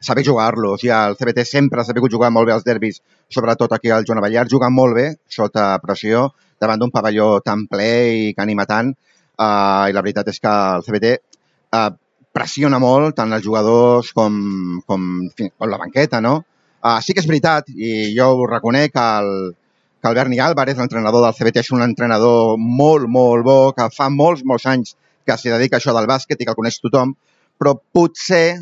saber jugar-los. El CBT sempre ha sabut jugar molt bé els derbis, sobretot aquí al Joan Abellar, juga molt bé sota pressió davant d'un pavelló tan ple i que anima tant. I la veritat és que el CBT pressiona molt tant els jugadors com la banqueta, no? Sí que és veritat, i jo ho reconec, que el Berni Álvarez, l'entrenador del CBT, és un entrenador molt, molt bo, que fa molts anys que s'hi dedica a això del bàsquet i que el coneix tothom, però potser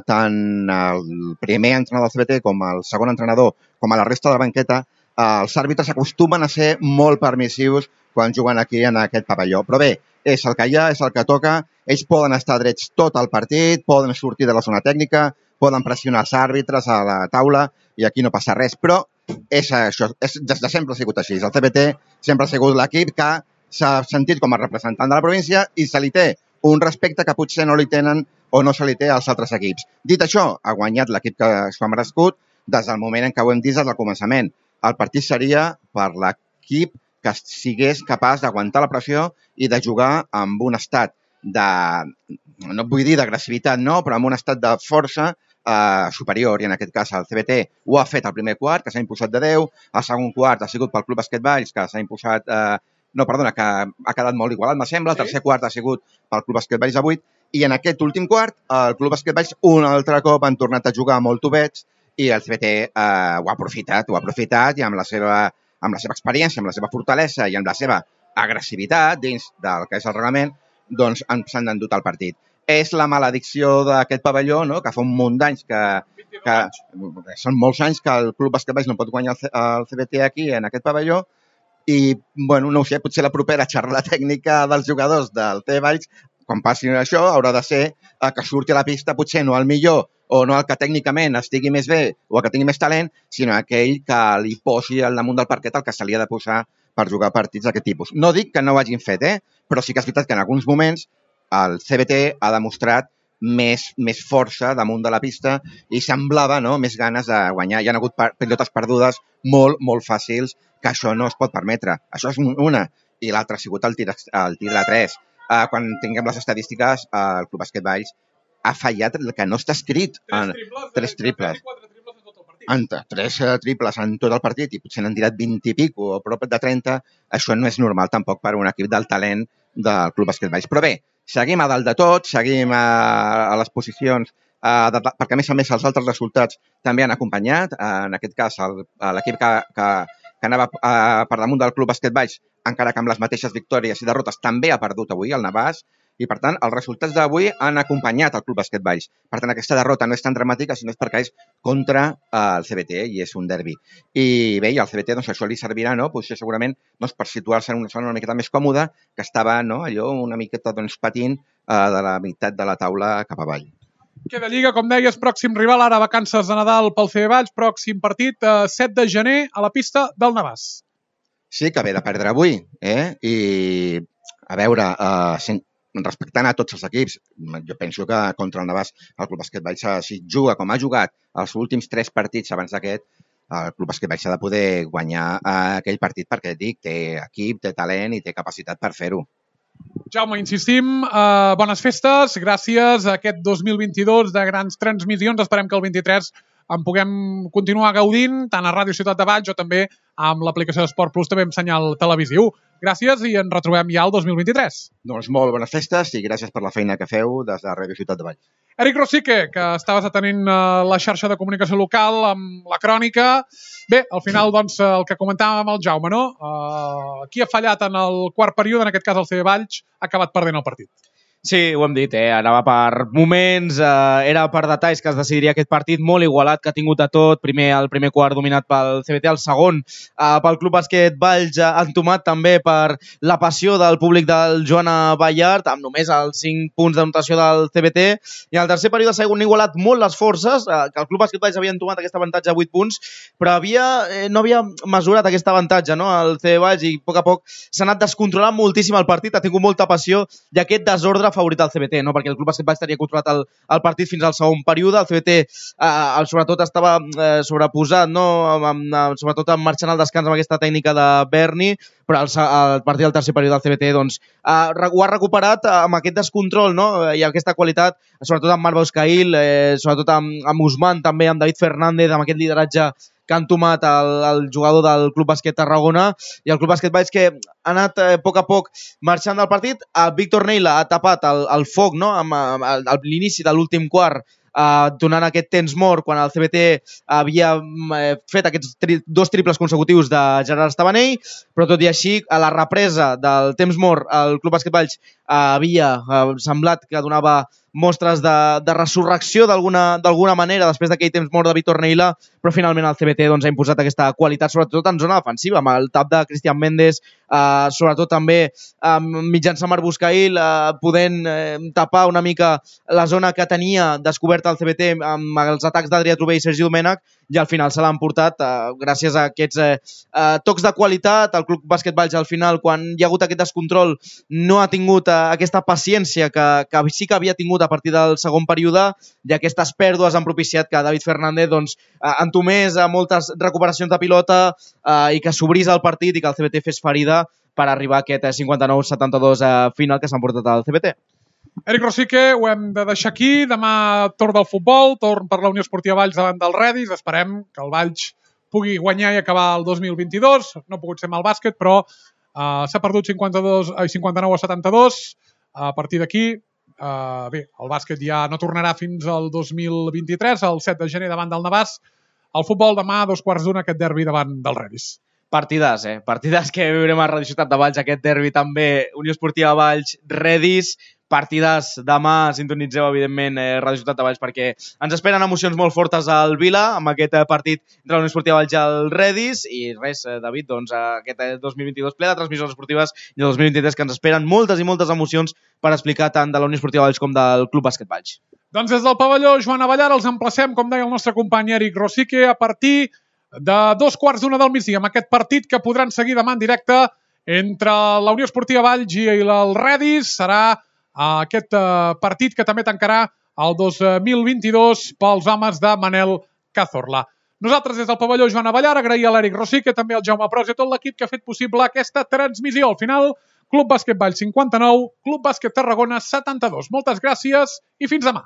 tant el primer entrenador del CBT com el segon entrenador, com a la resta de la banqueta, els àrbitres acostumen a ser molt permissius quan juguen aquí en aquest pavelló. Però bé, és el que hi ha, és el que toca. Ells poden estar drets tot el partit, poden sortir de la zona tècnica, poden pressionar els àrbitres a la taula i aquí no passa res. Però és això, des de sempre ha sigut així. El CBT sempre ha sigut l'equip que s'ha sentit com a representant de la província i se li té un respecte que potser no li tenen o no se li té als altres equips. Dit això, ha guanyat l'equip que s'ho ha merescut des del moment en què ho hem dit des del començament. El partit seria per l'equip que sigués capaç d'aguantar la pressió i de jugar amb un estat de, no vull dir d'agressivitat, no, però amb un estat de força superior, i en aquest cas el CBT ho ha fet al primer quart, que s'ha imposat de 10, el segon quart ha sigut pel Club Bàsquet Valls, que s'ha imposat... que ha quedat molt igualat, me sembla. El tercer quart ha sigut pel Club Bàsquet Valls de 8, i en aquest últim quart el Club Bàsquet Valls un altre cop han tornat a jugar molt tubets i el CBT ho ha aprofitat i amb la seva experiència, amb la seva fortalesa i amb la seva agressivitat dins del que és el reglament, doncs s'han endut el partit. És la maledicció d'aquest pavelló, no? Que fa un munt d'anys que són molts anys que el Club Bàsquet Valls no pot guanyar el CBT aquí, en aquest pavelló, i, bueno, no ho sé, potser la propera xarra tècnica dels jugadors del CBT Valls, quan passi això, haurà de ser que surti a la pista, potser no el millor o no el que tècnicament estigui més bé o el que tingui més talent, sinó aquell que li posi al damunt del parquet el que se li ha de posar per jugar partits d'aquest tipus. No dic que no ho hagin fet, però sí que és veritat que en alguns moments el CBT ha demostrat més força damunt de la pista i semblava més ganes de guanyar. Hi ha hagut pilotes perdudes molt fàcils, que això no es pot permetre. Això és una. I l'altra ha sigut el tir de 3. Quan tinguem les estadístiques, el Club Bàsquet Valls ha fallat el que no està escrit. 3 triples. 3 triples en tot el partit i potser n'han tirat 20 i pico o prop de 30. Això no és normal tampoc per un equip del talent del Club Bàsquet Valls. Però bé, seguim a dalt de tot, seguim a les posicions, perquè a més els altres resultats també han acompanyat. En aquest cas, l'equip que anava per damunt del Club Bàsquet Valls, encara que amb les mateixes victòries i derrotes, també ha perdut avui el Navàs, i per tant els resultats d'avui han acompanyat el Club Bàsquet Valls. Per tant, aquesta derrota no és tan dramàtica, sinó és perquè és contra el CBT i és un derbi. I bé, al CBT això li servirà, potser segurament per situar-se en una zona una miqueta més còmoda, que estava allò una miqueta patint de la meitat de la taula cap avall. Queda Lliga, com deies, pròxim rival, ara vacances de Nadal pel CB Valls, pròxim partit, 7 de gener, a la pista del Navàs. Sí, que ve de perdre avui, i a veure, respectant a tots els equips, jo penso que contra el Navàs el Club Bàsquet Valls, si juga com ha jugat els últims 3 partits abans d'aquest, el Club Bàsquet Valls ha de poder guanyar aquell partit perquè té equip, té talent i té capacitat per fer-ho. Jaume, insistim, bones festes, gràcies a aquest 2022 de grans transmissions. Esperem que el 23 en puguem continuar gaudint, tant a Ràdio Ciutat de Valls o també amb l'aplicació d'Esport Plus, també amb senyal televisiu. Gràcies i ens retrobem ja el 2023. Doncs molt bones festes i gràcies per la feina que feu des de Ràdio Ciutat de Valls. Eric Rosique, que estaves atenent la xarxa de comunicació local amb la crònica. Bé, al final, doncs, el que comentàvem amb el Jaume, no? Qui ha fallat en el quart període, en aquest cas el CB Valls, ha acabat perdent el partit. Sí, ho hem dit, anava per moments, era per detalls que es decidiria aquest partit molt igualat, que ha tingut de tot, el primer quart dominat pel CBT, el segon pel Club Bàsquet Valls, entomat també per la passió del públic del Joana Ballart, amb només els 5 punts de notació del CBT, i al tercer període s'ha igualat molt les forces, que el Club Bàsquet Valls havia entomat aquest avantatge a 8 punts, però no havia mesurat aquest avantatge, no? El CB Valls, i a poc s'ha anat descontrolant moltíssim el partit, ha tingut molta passió, i aquest desordre favorit al CBT, no? Perquè el Club Bàsquet Valls tenia controlat el partit fins al segon període, el CBT sobretot estava sobreposat, no? Sobretot marxant al descans amb aquesta tècnica de Berni, però el partit del tercer període del CBT doncs, ho ha recuperat amb aquest descontrol, no? I aquesta qualitat, sobretot amb Marc Boscail, sobretot amb Usman, també amb David Fernández, amb aquest lideratge que han tomat el jugador del Club Bàsquet Tarragona, i el Club Bàsquet Valls que ha anat a poc marxant del partit. Víctor Neila ha tapat el foc, no? A l'inici de l'últim quart, donant aquest temps mort quan el CBT havia fet aquests 2 triples consecutius de Gerard Estabanell, però tot i així, a la represa del temps mort, el Club Bàsquet Valls havia semblat que donava mostres de resurrecció d'alguna manera després d'aquell temps mort de Víctor Neila, però finalment el CBT ha imposat aquesta qualitat, sobretot en zona defensiva, amb el tap de Cristian Méndez, sobretot també mitjançant Marc Boscail, podent tapar una mica la zona que tenia descoberta el CBT amb els atacs d'Adrià Trové i Sergi Domènech, i al final se l'han portat gràcies a aquests tocs de qualitat. El Club Bàsquet Valls al final, quan hi ha hagut aquest descontrol, no ha tingut aquesta paciència que sí que havia tingut a partir del segon període, i aquestes pèrdues han propiciat que David Fernández entomés moltes recuperacions de pilota i que s'obrís el partit i que el CBT fes ferida per arribar a aquest 59-72 final que s'han portat al CBT. Eric Rosique, ho hem de deixar aquí. Demà torn del futbol, torn per la Unió Esportiva Valls davant del Redis. Esperem que el Valls pugui guanyar i acabar el 2022. No ha pogut ser amb el bàsquet, però s'ha perdut 59 a 72. A partir d'aquí, bé, el bàsquet ja no tornarà fins al 2023, el 7 de gener davant del Navàs. El futbol demà a 2:15 aquest derbi davant del Redis. Partides, Partides que viurem a Radio Ciutat de Valls, aquest derbi també, Unió Esportiva Valls, Redis, partides demà, sintonitzeu evidentment Radio Ciutat de Valls perquè ens esperen emocions molt fortes al Vila amb aquest partit de la Unió Esportiva Valls al Redis i res, David, doncs aquest 2022 ple de transmissions esportives i el 2023 que ens esperen moltes i moltes emocions per explicar tant de la Unió Esportiva Valls com del Club Bàsquet Valls. Doncs des del pavelló Joan Avellar els emplacem, com deia el nostre company Eric Rosique, a partir de 2:15 del migdia, amb aquest partit que podran seguir demà en directe entre la Unió Esportiva Valls i el Redis. Serà aquest partit que també tancarà el 2022 pels homes de Manel Cazorla. Nosaltres des del pavelló Joan Avellar agrair a l'Eric Rosique, també al Jaume Pros i a tot l'equip que ha fet possible aquesta transmissió. Al final, Club Bàsquet Valls 59, Club Bàsquet Tarragona 72. Moltes gràcies i fins demà.